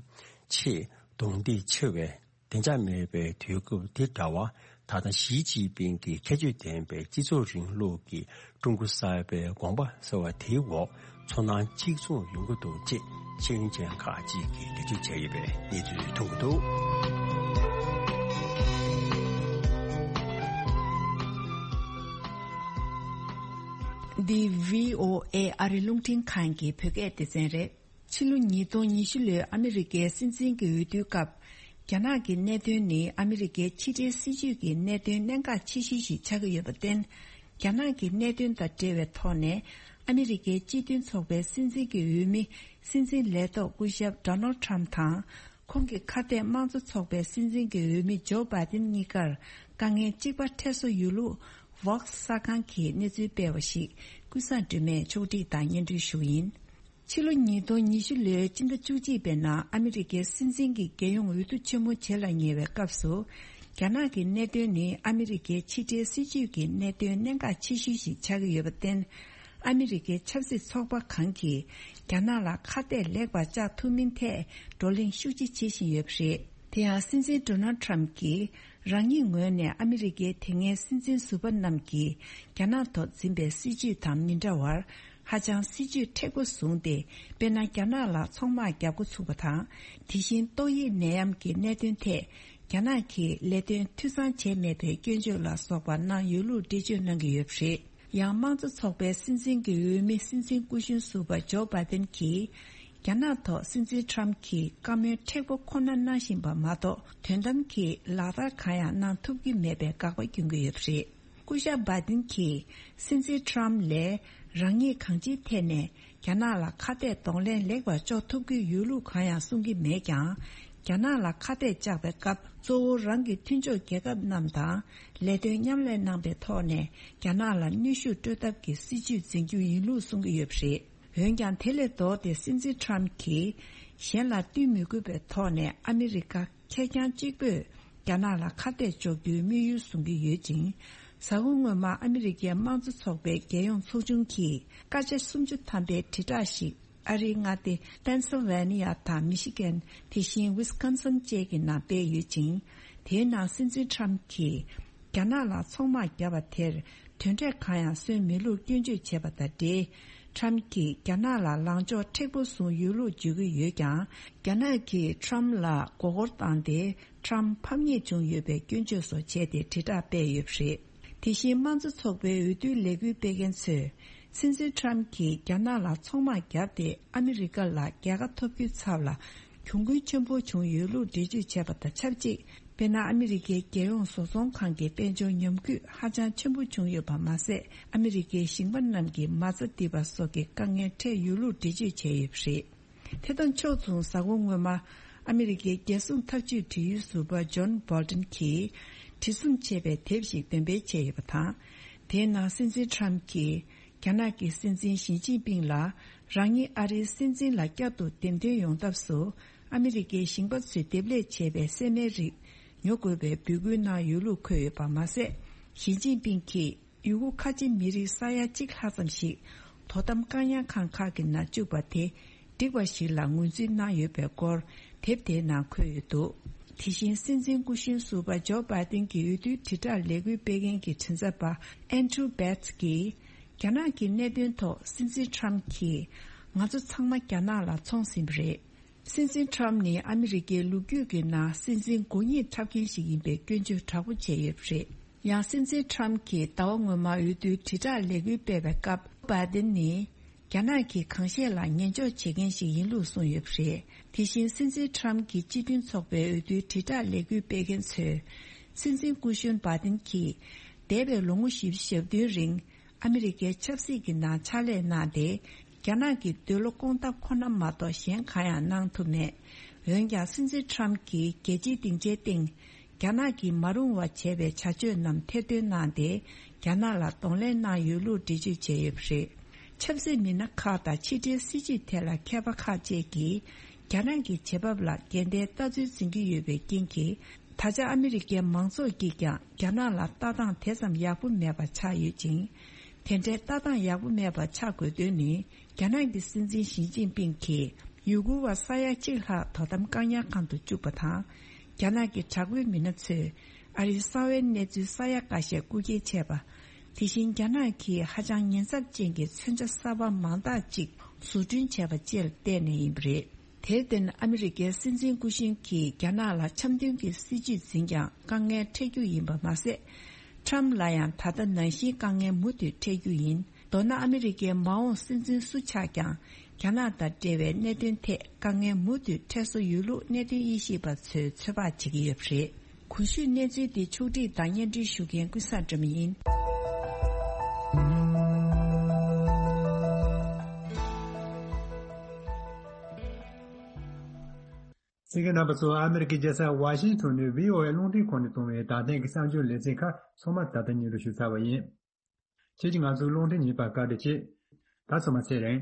ཆེས་རྡུང་རྡེག་ཆེ་བའི་བདེ་འཇགས་མེད་པའི་དུས་སྐབས་དེ་འདྲ་བ་ ད་ལྟ་ཞི་ཅིན་ཕིང་གི་ཁྱད་ཆོས་ལྡན་པའི་སྤྱི་ཚོགས་རིང་ལུགས་ཀྱི་ཀྲུང་གོ་གསར་པའི་དགོངས་པ་ཟེར་བ་དེའི་འོག་ཚོར་སྣང་གཅིག་མཚུངས་ཡོང་གི་འདུག་ཅེས་ཤེས་ཡོན་ཅན་ཁག་ཅིག་གིས་འགྲེལ་བརྗོད་བྱས་ཡོད་པའི་གནས་ཚུལ་ཐོན་གྱི་འདུག། འདི་བྷི་ཨོ་ཨེ་ཨ་རི་རླུང་འཕྲིན་ཁང་གི་བོད་སྐད་སྡེ་ཚན་རེད། ཕྱི་ལོ་ཉིས་སྟོང་ཉི་ཤུ་ལོའི་ཨ་མི་རི་ཀའི་སྲིད་འཛིན་གྱི་འོས་བསྡུའི་སྐབས། རྒྱ་ནག་གི་གནད་དོན་ནི་ཨ་མི་རི་ཀའི་ཕྱི་འབྲེལ་སྲིད་ཇུས་ཀྱི་གནད་དོན་གནད་འགག་ཆེ་ཤོས་ཤིག་ཆགས་ཀྱི་ཡོད་པར་བརྟེན། རྒྱ་ནག་གི་གནད་དོན་དང་འབྲེལ་བའི་ཐོག་ནས། ཨ་མི་རི་ཀའི་སྤྱི་མཐུན་ཚོགས་པའི་སྲིད་འཛིན་གྱི་འོས་མི་སྲིད་འཛིན་ལས་ཐོག་སྐུ་ཞབས་Donald Trump་དང་། ཁོང་གི་ཁ་གཏད་དམངས་གཙོ་ཚོགས་པའི་སྲིད་འཛིན་གྱི་འོས་མི་ཇོ་བྷའི་ཏིན་གཉིས་ཀར་དཀའ་ངལ་གཅིག་པ་འཕྲད་སྲོལ་ཡོད་ལུགས་Vox་གསར་ཁང་གིས་གནས་ཚུལ་སྤེལ་བ་ཞིག་ཀུན་བཟང་སྒྲོལ་མས་ཕྱོགས་སྒྲིག་དང་སྙན་སྒྲོན་ཞུ་གི་ཡིན། ཕྱི་ལོ་ཉིས་སྟོང་ཉི་ཤུ་ལོའི་སྤྱི་ཟླ་བཅུ་གཅིག་པའི་ནང་ཨ་མི་རི་ཀའི་སྲིད་འཛིན་གྱི་རྒྱལ་ཡོངས་འོས་བསྡུ་ཆེན་མོ་བྱེད་ལ་ཉེ་བའི་སྐབས་སུ། རྒྱ་ནག་གི་གནད་དོན་ནི་ཨ་མི་རི་ཀའི་ཕྱི་འབྲེལ་སྲིད་ཇུས་ཀྱི་གནད་དོན་གནད་འགག་ཆེ་ཤོས་ཤིག་ཆགས་ཀྱི་ཡོད་པར་བརྟེན། ཨ་མི་རི་ཀའི་ཆབ་སྲིད་ཚོགས་པ་གང་གིས་རྒྱ་ནག་ལ་ཁ་གཏད་ལེགས་པར་བཅག་ཐུབ་མིན་ཐད་བགྲོ་གླེང་ཤུགས་ཆེ་བྱེད་བཞིན་ཡོད་པ་རེད། དེ་ཡང་སྲིད་འཛིན་Donald Trump་གྱིས་རང་ཉིད་ངོས་ནས་ཨ་མི་རི་ཀའི་དེ་སྔའི་སྲིད་འཛིན་ཟུར་པ་རྣམས་ཀྱིས་རྒྱ་ནག་ཐོག་འཛིན་པའི་སྲིད་བྱུས་དང་མི་འདྲ་བར། ཧ་ཅང་སྲིད་བྱུས་མཁྲེགས་པོ་བཟུང་སྟེ། དཔེར་ན། རྒྱ་ནག་ལ་ཚོང་དམག་རྒྱག་འགོ་ཚུགས་པ་དང་། དེ་བཞིན་ཏོག་དབྱིབས་ནད་ཡམས་ཀྱི་གནད་དོན་ཐད། རྒྱ་ནག་གིས་ལས་དོན་འཐུས་ཚང་བྱས་མེད་པའི་སྐྱོན་བརྗོད་ལ་སོགས་པ་གནང་ཡོད་ལུགས་འགྲེལ་བརྗོད་གནང་གི་ཡོད་པ་རེད། ཡང་། དམངས་གཙོ་ཚོགས་པའི་སྲིད་འཛིན་གྱི་འོས་མི་སྲིད་འཛིན་སྐུ་གཞོན་ཟུར་པ་ཇོ་བྷའི་ཏིན་གྱིས། རྒྱ་ནག་ཐོག་སྲིད་འཛིན་Trump་གྱིས་བཀའ་མོལ་མཁྲེགས་པོ་ཁོ་ན་གནང་བཞིན་པ་མ་གཏོགས། དོན་དམ་གྱི་ལག་བསྟར་གང་ཡང་གནང་ཐུབ་ཀྱི་མེད་པའི་དགག་པ་བསྐྱོན་གྱི་ཡོད་པ་རེད། སྐུ་ཞབས་བྷའི་ཏིན་གྱིས་སྲིད་འཛིན་Trump་ལས་རང་ཉིད་གང་ཅིའི་ཐད་ནས་རྒྱ་ནག་ལ་ཁ་གཏད་གདོང་ལེན་ལེགས་པར་གཅོག་ཐུབ་ཀྱི་ཡོད་ལུགས་གང་ཡང་གསུང་གི་མེད་ཀྱང་། རྒྱ་ནག་ལ་ཁ་གཏད་བཅག་པའི་སྐབས། གཙོ་བོ་རང་གི་མཐུན་ཕྱོགས་རྒྱལ་ཁབ་རྣམས་དང་ལས་དོན་མཉམ་ལས་གནང་པའི་ཐོག་ནས་རྒྱ་ནག་ལ་གནོན་ཤུགས་སྤྲོད་ཐབས་ཀྱི་སྲིད་བྱུས་འཛིན་རྒྱུ་ཡིན་ལུགས་གསུང་གི་ཡོད་པ་རེད། འོན་ཀྱང་། དེ་ལས་ལྡོག་སྟེ་སྲིད་འཛིན་Trump་གྱིས་གཞན་ལ་བསྟུན་མི་དགོས་པའི་ཐོག་ནས་ཨ་མི་རི་ཀ་ཁེར་རྐྱང་གཅིག་པོས་རྒྱ་ནག་ལ་ཁ་གཏད་གཅོག་རྒྱུའི་དམིགས་ཡུལ་བཟུང་གི་ཡོད་ཅིང་། གཟའ་འཁོར་སྔོན་མ་ཨ་མི་རི་ཀའི་དམངས་གཙོ་ཚོགས་པའི་རྒྱལ་ཡོངས་ཚོགས་ཆུང་གིས་སྐར་ཆ་སུམ་ཅུ་ཐམ་པའི་དྲིལ་བསྒྲགས་ཤིག་ཨ་རིའི་མངའ་སྡེ་Pennsylvania་དང་Michigan། དེ་བཞིན་Wisconsin་བཅས་ཀྱི་ནང་སྤེལ་ཡོད་ཅིང་། དེའི་ནང་སྲིད་འཛིན་Trump་གྱིས་རྒྱ་ནག་ལ་ཚོང་དམག་བརྒྱབ་པ་དེར་དོན་འབྲས་གང་ཡང་སོན་མེད་ལུགས་སྐྱོན་བརྗོད་བྱས་པ་དང་འབྲེལ། Trump་གྱིས་རྒྱ་ནག་ལ་ལངས་ཕྱོགས་མཁྲེགས་པོ་བཟུང་ཡོད་ལུགས་བརྗོད་ཀྱི་ཡོད་ཀྱང་། རྒྱ་ནག་གིས་Trump་ལ་མགོ་སྐོར་བཏང་སྟེ། Trump་ཕམ་ཉེས་བྱུང་ཡོད་པའི་སྐྱོན་བརྗོད་སོགས་བྱས་ཏེ་དྲིལ་བསྒྲགས་སྤེལ་ཡོད་པ་རེད། དེ་བཞིན་དམངས་གཙོ་ཚོགས་པའི་འོས་བསྡུའི་ལས་འགུལ་སྤེལ་མཁན་ཚོས། སྲིད་འཛིན་Trump་གྱིས་རྒྱ་ནག་ལ་ཚོང་དམག་བརྒྱབ་སྟེ་ཨ་མི་རི་ཀ་ལ་རྒྱལ་ཁ་ཐོབ་རྒྱུའི་ཚབ་ལ་གྱོང་གུན་ཆེན་པོ་བྱུང་ཡོད་ལུགས་འགྲེལ་བརྗོད་བྱས་པ་དང་ཆབས་ཅིག་དཔེར་ན། ཨ་མི་རི་ཀའི་རྒྱལ་ཡོངས་བཟོ་ཚོང་ཁང་གི་དཔལ་འབྱོར་ཉམས་རྒུད་ཧ་ཅང་ཆེན་པོ་བྱུང་ཡོད་པ་མ་ཟད། ཨ་མི་རི་ཀའི་ཞིང་པ་རྣམས་ཀྱི་མ་རྩ་རྡིབ་པ་སོགས་ཀྱི་དཀའ་ངལ་འཕྲད་ཡོད་ལུགས་འགྲེལ་བརྗོད་བྱས་ཡོད་པ་རེད། དེ་དང་ཕྱོགས་མཚུངས། གཟའ་འཁོར་སྔོན་མ། ཨ་མི་རི་ཀའི་རྒྱལ་སྲུང་ཐབས་ཇུས་དྲི་ཡུལ་ཟུར་པ་John Bolton་གྱིས། བྲིས་རྩོམ་བྱས་པའི་དེབ་ཞིག་འདོན་སྤེལ་བྱས་ཡོད་པ་དང་། དེའི་ནང་སྲིད་འཛིན་Trump་གྱིས། རྒྱ་ནག་གི་སྲིད་འཛིན་ཞི་ཅིན་ཕིང་ལ། རང་ཉིད་ཨ་རིའི་སྲིད་འཛིན་ལ་བསྐྱར་དུ་འདེམས་ཐོན་ཡོང་ཐབས་སུ། ཨ་མི་རི་ཀའི་ཞིང་པ་ཚོས་འདེབས་ལས་བྱས་པའི་སྲན་མའི་རིགས་ཉོ་དགོས་པའི་འབོད་སྐུལ་གནང་ཡོད་ལུགས་འཁོད་ཡོད་པ་མ་ཟད། ཞི་ཅིན་ཕིང་གིས། ཡུ་གུར་ཁ་ཆེ་མི་རིགས་ས་ཡ་གཅིག་ལྷག་ཙམ་ཞིག་དོ་དམ་བཀག་ཉར་ཁང་ཁག་གི་ནང་བཅུག་པ་དེ་འགྲིག་པ་ཞིག་ལ་ངོས་འཛིན་གནང་ཡོད་པའི་སྐོར་དེབ་དེའི་ནང་འཁོད་ཡོད་འདུག་དེ་བཞིན་སྲིད་འཛིན་སྐུ་གཞོན་ཟུར་པ་ཇོ་བྷའི་ཏིན་གྱི་འོས་བསྡུའི་དྲིལ་བསྒྲགས་ལས་འགུལ་སྤེལ་མཁན་གྱི་མགྲིན་ཚབ་པ་Andrew Bates་གྱིས། རྒྱ་ནག་གི་གནད་དོན་ཐོག་སྲིད་འཛིན་Trump་གྱིས། ང་ཚོ་ཚང་མ་རྒྱ་ནག་ལ་ཚོང་ཟིན་པ་རེད། སྲིད་འཛིན་Trump་ནི་ཨ་མི་རི་ཀའི་ལོ་རྒྱུས་ཀྱི་ནང་སྲིད་འཛིན་མགོ་རྙེད་འཁྲབ་མཁན་ཞིག་ཡིན་པའི་སྐྱོན་བརྗོད་དྲག་པོ་བྱས་ཡོད་པ་རེད། ཡང་སྲིད་འཛིན་Trump་གྱིས་ཟླ་བ་སྔོན་མ་འོས་བསྡུའི་དྲིལ་བསྒྲགས་ལས་འགུལ་སྤེལ་བའི་སྐབས། བྷའི་ཏིན་ནི་རྒྱ་ནག་གི་གང་བཤད་ལ་ཉན་འཇོག་བྱེད་མཁན་ཞིག་ཡིན་ལུགས་གསུངས་ཡོད་པ་རེད། དེ་བཞིན་སྲིད་འཛིན་Trump་གྱི་སྤྱི་མཐུན་ཚོགས་པའི་འོས་བསྡུའི་དྲིལ་བསྒྲགས་ལས་འགུལ་སྤེལ་མཁན་ཚོས། སྲིད་འཛིན་སྐུ་གཞོན་བྷའི་ཏིན་གྱིས་འདས་པའི་ལོ་ངོ་བཞི་བཅུ་ཞེ་བདུན་རིང་། ཨ་མི་རི་ཀའི་ཆབ་སྲིད་ཀྱི་ནང་ཕྱག་ལས་གནང་སྟེ། རྒྱ་ནག་གི་འདོད་བློ་སྐོང་ཐབས་ཁོ་ན་མ་གཏོགས་གཞན་གང་ཡང་གནང་ཐུབ་མེད། འོན་ཀྱང་། སྲིད་འཛིན་Trump་གྱིས་རྒྱལ་སྤྱིའི་སྡིངས་ཆའི་སྟེང་། རྒྱ་ནག་གིས་མ་རུང་བ་བྱས་པའི་བྱ་སྤྱོད་རྣམས་ཐེར་འདོན་གནང་སྟེ། རྒྱ་ནག་ལ་གདོང་ལེན་གནང་ཡོད་ལུགས་འགྲེལ་བརྗོད་བྱས་ཡོད་པ་རེད། ཆབ་སྲིད་མི་སྣ་ཁག་དང་ཕྱི་འབྲེལ་སྲིད་བྱུས་ཐད་ལ་མཁས་པ་ཁག་ཅིག་གིས། རྒྱ་ནག་གི་བྱེད་བབ་ལ་འགལ་ཟླའི་ལྟ་ཚུལ་འཛིན་གྱི་ཡོད་པའི་རྐྱེན་གྱིས། ད་ཆ་ཨ་མི་རི་ཀའི་མང་ཚོགས་ཀྱིས་ཀྱང་རྒྱ་ནག་ལ་ལྟ་སྟངས་དེ་ཙམ་ཡག་པོ་མེད་པ་ཆགས་ཡོད་ཅིང་། དེ་འདྲའི་ལྟ་སྟངས་ཡག་པོ་མེད་པ་ཆགས་དགོས་དོན་ནི། རྒྱ་ནག་གི་སྲིད་འཛིན་ཞི་ཅིན་ཕིང་གིས་ཡུ་གུར་བ་ས་ཡ་གཅིག་ལྷག་དོ་དམ་བཀག་ཉར་ཁང་དུ་བཅུག་པ་དང་། རྒྱ་ནག་གི་དྲག་པོའི་མི་སྣ་ཚོས་ ཨ་རིའི་གསང་བའི་གནས་ཚུལ་ས་ཡ་འགའ་ཤས་རྐུ་འཁྱེར་བྱས་པ། དེ་བཞིན་རྒྱ་ནག་གིས་ཧ་ཅང་ཉེན་ཚབས་ཅན་གྱི་མཚོན་ཆ་གསར་པ་མང་དག་ཅིག་བཟོ་སྐྲུན་བྱས་པ་བཅས་ལ་བརྟེན་ནས་ཡིན་པ་རེད། དེར་བརྟེན་ཨ་མི་རི་ཀའི་སྲིད་འཛིན་སྐུ་གཞོན་གྱིས་རྒྱ་ནག་ལ་འཆམ་མཐུན་གྱི་སྲིད་བྱུས་འཛིན་ཀྱང་དཀའ་ངལ་འཕྲད་རྒྱུ་ཡིན་པ་མ་ཟད། ཁྲམ་ལ་ཡང་ད་ལྟ་ནང་བཞིན་དཀའ་ངལ་མུ་མཐུད་འཕྲད་རྒྱུ་ཡིན། མདོར་ན་ཨ་མི་རི་ཀའི་མ་འོངས་སྲིད་འཛིན་སུ་ཆགས་ཀྱང་རྒྱ་ནག་དང་འབྲེལ་བའི་གནད་དོན་ཐད་དཀའ་ངལ་མུ་མཐུད་འཕྲད་བཟོ་ཡོད་ལུགས་གནད་དོན་དབྱེ་ཞིབ་པ་ཚོས་ཚོད་དཔག་བྱེད་ཀྱི་ཡོད་པ་རེད། གོང་ཞུས་གནས་ཚུལ་འདི་ཕྱོགས་སྒྲིག་དང་སྙན་སྒྲོན་ཞུ་མཁན་ཀུན་བཟང་སྒྲོལ་མ་ཡིན། གསན་མཁན་རྣམ་པ་ཚོ། ཨ་མི་རི་ཀའི་རྒྱལ་ས་ཝ་ཤིང་ཊོན་ནས་བྷི་ཨོ་ཨེ་རླུང་འཕྲིན་ཁང་ནས་གཏོང་བའི་ད་ཐེངས་ཀྱི་གསར་འགྱུར་ལེ་ཚན་ཁག་ཚང་མ་ད་ལྟ་སྙན་སྒྲོན་ཞུ་ཚར་བ་ཡིན། ཁྱེད་ཀྱིས་ང་ཚོའི་རླུང་འཕྲིན་ཉན་པར་བཀའ་དྲིན་ཆེ། ད་ཚང་མ་ཚེ་རིང་།